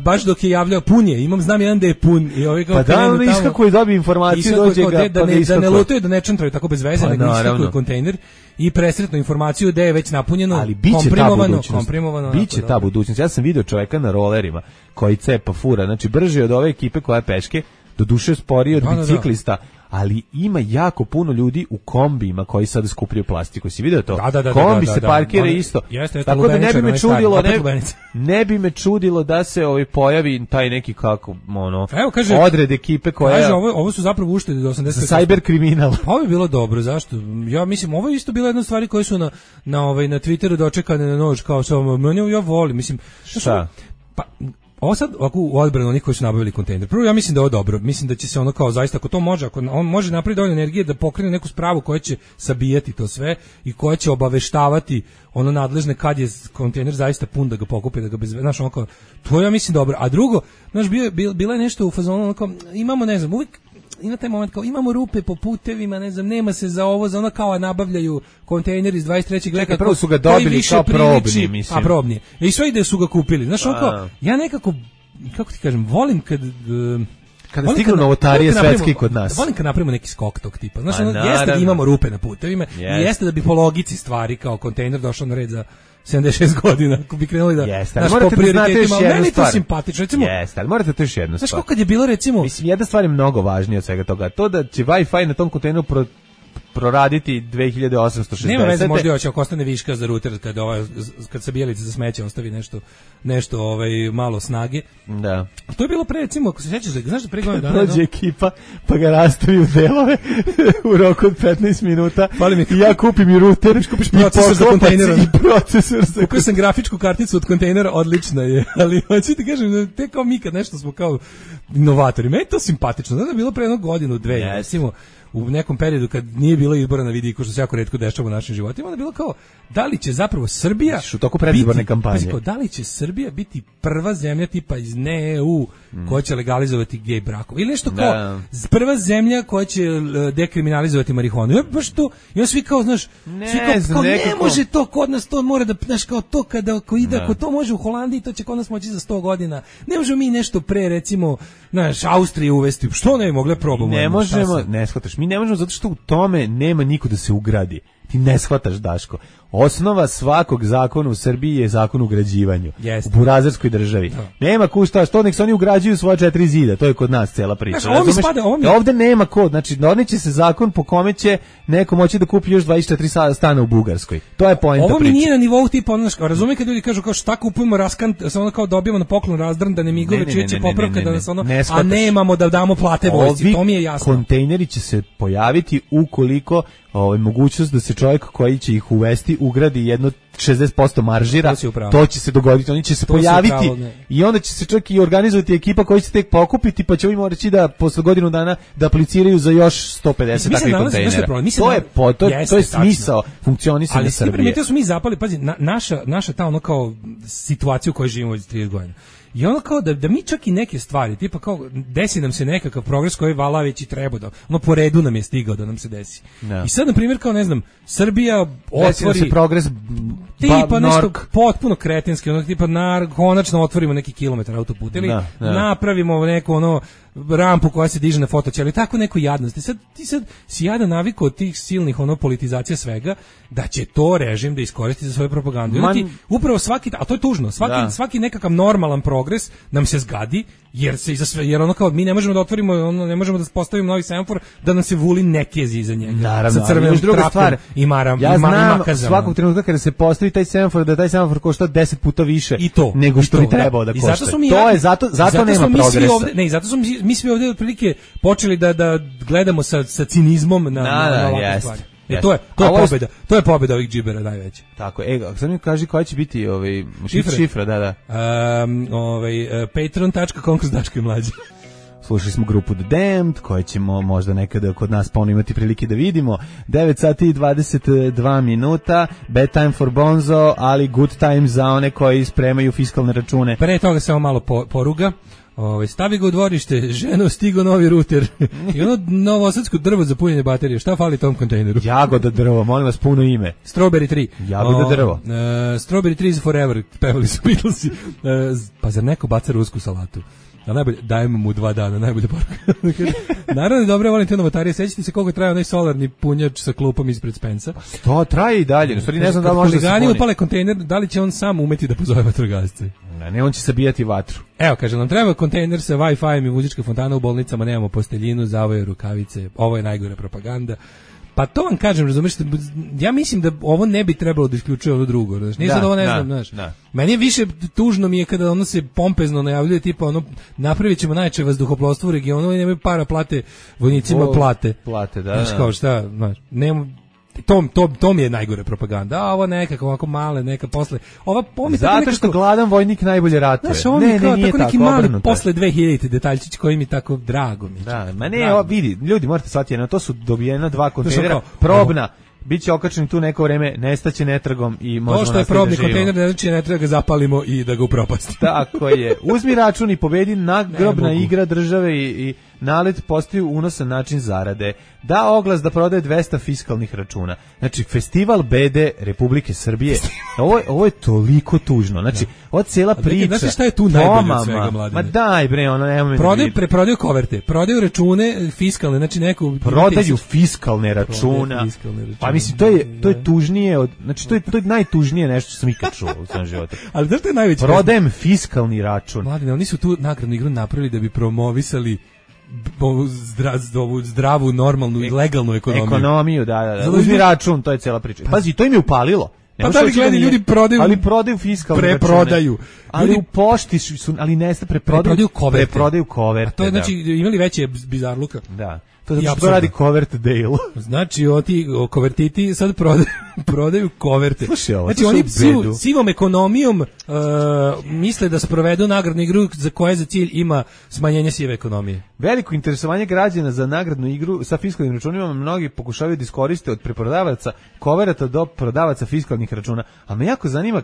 Baš dok je javljao pun je, znam jedan da je pun i pa da on iskakuje dobije informaciju, dođe ga da ne lutaju, da ne čantraju tako bez veze, nego iskakuje kontejner i presretnu informaciju da je već napunjeno, ali komprimovano. Biće ta budućnost. Ja sam video čoveka na rolerima koji cepa fura, znači brže od ove ekipe koja je peške, doduše sporije od biciklista, ali ima jako puno ljudi u kombijima koji sad skupljaju plastiku. Si vidio to? Kombi se parkira isto. Tako da ne bi me čudilo da se pojavi taj neki odred ekipe koja... Kaže, ovo su zapravo uštede do 80. Za cyber kriminal. Pa ovo je bilo dobro, zašto? Ja mislim, ovo je isto bila jedna stvari koje su na Twitteru dočekane na nož, kao ja volim, mislim... Šta? Pa... Ovo sad u odbranu onih koji su nabavili kontejner. Prvo ja mislim da je ovo dobro. Mislim da će se ono kao zaista, ako to može, ako on može napraviti dovoljno energije da pokrene neku spravu koja će sabijati to sve i koja će obaveštavati ono nadležne kad je kontejner zaista pun da ga pokupi, da ga bez... Znaš, ono kao, to ja mislim dobro. A drugo, znaš, bila je nešto u fazonu, ono kao, imamo, ne znam, uvijek ima taj moment kao imamo rupe po putevima, ne znam, nema se za ovo, za ono kao nabavljaju kontejner iz 23. veka. Prvo su ga dobili kao probni, mislim. A probni. I sve ide su ga kupili. Znaš, ono kao, ja nekako, kako ti kažem, volim kada stignu novotarije svetski kod nas. Volim kad napravimo neki skok tog tipa. Znaš, jeste da imamo rupe na putevima i jeste da bi po logici stvari kao kontejner došao na red za 76 godina, ako bi krenuli da... Jeste, ali morate da znate još jednu stvar. Simpatično, jeste, ali morate to još jednu stvar. Znaš kako kad je bilo, recimo... Mislim, jedna stvar je mnogo važnija od svega toga. To da će Wi-Fi na tom kontejneru proraditi 2860. Nema veze, možda još ako ostane viška za ruter kad se bijelice za smeće ostavi nešto malo snage. Da. To je bilo pre, recimo, ako se sjećaš, znaš da pre godina dana... Prođe ekipa, pa ga rastavi u delove u roku od 15 minuta i ja kupim i ruter, kupiš procesor za kontejnerom. I procesor za... Kupio sam grafičku karticu od kontejnera, odlična je, ali hoću ti kažem, te kao mi kad nešto smo kao inovatori, meni je to simpatično, znaš da je bilo pre jednog godinu, dve, recimo, u nekom periodu kad nije bilo izbora na vidiku, što se jako retko dešava u našim životima, onda je bilo kao, da li će zapravo Srbija u toku predizborne kampanje, da li će Srbija biti prva zemlja tipa iz EU koja će legalizovati gej brakove ili nešto kao prva zemlja koja će dekriminalizovati marihuanu. Ja baš to, ja svi kao, znaš, ne može to kod nas, to mora da, znaš, kao to ako ide, ako to može u Holandiji, to će kod nas moći za 100 godina. Ne možemo mi nešto pre, recimo, znaš, Austrije uvesti, što ne bi mogle probamo. Ne možemo, ne shvataš, mi ne možemo zato što u tome nema niko da se ugradi. Ti ne shvataš, Daško. Osnova svakog zakona u Srbiji je zakon o ugrađivanju. U burazerskoj državi. Nema ko šta, što nek se oni ugrađuju svoje 4 zida, to je kod nas cela priča. Ovde nema kod, znači doneće se zakon po kome će neko moći da kupi još 24 stana u Bugarskoj. To je poenta priče. Ovo mi nije na nivou tipa, razumijem kad ljudi kažu kao šta kupujemo raskant, samo kao dobijemo na poklon razdrndane migove, čije će popravka da nas a nemamo da damo plate vojsci, to mi je jasno. Kontejneri će se pojaviti ukoliko mogućnost da se čovjek koji će ih uvesti ugradi jedno 60% maržira, to će se dogoditi, oni će se pojaviti i onda će se čak i organizovati ekipa koja će tek pokupiti, pa će ovim reći da posle godinu dana da apliciraju za još 150 takvih kontejnera. To je smisao funkcionisanja Srbije. Ali primetio su mi zapali, pazi, naša ta ono kao situacija u kojoj živimo već 30 godina. I ono kao da mi čak i neke stvari, tipa kao desi nam se nekakav progres koji vala već i treba da, ono po redu nam je stigao da nam se desi. I sad, na primjer, kao ne znam, Srbija otvori... se progres tipa nešto potpuno kretenski, ono tipa konačno otvorimo neki kilometar autoputa ili napravimo neku ono rampu koja se diže na fotoćelu, tako neko jadnost. Ti sad si jadan navikao od tih silnih ono politizacija svega, da će to režim da iskoristi za svoju propagandu. Upravo svaki, a to je tužno, svaki nekakav normalan progres nam se zgadi, jer ono kao mi ne možemo da otvorimo, ono ne možemo da postavimo novi semafor da nam se vuli nekezi iza njega. Naravno, sa crvenom trakom i maram. Ja znam svakog trenutka kada se postavi taj semafor, da taj semafor košta 10 puta više nego što bi trebao da košta. To je zato nema progresa. Ne, zato smo mi svi ovdje otprilike počeli da gledamo sa cinizmom na ovakve stvari. To je pobjeda ovih džibera najveća. Tako, sad mi kaži koja će biti šifra, da. Patreon.com/mlađe. Slušali smo grupu The Damned, koje ćemo možda nekada kod nas ponovno imati prilike da vidimo. 9 sati i 22 minuta, bad time for Bonzo, ali good time za one koji spremaju fiskalne račune. Pre toga samo malo poruga. Stavi ga u dvorište, ženo, stigo novi ruter i ono novosadsko drvo za punjenje baterije. Šta fali tom kontejneru? Jagoda drvo, molim vas, puno ime. Strawberry 3. Jagoda drvo. Strawberry 3 is forever, pevali su Beatlesi. Pa zar neko baca rusku salatu? A najbolje, dajemo mu 2 dana, najbolje poruka. Naravno, dobro, volim te novotarije. Sećate se koliko traje onaj solarni punjač sa klupom ispred Spensa? To traje i dalje. Ne znam da može da se huligani upale kontejner, da li će on sam umeti da pozove vatrogasce? Ne, on će sabijati vatru. Evo, kaže, nam treba kontejner sa Wi-Fi i muzička fontana u bolnicama, nemamo posteljinu, zavoje rukavice, ovo je najgore propaganda. Pa to vam kažem, razumiješ, ja mislim da ovo ne bi trebalo da isključuje ovo drugo, znaš, nije sad ovo ne znam, znaš. Meni je više tužno mi je kada ono se pompezno najavljuje, tipa ono, napravit ćemo najjače vazduhoplovstvo u regionu i nemaju para plate vojnicima plate. Plate, da. Znaš, kao šta, znaš, nema... To mi je najgore propaganda. A ovo nekako ovako male, neka posle. Ova zato što gladan vojnik najbolje ratuje. Znaš, ovo mi kao tako neki mali posle 2000 detaljčić koji mi tako drago mi. Da, ma ne, vidi, ljudi morate shvatiti, to su dobijena 2 kontejnera, probna. Biće okačen tu neko vreme, nestaće netragom i možemo nastaviti da živimo. To što je probni kontejner, ne znači ne treba ga zapalimo i da ga upropastimo. Tako je. Uzmi račun i pobedi, nagrobna igra države i nalet postaju unosan način zarade. Da oglas da prodaje 200 fiskalnih računa. Znači, festival bede Republike Srbije. Ovo je toliko tužno. Znači, ova cijela priča. Znaš šta je tu najbolje od svega, Mladine? Ma daj bre, ono nema. Prodaju koverte, prodaju račune fiskalne, znači neku prodaju fiskalne računa. Pa mislim, to je tužnije od, znači to je najtužnije nešto što sam ikad čuo u svom životu. Ali da što je najveće? Prodajem fiskalni račun. Mladine, oni su tu nagradnu igru napravili da bi promovisali zdravu, normalnu i legalnu ekonomiju. Ekonomiju, da. Uzmi račun, to je cela priča. Pazi, to im je upalilo. Pa da li gledali ljudi prodaju? Ali prodaju fiskalne preprodaju. Ali ljudi, u pošti su, ali neste preprodaju koverte. A to je, znači, imali veće bizarluka. Da. To zato što radi covert deal. Znači, kovertiti sad prodaju koverte. Slušaj ovo, znači, oni sivom ekonomijom misle da sprovedu nagradnu igru za koje za cilj ima smanjenje sive ekonomije. Veliko interesovanje građana za nagradnu igru sa fiskalnim računima mnogi pokušavaju da iskoriste od preprodavaca koverata do prodavaca fiskalnih računa. A me jako zanima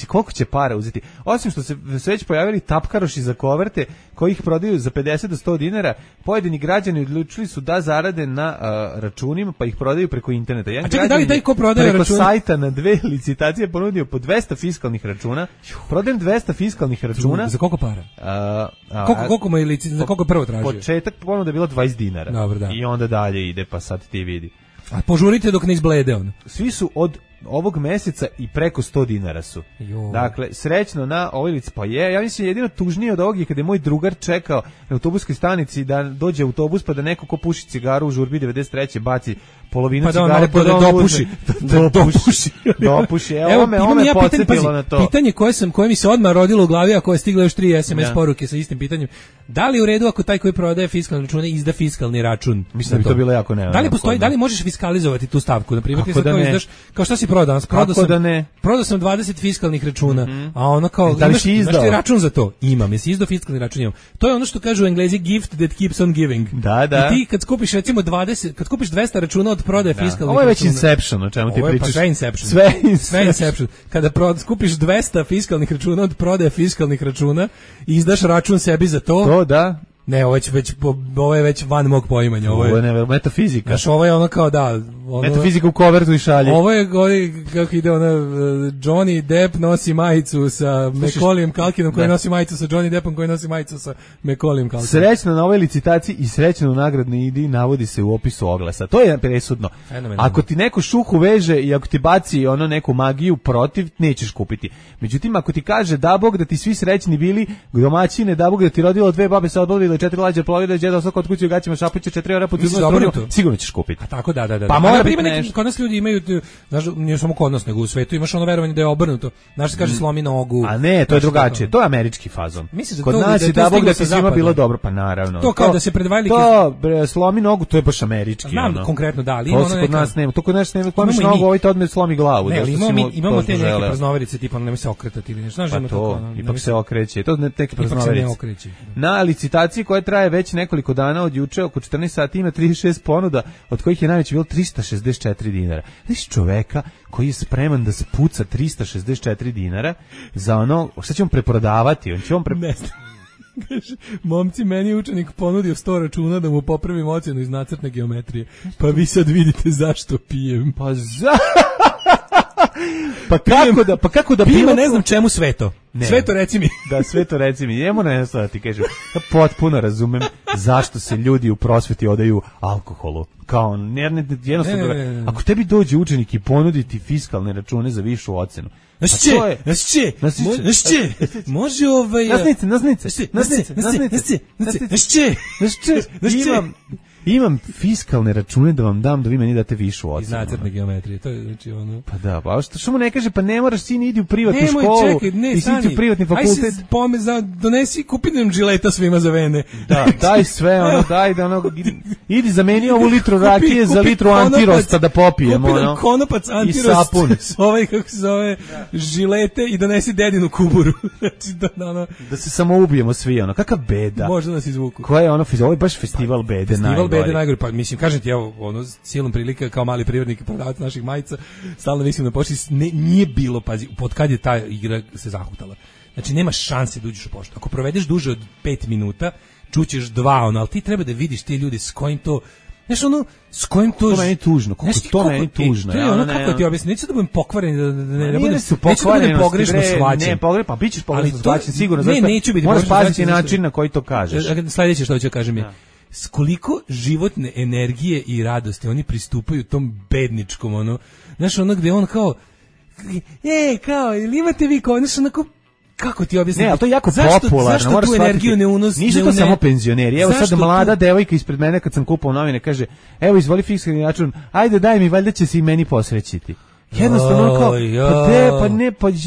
koliko će para uzeti. Osim što se već pojavili tapkaroši za koverte koji ih prodaju za 50 do 100 dinara, pojedini građani odlučili su da zarade na računima, pa ih prodaju preko interneta. A čekaj, da li taj ko prodaje preko sajta na 2 licitacije ponudio po 200 fiskalnih računa. Prodajem 200 fiskalnih računa. Za koliko para? Koliko za koliko prvo tražio? Početak ponuda je bilo 20 dinara. Dobro, da. I onda dalje ide, pa sad ti vidi. A požurite dok ne izblede on. Svi su od ovog meseca i preko 100 dinara su. Dakle, srećno na ovoj lici. Pa ja mislim jedino tužnije od ovog je kada je moj drugar čekao na autobuskoj stanici da dođe autobus pa da neko ko puši cigaru u žurbi 93. baci polovinu cigare pa da dopuši. Evo me podsjetilo na to. Pitanje koje mi se odmah rodilo u glavi, a koje je stiglo još 3 SMS poruke sa istim pitanjem. Da li u redu ako taj koji prodaje fiskalne račune izda fiskalni račun? Mislim da bi to bilo jako neophodno. Da li možeš fiskalizovati tu stavku? Na primjer, ti sad kao izdaš, kao šta si prodao? Prodao sam 20 fiskalnih računa, a ono kao imaš ti račun za to? Imam, jesi izdao fiskalni račun? Imam. To je ono što kažu u Englezi gift that keeps on giving. Da. I ti kad skupiš recimo 20, kad skupiš 200 računa od prodaje fiskalnih računa. Ovo je već Inception, o čemu ti pričaš. Sve Inception. Kada skupiš 200 fiskalnih računa od prodaje fiskalnih računa i izdaš račun sebi za to. To da. Ne, ovo je već van mog poimanja. Ovo je metafizika. Znaš, ovo je ono kao metafizika u kovertu i šalji. Ovo je kako ide Johnny Depp nosi majicu sa Macaulayem Culkinom koji nosi majicu sa Johnny Deppom koji nosi majicu sa Macaulayem Culkinom. Srećno na ovoj licitaciji i srećno u nagradnoj idi navodi se u opisu oglasa. To je presudno. Ako ti neko šuhu veže i ako ti baci neku magiju protiv, nećeš kupiti. Međutim, ako ti kaže da Bog da ti svi srećni bili domaćine, da Bog da ti rodilo 2 babe sa odbodile 4 lađe plovile, deda ostao kod kuće u gaćima šapuće 4 € po sigurno ćeš kupiti. A tako da. Pa mora biti nešto. Kod nas ljudi imaju, znaš, nije samo kod nas nego u svetu, imaš ono verovanje da je obrnuto. Znaš se kaže slomi nogu. A ne, to je drugačije. To je američki fazon. Kod nas je da Bog da ti svima bilo dobro, pa naravno. To kao da se pred velike slomi nogu, to je baš američki. Znam konkretno da, ali ima ono kod nas nema. To kod nas nema, slomiš nogu, ovaj te odme slomi glavu. Ne, imamo te neke praznoverice tipa nemoj se okretati ili nešto. Znaš, to ipak se okreće. To neke praznoverice. Na licitaciji koja traje već nekoliko dana od juče oko 14 sati ima 36 ponuda, od kojih je najveće bilo 364 dinara. Znaš čoveka koji je spreman da spuca 364 dinara za ono, šta će on preprodavati? On će on Kaže, momci, meni je učenik ponudio 100 računa da mu popravim ocjenu iz nacrtne geometrije. Pa vi sad vidite zašto pijem. Pa kako da pima, ne znam čemu sve to. Sve to reci mi. Da, sve to reci mi. Jemo nešto da ti kažem. Ja potpuno razumem zašto se ljudi u prosveti odaju alkoholu. Kao, jednostavno, ako tebi dođe učenik i ponudi ti fiskalne račune za višu ocenu. Znaš će, može imam fiskalne račune da vam dam da vi meni date višu ocenu. Iz nacrtne geometrije, to je znači ono. Pa da, pa što mu ne kaže, pa ne moraš sin idi u privatnu školu, ti si u privatni fakultet. Donesi, kupi nam žileta svima za vene. Da, daj sve, daj da idi zameni ovu litru rakije za litru antirosta da popijemo. Kupi nam konopac antirost, kako se zove, žilete i donesi dedinu kuburu. Da se samo ubijemo svi, kakav beda. Možda nas izvuku. Koja je ovo je baš festival bede najgore. Najgore, pa mislim, kažem ti, evo, silom prilika kao mali privrednik prodavac naših majica, stalno mislim na pošti, nije bilo, pazi, pod kad je ta igra se zahutala. Znači, nema šanse da uđeš u poštu. Ako provedeš duže od 5 minuta, čućeš 2, ali ti treba da vidiš ti ljudi s kojim to, znaš s kojim to... To meni tužno, to meni tužno. To je kako ti objasnim, neću da budem pokvaren, neću da budem pogrešno shvaćen. Ne, pa bit ćeš pogrešno shvaćen, sigurno. Ne, neću biti pogrešno shvaćen. Moraš paziti način na koji to kažeš. Sledeće što ću kažem je, s koliko životne energije i radosti oni pristupaju tom bedničkom, znaš, gde on kao, ili imate vi kao, znaš, kako ti objasniti? Ne, ali to je jako popularno. Zašto tu energiju ne unosi? Nisu to samo penzioneri. Evo sad mlada devojka ispred mene kad sam kupao novine kaže, evo izvoli fiskalni račun, ajde daj mi, valjda će se i meni posrećiti. Jednostavno kao,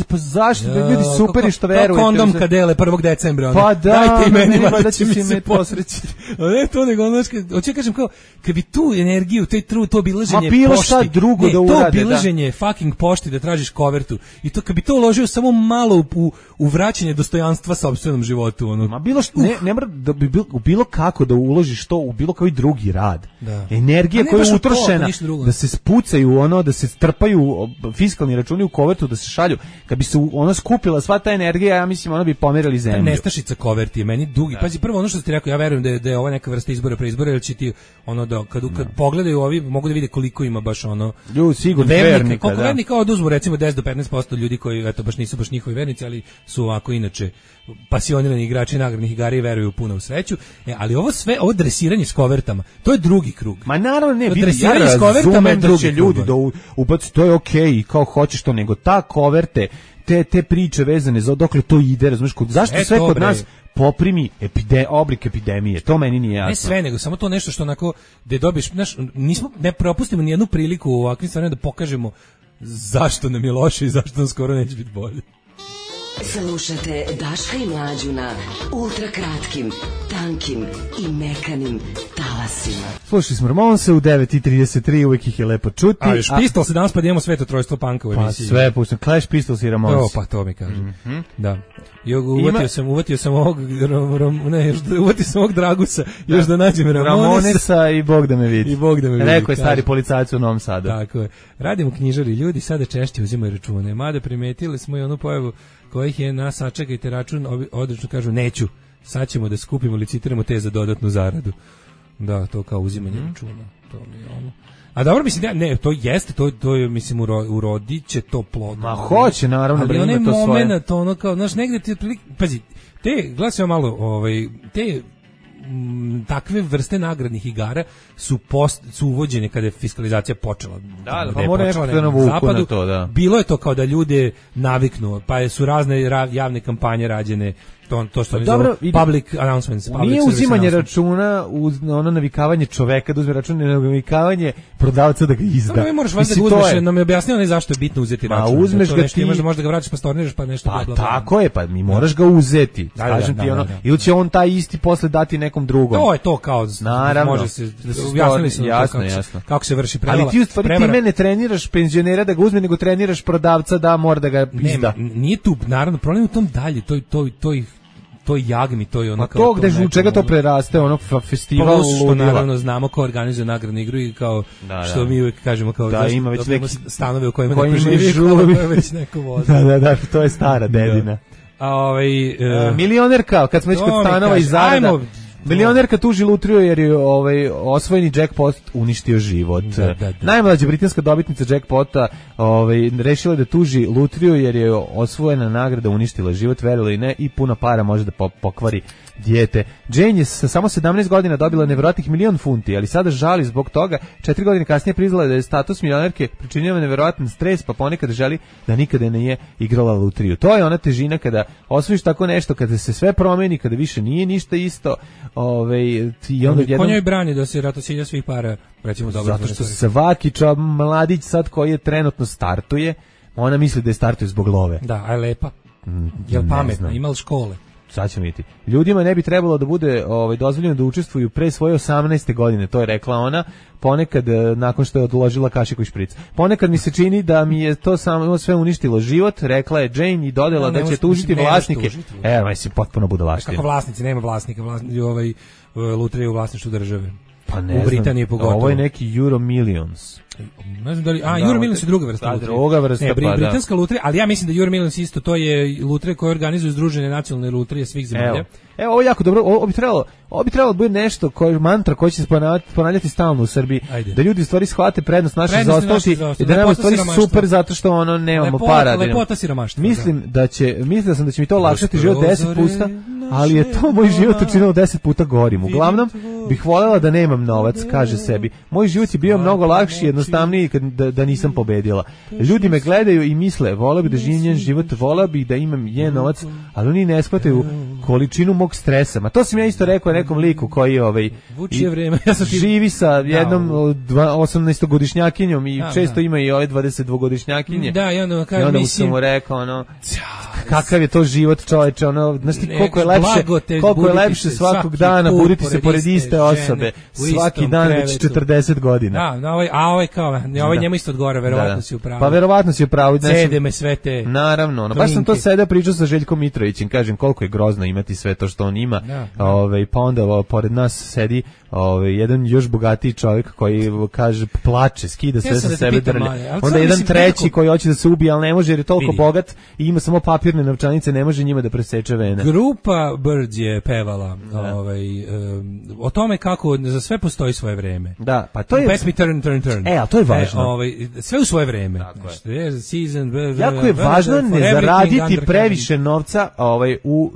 pa zašto, ljudi super je što verujete. Kao kondom kad dele 1. decembra. Pa da, dajte i meni, da će mi se posrećiti. Ne, to nego, hoću kažem kao, kad bi tu energiju, to obilaženje pošti. Ma bilo šta drugo da urade. To obilaženje fucking pošti da tražiš kovertu. I to kad bi to uložio samo malo u vraćanje dostojanstva sopstvenom životu. Ma bilo što, ne mora da bi bilo kako da uložiš to u bilo koji drugi rad. Energija koja je utrošena, da se spucaju da se strpaju fiskalni računi u kovertu da se šalju, kad bi se ona skupila sva ta energija, ja mislim ona bi pomerili zemlju. Nestašica koverti je meni dugi. Pazi, prvo ono što ste rekao, ja verujem da je ova neka vrsta izbora pre izbora, jer će ti ono da kad pogledaju ovi mogu da vide koliko ima baš ono ljudi sigurno vernika, koliko vernika oduzmu recimo 10 do 15% ljudi koji eto baš nisu baš njihovi vernici, ali su ovako inače pasionirani igrači nagradnih igara i veruju puno u sreću. Ali ovo dresiranje s kovertama, to je drugi krug. Ma naravno ne, dresiranje s kovertama je drugi krug. Ljudi da ubaci, to je okej, kao hoćeš to, nego ta koverte, te priče vezane za dokle to ide, razumiješ, zašto sve kod nas poprimi oblik epidemije, to meni nije jasno. Ne sve, nego samo to nešto što onako, da dobiješ, ne propustimo ni jednu priliku u ovakvim stvarima da pokažemo zašto nam je loše i zašto nam skoro neće biti bolje. Slušate Daška i Mlađu na ultrakratkim, tankim i mekanim talasima. Slušali smo Ramonse u 9:33, uvijek ih je lepo čuti. A još Pistols se danas pa da imamo svetotrojstvo panka u emisiji. Pa sve puštam, Clash, Pistols i Ramonse. Pa to mi kažem. Da. Uvatio sam ovog Dragusa, još da nađem Ramonesa i Bog da me vidi. I Bog da me vidi. Rekao je stari policajac u Novom Sadu. Tako je. Radimo knjižari, ljudi sada češće uzimaju račune. Mada primetili smo i onu pojavu kojih je nas sačekajte račun, odlično kažu neću, sad ćemo da skupimo, licitiramo te za dodatnu zaradu. Da, to kao uzimanje računa. To mi je ono. A dobro, mislim, ne, to jeste, to je, mislim, urodit će to plodno. Ma hoće, naravno, ali onaj moment, ono kao, znaš, negde ti, pazi, gledaj malo, te takve vrste nagradnih igara su uvođene kada je fiskalizacija počela. Da, pa mora nešto da navuku na to, da. Bilo je to kao da ljude naviknu, pa su razne javne kampanje rađene, to što dobro, public announcements. Nije uzimanje računa, ono navikavanje čoveka da uzme račun, nego navikavanje prodavca da ga izda. No, moraš valjda da uzmeš, nam je objasnio zašto je bitno uzeti račun. A uzmeš ga ti, možda ga vraćaš pa storniraš pa nešto. Pa tako je, pa mi moraš ga uzeti. Kažem ti ono, ili će on taj isti posle dati nekom drugom. To je to kao, može se, objasnili su kako se vrši prevara. Ali ti u stvari time ne treniraš penzionera da ga uzme, nego treniraš prodavca da mora da ga izda. Nije tu, naravno, problem u tom dalje, to je jagmi, to je ono kao... to gde u čega to preraste, ono festival ludila. Što naravno znamo ko organizuje nagradnu igru i kao što mi uvijek kažemo kao da ima već neki stanove u kojima neko živi, kao već neko vozi. Da, to je stara dedina. Milionerka, kad smo već kod stanova i zarada, milionerka tuži lutriju jer je osvojeni jackpot uništio život. Da. Najmlađa britanska dobitnica jackpota rešila da tuži lutriju jer je osvojena nagrada uništila život, verovali ne, i puno para može da pokvari dijete. Jane je sa samo 17 godina dobila nevjerojatnih 1.000.000 funti, ali sada žali zbog toga. 4 godine kasnije priznala da je status milionerke pričinjava nevjerojatan stres, pa ponekad želi da nikada nije igrala lutriju. To je ona težina kada osvojiš tako nešto, kada se sve promeni, kada više nije ništa isto. I onda ko njoj brani da se ratosilja svih para, recimo dobro. Zato što svaki mladić sad koji je trenutno startuje, ona misli da je startuje zbog love. Da, a je lepa. Jel pametna, ima li škole? Sad ćemo vidjeti. Ljudima ne bi trebalo da bude dozvoljeno da učestvuju pre svoje 18. godine, to je rekla ona, ponekad nakon što je odložila kašiku i špric. Ponekad mi se čini da mi je to samo sve uništilo život, rekla je Jane i dodala da će tužiti vlasnike. Mislim, potpuno budalaština. Kako vlasnici, nema vlasnika, lutrija u vlasništvu države. Pa ne u Britaniji pogotovo. Ovo je neki Euro Millions. Ne znam da li, Euro Millions je druga vrsta lutrije. Druga vrsta, britanska lutrija, ali ja mislim da Euro Millions isto, to je lutrija koja organizuje Združene nacionalne lutrije svih zemalja. Evo, ovo je jako dobro, ovo bi trebalo biti nešto, mantra koja će se ponavljati stalno u Srbiji. Ajde. Da ljudi stvari shvate prednost naše zaostalosti i da nam stvari super zato što nemamo para. Lepota siromaštva. Mislio sam da će mi to olakšati život 10 puta, ali je to moj život učinilo 10 puta gorim. Uglavnom, bih voljela da nemam novac, kaže sebi. Moj život je bio mnogo lakši, jednostavniji da nisam pobedila. Ljudi me gledaju i misle, voleo bih da živim njen život, voleo bih da imam njen novac, ali oni ne shvataju količinu mog stresa. Ma to sam ja isto rekao nekom liku koji živi sa jednom 18-godišnjakinjom i često ima i ove 22-godišnjakinje. Da, i onda mu sam mu rekao kakav je to život, čoveče, ono, znaš ti koliko je lepše svakog dana buditi se pored iste osobe, svaki dan već 40 godina. Da, ovaj kao, ovaj njemu isto odgovara, verovatno si u pravu. Pa verovatno si u pravu. Cede me sve te. Naravno, baš sam to sada pričao sa Željkom Mitrovićem, kažem koliko je grozno imati sve to što on ima. Pa onda pored nas sedi jedan još bogatiji čovjek koji kaže plače, skida sve sa sebe drlje. Onda jedan treći koji hoće da se ubije, ali ne može jer je toliko bogat i ima samo papirne novčanice, ne može njima da preseče vene. Grupa Birds je pevala o tome kako za sve postoji svoje vreme. Da, pa to je pesmi Turn. A to je važno. Sve u svoje vreme. Jako je važno ne zaraditi previše novca u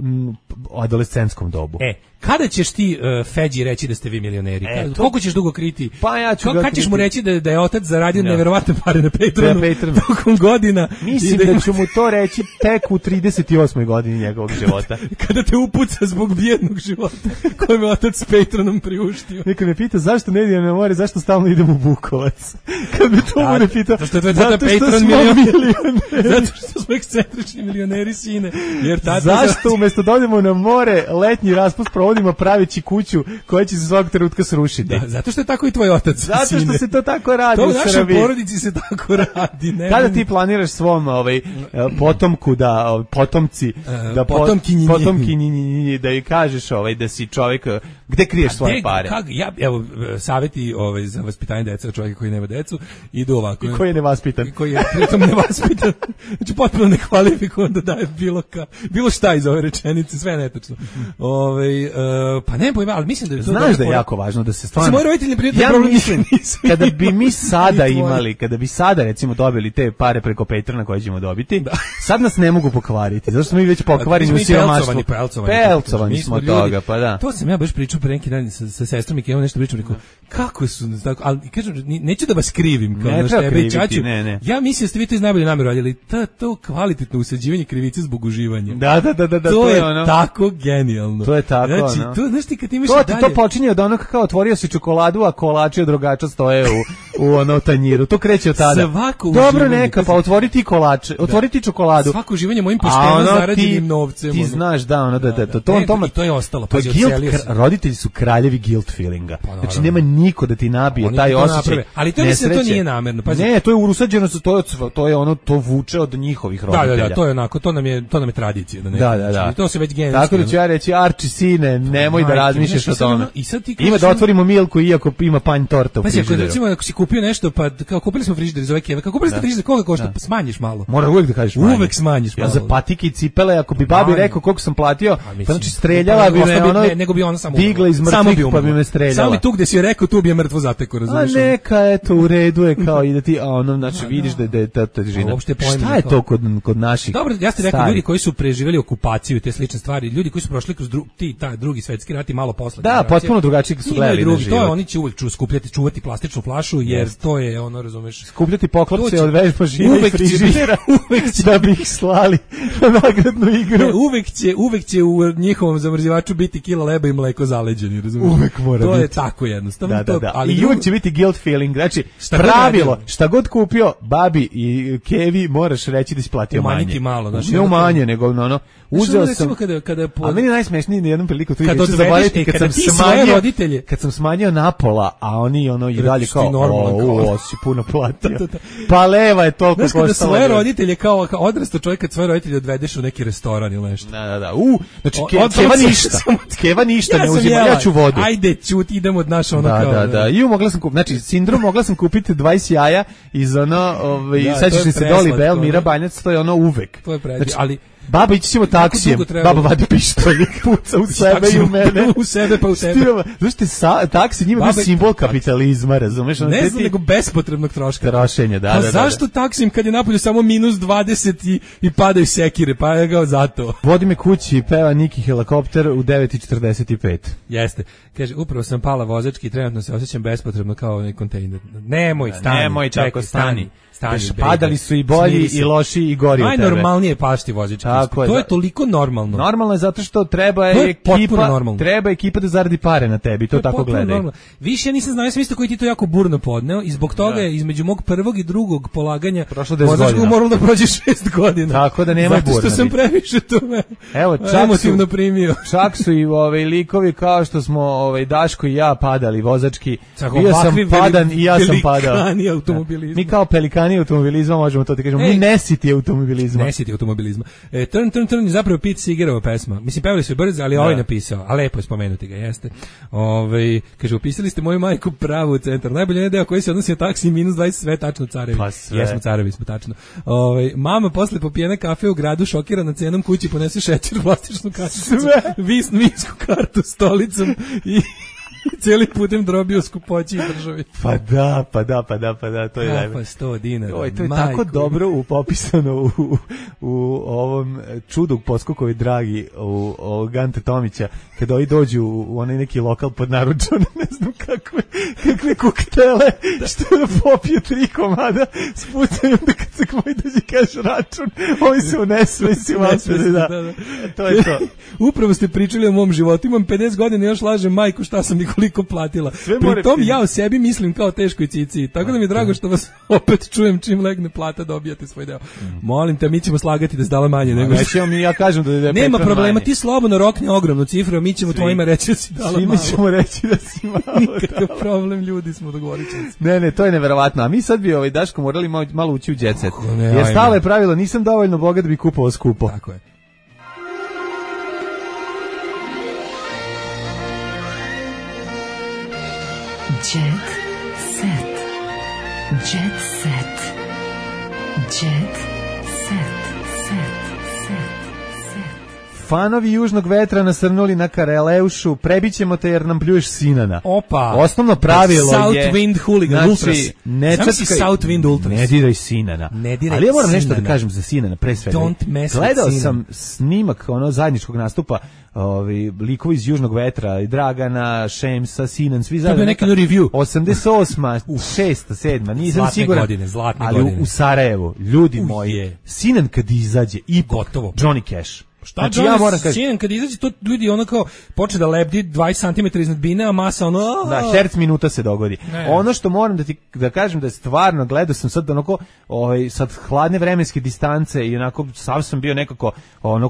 adolescentskom dobu. Kada ćeš ti Feđi reći da ste vi milioneri? Koliko ćeš dugo kriti? Pa ja ću kada ćeš mu reći da je otac zaradio neverovatne pare na Patronu tokom godina? Mislim da ću mu to reći tek u 38. godini njegovog života. Kada te upuca zbog bijednog života koji me otac s Patronom priuštio. Neko me pita zašto ne idem na more, zašto stalno idem u Bukovac? Kad me to bude pitao, zato što smo milioneri. Zato što smo ekscentrični milioneri, sine. Zašto umjesto da odemo na more, letnji raspust provodimo pravići kuću koja će se svakog trenutka srušiti? Da, zato što je tako i tvoj otac. Zato što se to tako radi u Srbiji. To u našoj porodici se tako radi. Kada ti planiraš svom potomku da potomci da potomkinji da joj kažeš da si čovjek gde kriješ svoje pare? Evo savjeti za vaspitanje dece, čovjeka koji nema decu idu ovako. I koji je nevaspitan. I koji je pritom nevaspitan. Znači potpuno nekvalifikovan da daje bilo šta iz ove rečenice, sve netačno. Pa ne pojma, ali mislim da je to... Znaš da je jako važno da se stvarno... Moji roditelji prijatelji mislim, kada bi mi sada imali, kada bi sada recimo dobili te pare preko Patrona koje ćemo dobiti, sad nas ne mogu pokvariti, zato smo mi već pokvareni u siromaštvu. Pelcovani smo toga, pa da. To sam ja baš pričao pre neki dan sa sestrom i kada nešto pričam, rekao, kako su, ali kažem, neću da vas krivim, kao na tebe i Čaču. Ja mislim da ste vi to iz najbolje namere radili, to kvalitetno usađivanje krivice zbog uživanja. Da, to je tako genijalno. To je tako, znači, to, znaš ti kad imaš dalje... To počinje od onog kao otvorio si čokoladu, a kolači od rogača stoje u tanjiru. To kreće od tada. Dobro neka, pa otvori ti kolače, otvori ti čokoladu. Svako uživanje mojim pošteno zarađenim novcem. Ti znaš, to je ostalo. Roditelji su kraljevi guilt feelinga. Znači, nema niko da ti nabije taj osjećaj. Ali to mislim da to nije namerno. Ne, to je urusađeno, to je ono, to vuče od njihovih roditelja. Da, to je onako, to nam je tradicija. Da. To se već genetski. Tako da ću ja reći, Arči, sine, nemoj da razmišljaš o tome. Ima da otvorimo Milku iako ima panj torta u frižideru. Recimo, ako si kupio nešto, pa kao kupili smo frižider iz ove keve, kako kupili ste frižider, koga košta? Pa smanjiš malo. Mora uvek da kažeš manje. Uvek smanjiš malo. Ja za patike i cipele, ako bi babi rekao koliko sam platio, pa znači streljala bi me ono, nego bi ona samo digla iz mrtvih pa bi me streljala. Samo bi tu gde si rekao, tu bi je mrtvo zateko, razumiješ? A neka, eto, u redu je kao i da ti, znači vidiš da je ta težina. Šta je to kod naših? Dobro, ja ste rekao ljudi koji su preživjeli okupaciju i te slične stvari, ljudi koji su prošli kroz drugi svetski rat i malo posle. Da, potpuno drugačije su gledali na život. To je, oni će uvek čuvati plastičnu flašu, jer to je ono, razumeš. Skupljati poklopce od vežba žina i frižidera, da bi ih slali na nagradnu igru. Uvek će u njihovom zamrzivaču biti kila leba i mleko zaleđeni, razumeš. Uvek mora biti. To je tako jednostavno. Da. Ali i uvek će biti guilt feeling, znači pravilo, šta god kupio babi i Kevi moraš reći da si platio manje. Umanjiti malo, znači. Ne umanje, nego ono, uzeo sam. Ali meni je najsmešnije na jednom priliku tu neću zaboraviti kad sam smanjio napola, a oni ono i dalje kao o si puno platio. Pa leva je toliko koštala. Znaš kada svoje roditelje kao odrastao čovjek kad svoje roditelje odvedeš u neki restoran ili nešto. Da. Znači Keva ništa ne uzima, ja ću vodu. Ajde, ćuti, idemo od naša ono kao. Da. I mogla sam kupiti, znači sindrom mogla sam kupiti 20 jaja iz ono, sećaš li se Doli Bell, Mira Banjac, to je ono uvek. To je predivno, ali baba, ići ćemo taksijem, baba vadi pištolj, puca u sebe i u mene. U sebe pa u tebe. Znaš, taksi njima je simbol kapitalizma, razumeš? Ne znam, nego bespotrebnog troška. Trošenja, da. Pa zašto taksim kad je napolju samo minus 20 i padaju sekire, pa je ga zato. Vodi me kući i peva Niki helikopter u 9:45. Jeste. Kaže, upravo sam pala vozački i trenutno se osjećam bespotrebno kao onaj kontejner. Nemoj, stani. Padali su i bolji i loši i gori od tebe. Najnormalnije pašti vozički. To je toliko normalno. Normalno je zato što treba ekipa da zaradi pare na tebi, to tako gledaju. Više ja nisam znao, ja sam isto koji ti to jako burno podneo i zbog toga je između mog prvog i drugog polaganja vozačku moralo da prođe 6 godina. Tako da nema burna. Zato što sam previše to emotivno primio. Čak su i likovi kao što smo Daško i ja padali vozački. Bio sam padan i ja sam padao. Pelikani automobilizma. Mi kao pelikani automobilizma možemo to ti kažemo. Mi nesiti automobilizma. Nesiti automobilizma. Turn, zapravo Pete Seegerova pesma. Mislim, pevali su brzo, ali ovaj napisao. A lepo je spomenuti ga, jeste. Kaže, upisali ste moju majku pravu u centar. Najbolje deo koji se odnosi na taksi -20, sve tačno carevi. Pa sve. Jesmo carevi, smo tačno. Mama posle popijene kafe u gradu šokirana cenom kući ponese šećer, plastičnu karticu, vinsku kartu stolicom i cijeli putem drobio skupoći i državi. Pa da, to je pa 100 dinara. To je tako dobro popisano u ovom čudu Poskokovi dragi u Gante Tomića, kada ovi dođu u onaj neki lokal pod naručom, ne znam kakve koktele, što da popije 3 komada, spucaju da kad se koji dođe kaže račun, ovi se unesu i si vasvede, da. To je to. Upravo ste pričali o mom životu, imam 50 godina i još lažem majku šta sam koliko platila. Pri tom ja o sebi mislim kao teškoj cici. Tako da mi je drago što vas opet čujem čim legne plata dobijate svoj deo. Molim te, mi ćemo slagati da se dala manje nego. Ja kažem da je nema problema, ti slobodno rokni ogromnu cifru, a mi ćemo tvojima reći da si dala malo. Mi ćemo reći da si malo. Nikakav problem, ljudi smo dogovorili. Ne, to je neverovatno. A mi sad bi Daško morali malo ući u jet set. Jer stalo je pravilo, nisam dovoljno bogat da bi kupovao skupo. Tako je. Jet set. Jet set. Jet set. Fanovi južnog vetra nasrnuli na Kareleušu, prebićemo te jer nam pljuješ Sinana. Opa. Osnovno pravilo South je Wind Hooligan Ultras. Ne čačkaj South Wind Ultras. Ne diraj Sinana. Ali ja moram nešto da kažem za Sinana, pre svega. Gledao sam snimak zajedničkog nastupa likovi iz južnog vetra, i Dragana, Šemsa, Sinan, svi zajedno. To je neki review. 88, 6, 7, nisam siguran. Zlatne ali godine. U Sarajevu, ljudi moji, Sinan kad izađe, i gotovo. Johnny Cash. Šta znači, ja moram kažem, Sinan kad izađe, to ljudi kao poče da lebdi 20 cm iznad bine, a masa Da, herc minuta se dogodi. Ono što moram da kažem da je stvarno, gledao sam sad sad hladne vremenske distance i onako sam bio nekako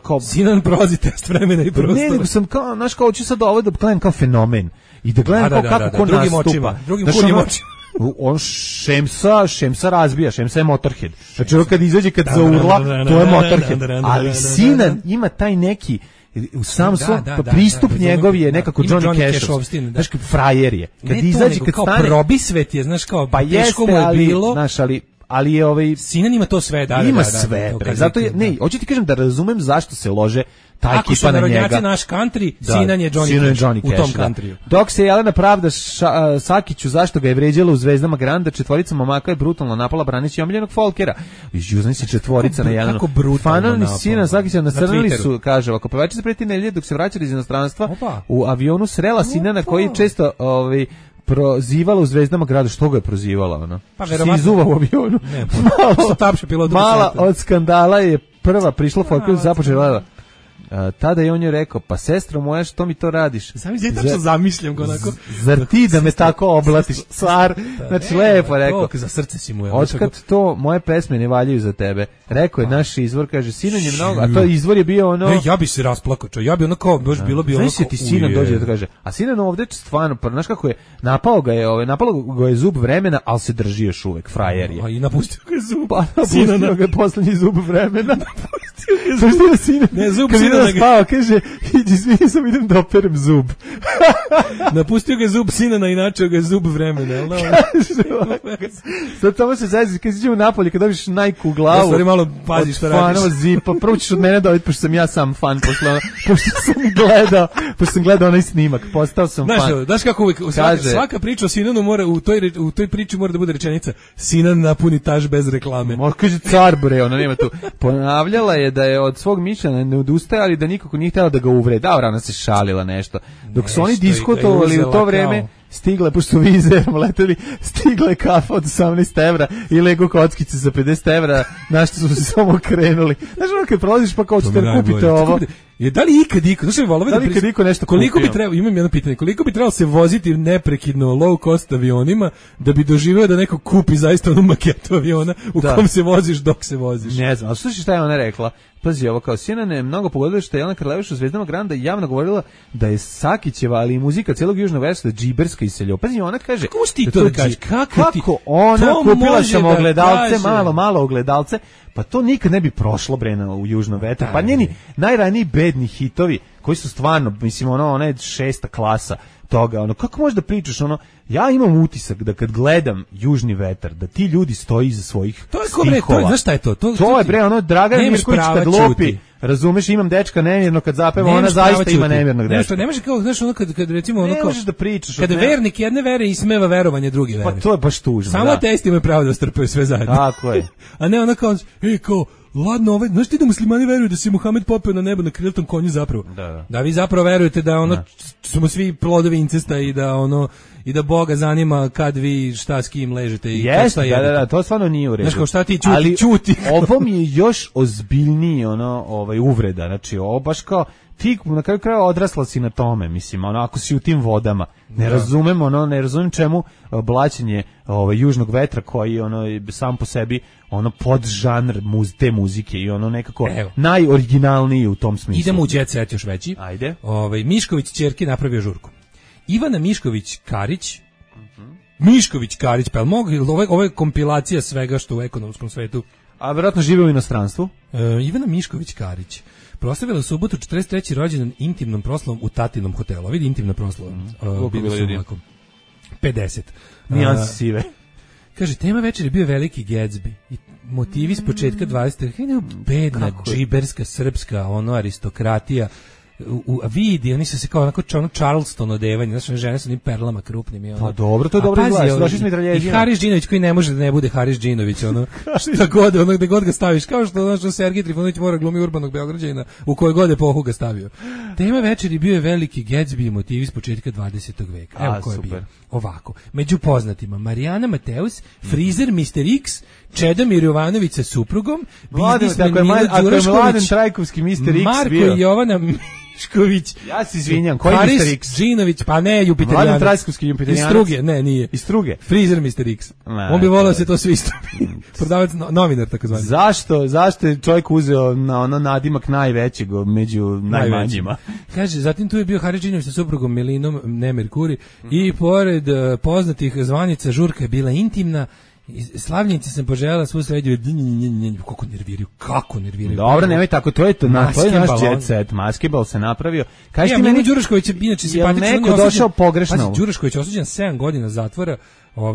kao Sinan prolazi test vremena i prostora. Ne, nego sam kao, hoću sad ovo da gledam kao fenomen i da gledam kako ko nastupa. Drugim kuljim očima. On Šemsa razbija, Šemsa je Motorhead. Znači kad izađe, kad zaurla, to je Motorhead. Ali Sinan ima taj neki sam svoj pristup njegov je nekako Johnny Cash. Znaš, frajer je. Kad izađe, kad kao stane... probisvet je, znaš, kao pa teško mu je bilo. Znaš, ali je Sinan ima to sve, ima sve. Zato je, ne, hoću ti kažem da razumem zašto se lože ta ekipa na njega. Ako su narodnjaci naš country, Sinan je Johnny Cash u tom countryu. Dok se Jelena pravda Sakiću zašto ga je vređala u Zvezdama Granda, četvorica momaka je brutalno napala braneći omiljenog folkera. Južni si četvorica na Jelenu. Fanovi Sinan Sakića nasrnuli su, kaže, ako pevačica preti nedelje dok se vraćali iz inostranstva, u avionu srela Sinana koji često prozivala u Zvezdama Grada. Što ga je prozivala ona? Pa verovatno. Si izuva u avionu. Ne, mala od skandala je prva prišla folkeru započela. Tada je on joj rekao, pa sestro moja, što mi to radiš? Zamišljam ga onako. Zar ti da me tako oblatiš, car? Znači, lepo rekao. Za srce si mu je. Otkad to moje pesme ne valjaju za tebe. Rekao je naš izvor, kaže, Sinan je mnogo, a to izvor je bio ono... Ne, ja bi se rasplakao, ja bi ono kao, baš bilo bi ono... Znaš ti Sinan dođe da kaže, a Sinan ovdje stvarno, znaš kako je, napao ga je zub vremena, ali se drži još uvek, frajer je. A i napustio ga je zub. Pa napustio ga je poslednji zub vremena. Napustio ga Sinan. Ne, zub Sinana spao, kaže, izvini, sam idem da operem zub. Napustio ga zub Sinana, inače ga je zub vremena. Sad tamo se zajedno, kad iđemo napolje, kad dobiš najku u glavu. Stvari malo pazi što radiš. Fanova zipa, prvo ćeš od mene dobiti, pošto sam ja sam fan, pošto sam gledao onaj snimak, postao sam fan. Znaš kako uvijek, svaka priča o Sinanu mora, u toj priči mora da bude rečenica, Sinan napuni taš bez reklame. Kaže car bre, ona nema tu. Ponavljala je da je od svog mišljenja ne odustaje, ali da nikako nije htjela da ga uvrede. Da, ona se šalila nešto. Dok su oni diskutovali u to vreme, stigle, pošto su vizerom leteli, stigle kafa od 18 evra i Lego kockice za 50 evra, na što su se samo krenuli. Znaš, ono kad prolaziš pa kao ćete kupite ovo. Da li ikad iko, znaš, da li ikad iko nešto koliko kupio? Bi trebalo, imam jedno pitanje, koliko bi trebalo se voziti neprekidno low cost avionima da bi doživeo da neko kupi zaista onu maketu aviona u kom se voziš dok se voziš? Ne znam, ali slušaj šta je ona rekla? Pazi, ovo kao CNN je mnogo pogodilo što je Jelena Karleuš u Zvezdama Granda javno govorila da je Sakićeva, ali i muzika celog južnog versa džiberska iselio. Pazi, ona kaže... Kako ti to da kažeš? Kako ona kupila sam ogledalce, malo ogledalce, pa to nikad ne bi prošlo Brena u južnom vetru. Pa njeni najraniji bedni hitovi, koji su stvarno, mislim, ona je 6. klasa toga, ono, kako možeš da pričaš, ono, ja imam utisak da kad gledam Južni vetar, da ti ljudi stoji iza svojih stihova. Znaš šta je to? To je, bre, ono, Dragana Mirković kad lopi, razumeš, imam dečka nemirno kad zapeva, ona zaista ima nemirnog dečka. Ne može kao, znaš, ono, kad recimo, ono, ne možeš da pričaš. Kada vernik jedne vere ismeva verovanje druge vere. Pa to je baš tužno. Samo ateisti imaju pravo da strpaju sve zajedno. Tako je. A ne, ona kao, kao, ladno, znaš ti da muslimani veruju da se Muhamed popeo na nebo na krilatom konju zapravo? Da vi zapravo verujete da ono smo svi plodovi incesta i da ono i da Boga zanima kad vi šta s kim ležete i šta jedete. Da, to stvarno nije u redu. Znaš kao šta ti čuti. Ovo mi je još ozbiljniji uvreda, znači ovo baš kao ti na kraju krajeva odrasla si na tome, mislim, ako si u tim vodama. Ne razumem čemu blaćenje južnog vetra koji sam po sebi podžanr te muzike i nekako najoriginalniji u tom smislu. Idemo u jet set još veći. Ajde. Mišković ćerki napravio žurku. Ivana Mišković-Karić, Mišković-Karić, pa ovo je kompilacija svega što u ekonomskom svetu. A vjerojatno žive u inostranstvu? Ivana Mišković-Karić proslavila u subotu 43. rođendan intimnom proslavom u Tatinom hotelu. Vidi intimna proslava. Bilo su ovako 50. Nijansi sive. Kaže, tema večeri je bio veliki Gatsby. I motivi s početka 20. Bedna, džiberska, srpska, aristokratija. Vidi, oni su se kao onako Charleston odevanje, znači žene su onim perlama krupnim. Pa dobro, to je dobro izgledaš, došli smo i tralježima. I Haris Džinović koji ne može da ne bude Haris Džinović, gde god ga staviš, kao što Sergij Trifunović mora glumi urbanog Beograđanina, u kojoj god epohu ga stavio. Tema večeri bio je veliki Gatsby i motivi s početka 20. veka. Evo ko je bio. Ovako, među poznatima Marijana Mateus, frizer Mr. X, Čedomir Jovanović sa suprugom, biznismen Milan Đurašković, Marko i Jovana Mišković. Ja se izvinjam, koji je Mr. X? Džinović, pa ne, Jupiterijanac. Mladen Trajkovski Jupiterijanac. Iz Struge, ne, nije. Iz Struge? Frizer Mr. X. On bi volao se to sve istupi. Prodavac, novinar, tako zvani. Zašto je čovjek uzeo na nadimak najvećeg među najmanjima? Kaže, zatim tu je bio Haris Džinović sa suprugom Melinom, ne Merkuri, i pored poznatih zvanica žurka je bila intimna. Slavljenici sam poželjela svu sređu. Kako nerviraju. Dobro, nemoj tako, to je naš jet set. Maskebal se napravio. Kaži ti meni, Đurašković je inače simpatičan. Je neko došao pogrešno. Pazi, Đurašković osuđen 7 godina zatvora,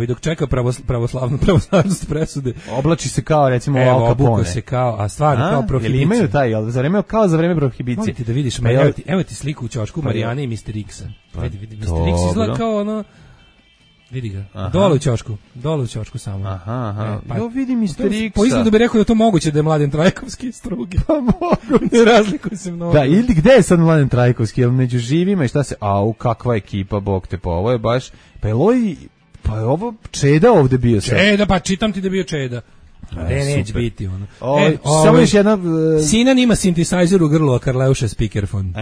dok čeka pravoslavnost presude. Oblači se kao, recimo, Al Capone. Obuko se kao, a stvarno kao prohibicija. Jel imaju taj, kao za vreme prohibicije. Molim ti da vidiš, evo ti sliku u ćošku Marijane i Mr. X-a. Vidi, Mr. X izgleda kao vidi ga. Dole u ćošku samo. Aha. Jo vidim Mr. X-a. Po izgledu bi rekao da to moguće da je Mladen Trajkovski iz Struge. Pa mogu. Ne razlikuje se mnogo. Da, ili gde je sad Mladen Trajkovski? Jel među živima i šta se... kakva ekipa, bog te, pa ovo je baš... Pa je ovo Čeda ovde bio sad? Čeda, pa čitam ti da bio Čeda. Neće biti samo još jedna... Sinan ima synthesizer u grlu, a Karleuša speakerfon.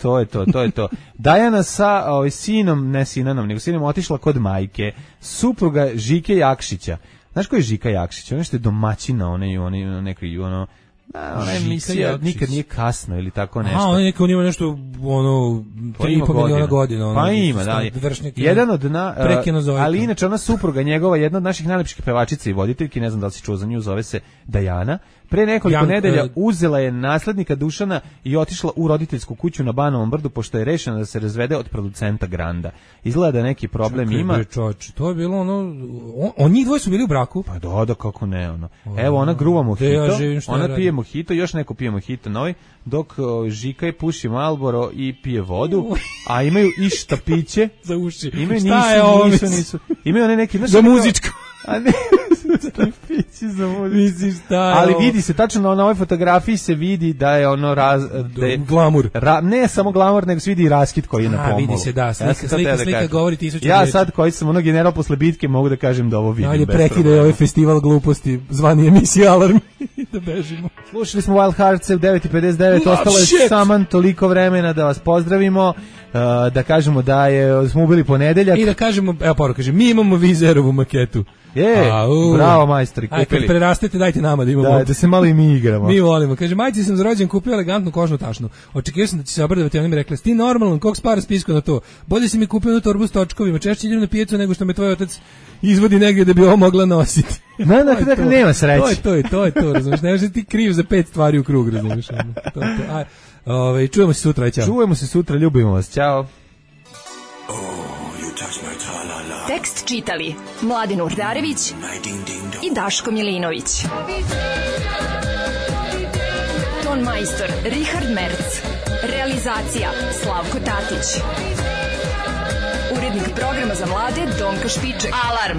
To je to. Dajana sa sinom, ne Sinanom, nego sinom otišla kod majke, supruga Žike Jakšića. Znaš ko je Žika Jakšić? Ono što je domaćina, ona emisija nikad nije kasno ili tako nešto. On ima nešto 3,5 miliona godina. Pa ima, da. Jedan od ali inače ona supruga njegova, jedna od naših najlepših pevačica i voditeljki, ne znam da li si čuo za nju, zove se Dajana. Pre nekoliko nedelja uzela je naslednika Dušana i otišla u roditeljsku kuću na Banovom Brdu, pošto je rešena da se razvede od producenta Granda. Izgleda da neki problem ima. To je bilo njih dvoje su bili u braku? Pa da, kako ne, Evo, ona gruva mojito, ona pije mojito, još neko pije mojito novi, dok Žika je puši Marlboro i pije vodu, a imaju i štapiće. Za uši. Imaju one neki... Za muzičko. A ne, stripići za muziku. Misliš šta je ali ovo? vidi se, tačno na ovoj fotografiji se vidi da je ono glamur. Ne samo glamur, nego se vidi i raskid koji je na pomolu. Vidi se, da, slika govori 1000 Ja riječi. sad koji sam ono general posle bitke mogu da kažem da ovo vidim. Ajde, prekidaj ovaj festival gluposti, zvani emisija Alarm i da bežimo. Slušali smo Wild Hearts u 9:59, ostalo je samo toliko vremena da vas pozdravimo, da kažemo da smo ubili ponedeljak. I da kažemo, evo poruka, kaže, mi imamo Vizerovu maketu. Bravo majstori, kupili. Kad prerastete, dajte nama da imamo. Da se malo i mi igramo. Mi volimo. Kaže, majci sam za rođen kupio elegantnu kožnu tašnu. Očekivao sam da će se obradovati, ona mi rekla, ti normalan, kog spara spisko na to? Bolje si mi kupio na torbu s točkovima, češće idem na pijecu nego što me tvoj otac izvodi negdje da bi ovo mogla nositi. Dakle, nema sreće. To je to, razumiješ, ne možeš ti kriv za 5 stvari u krug, razumiješ. Čujemo se sutra, ćao. Čujemo se sutra, ljubimo vas, ćao. Tekst čitali Mladin Urdarević i Daško Milinović. Ton majstor Richard Merc. Realizacija Slavko Tatić. Urednik programa za mlade Donka Špiček. Alarm!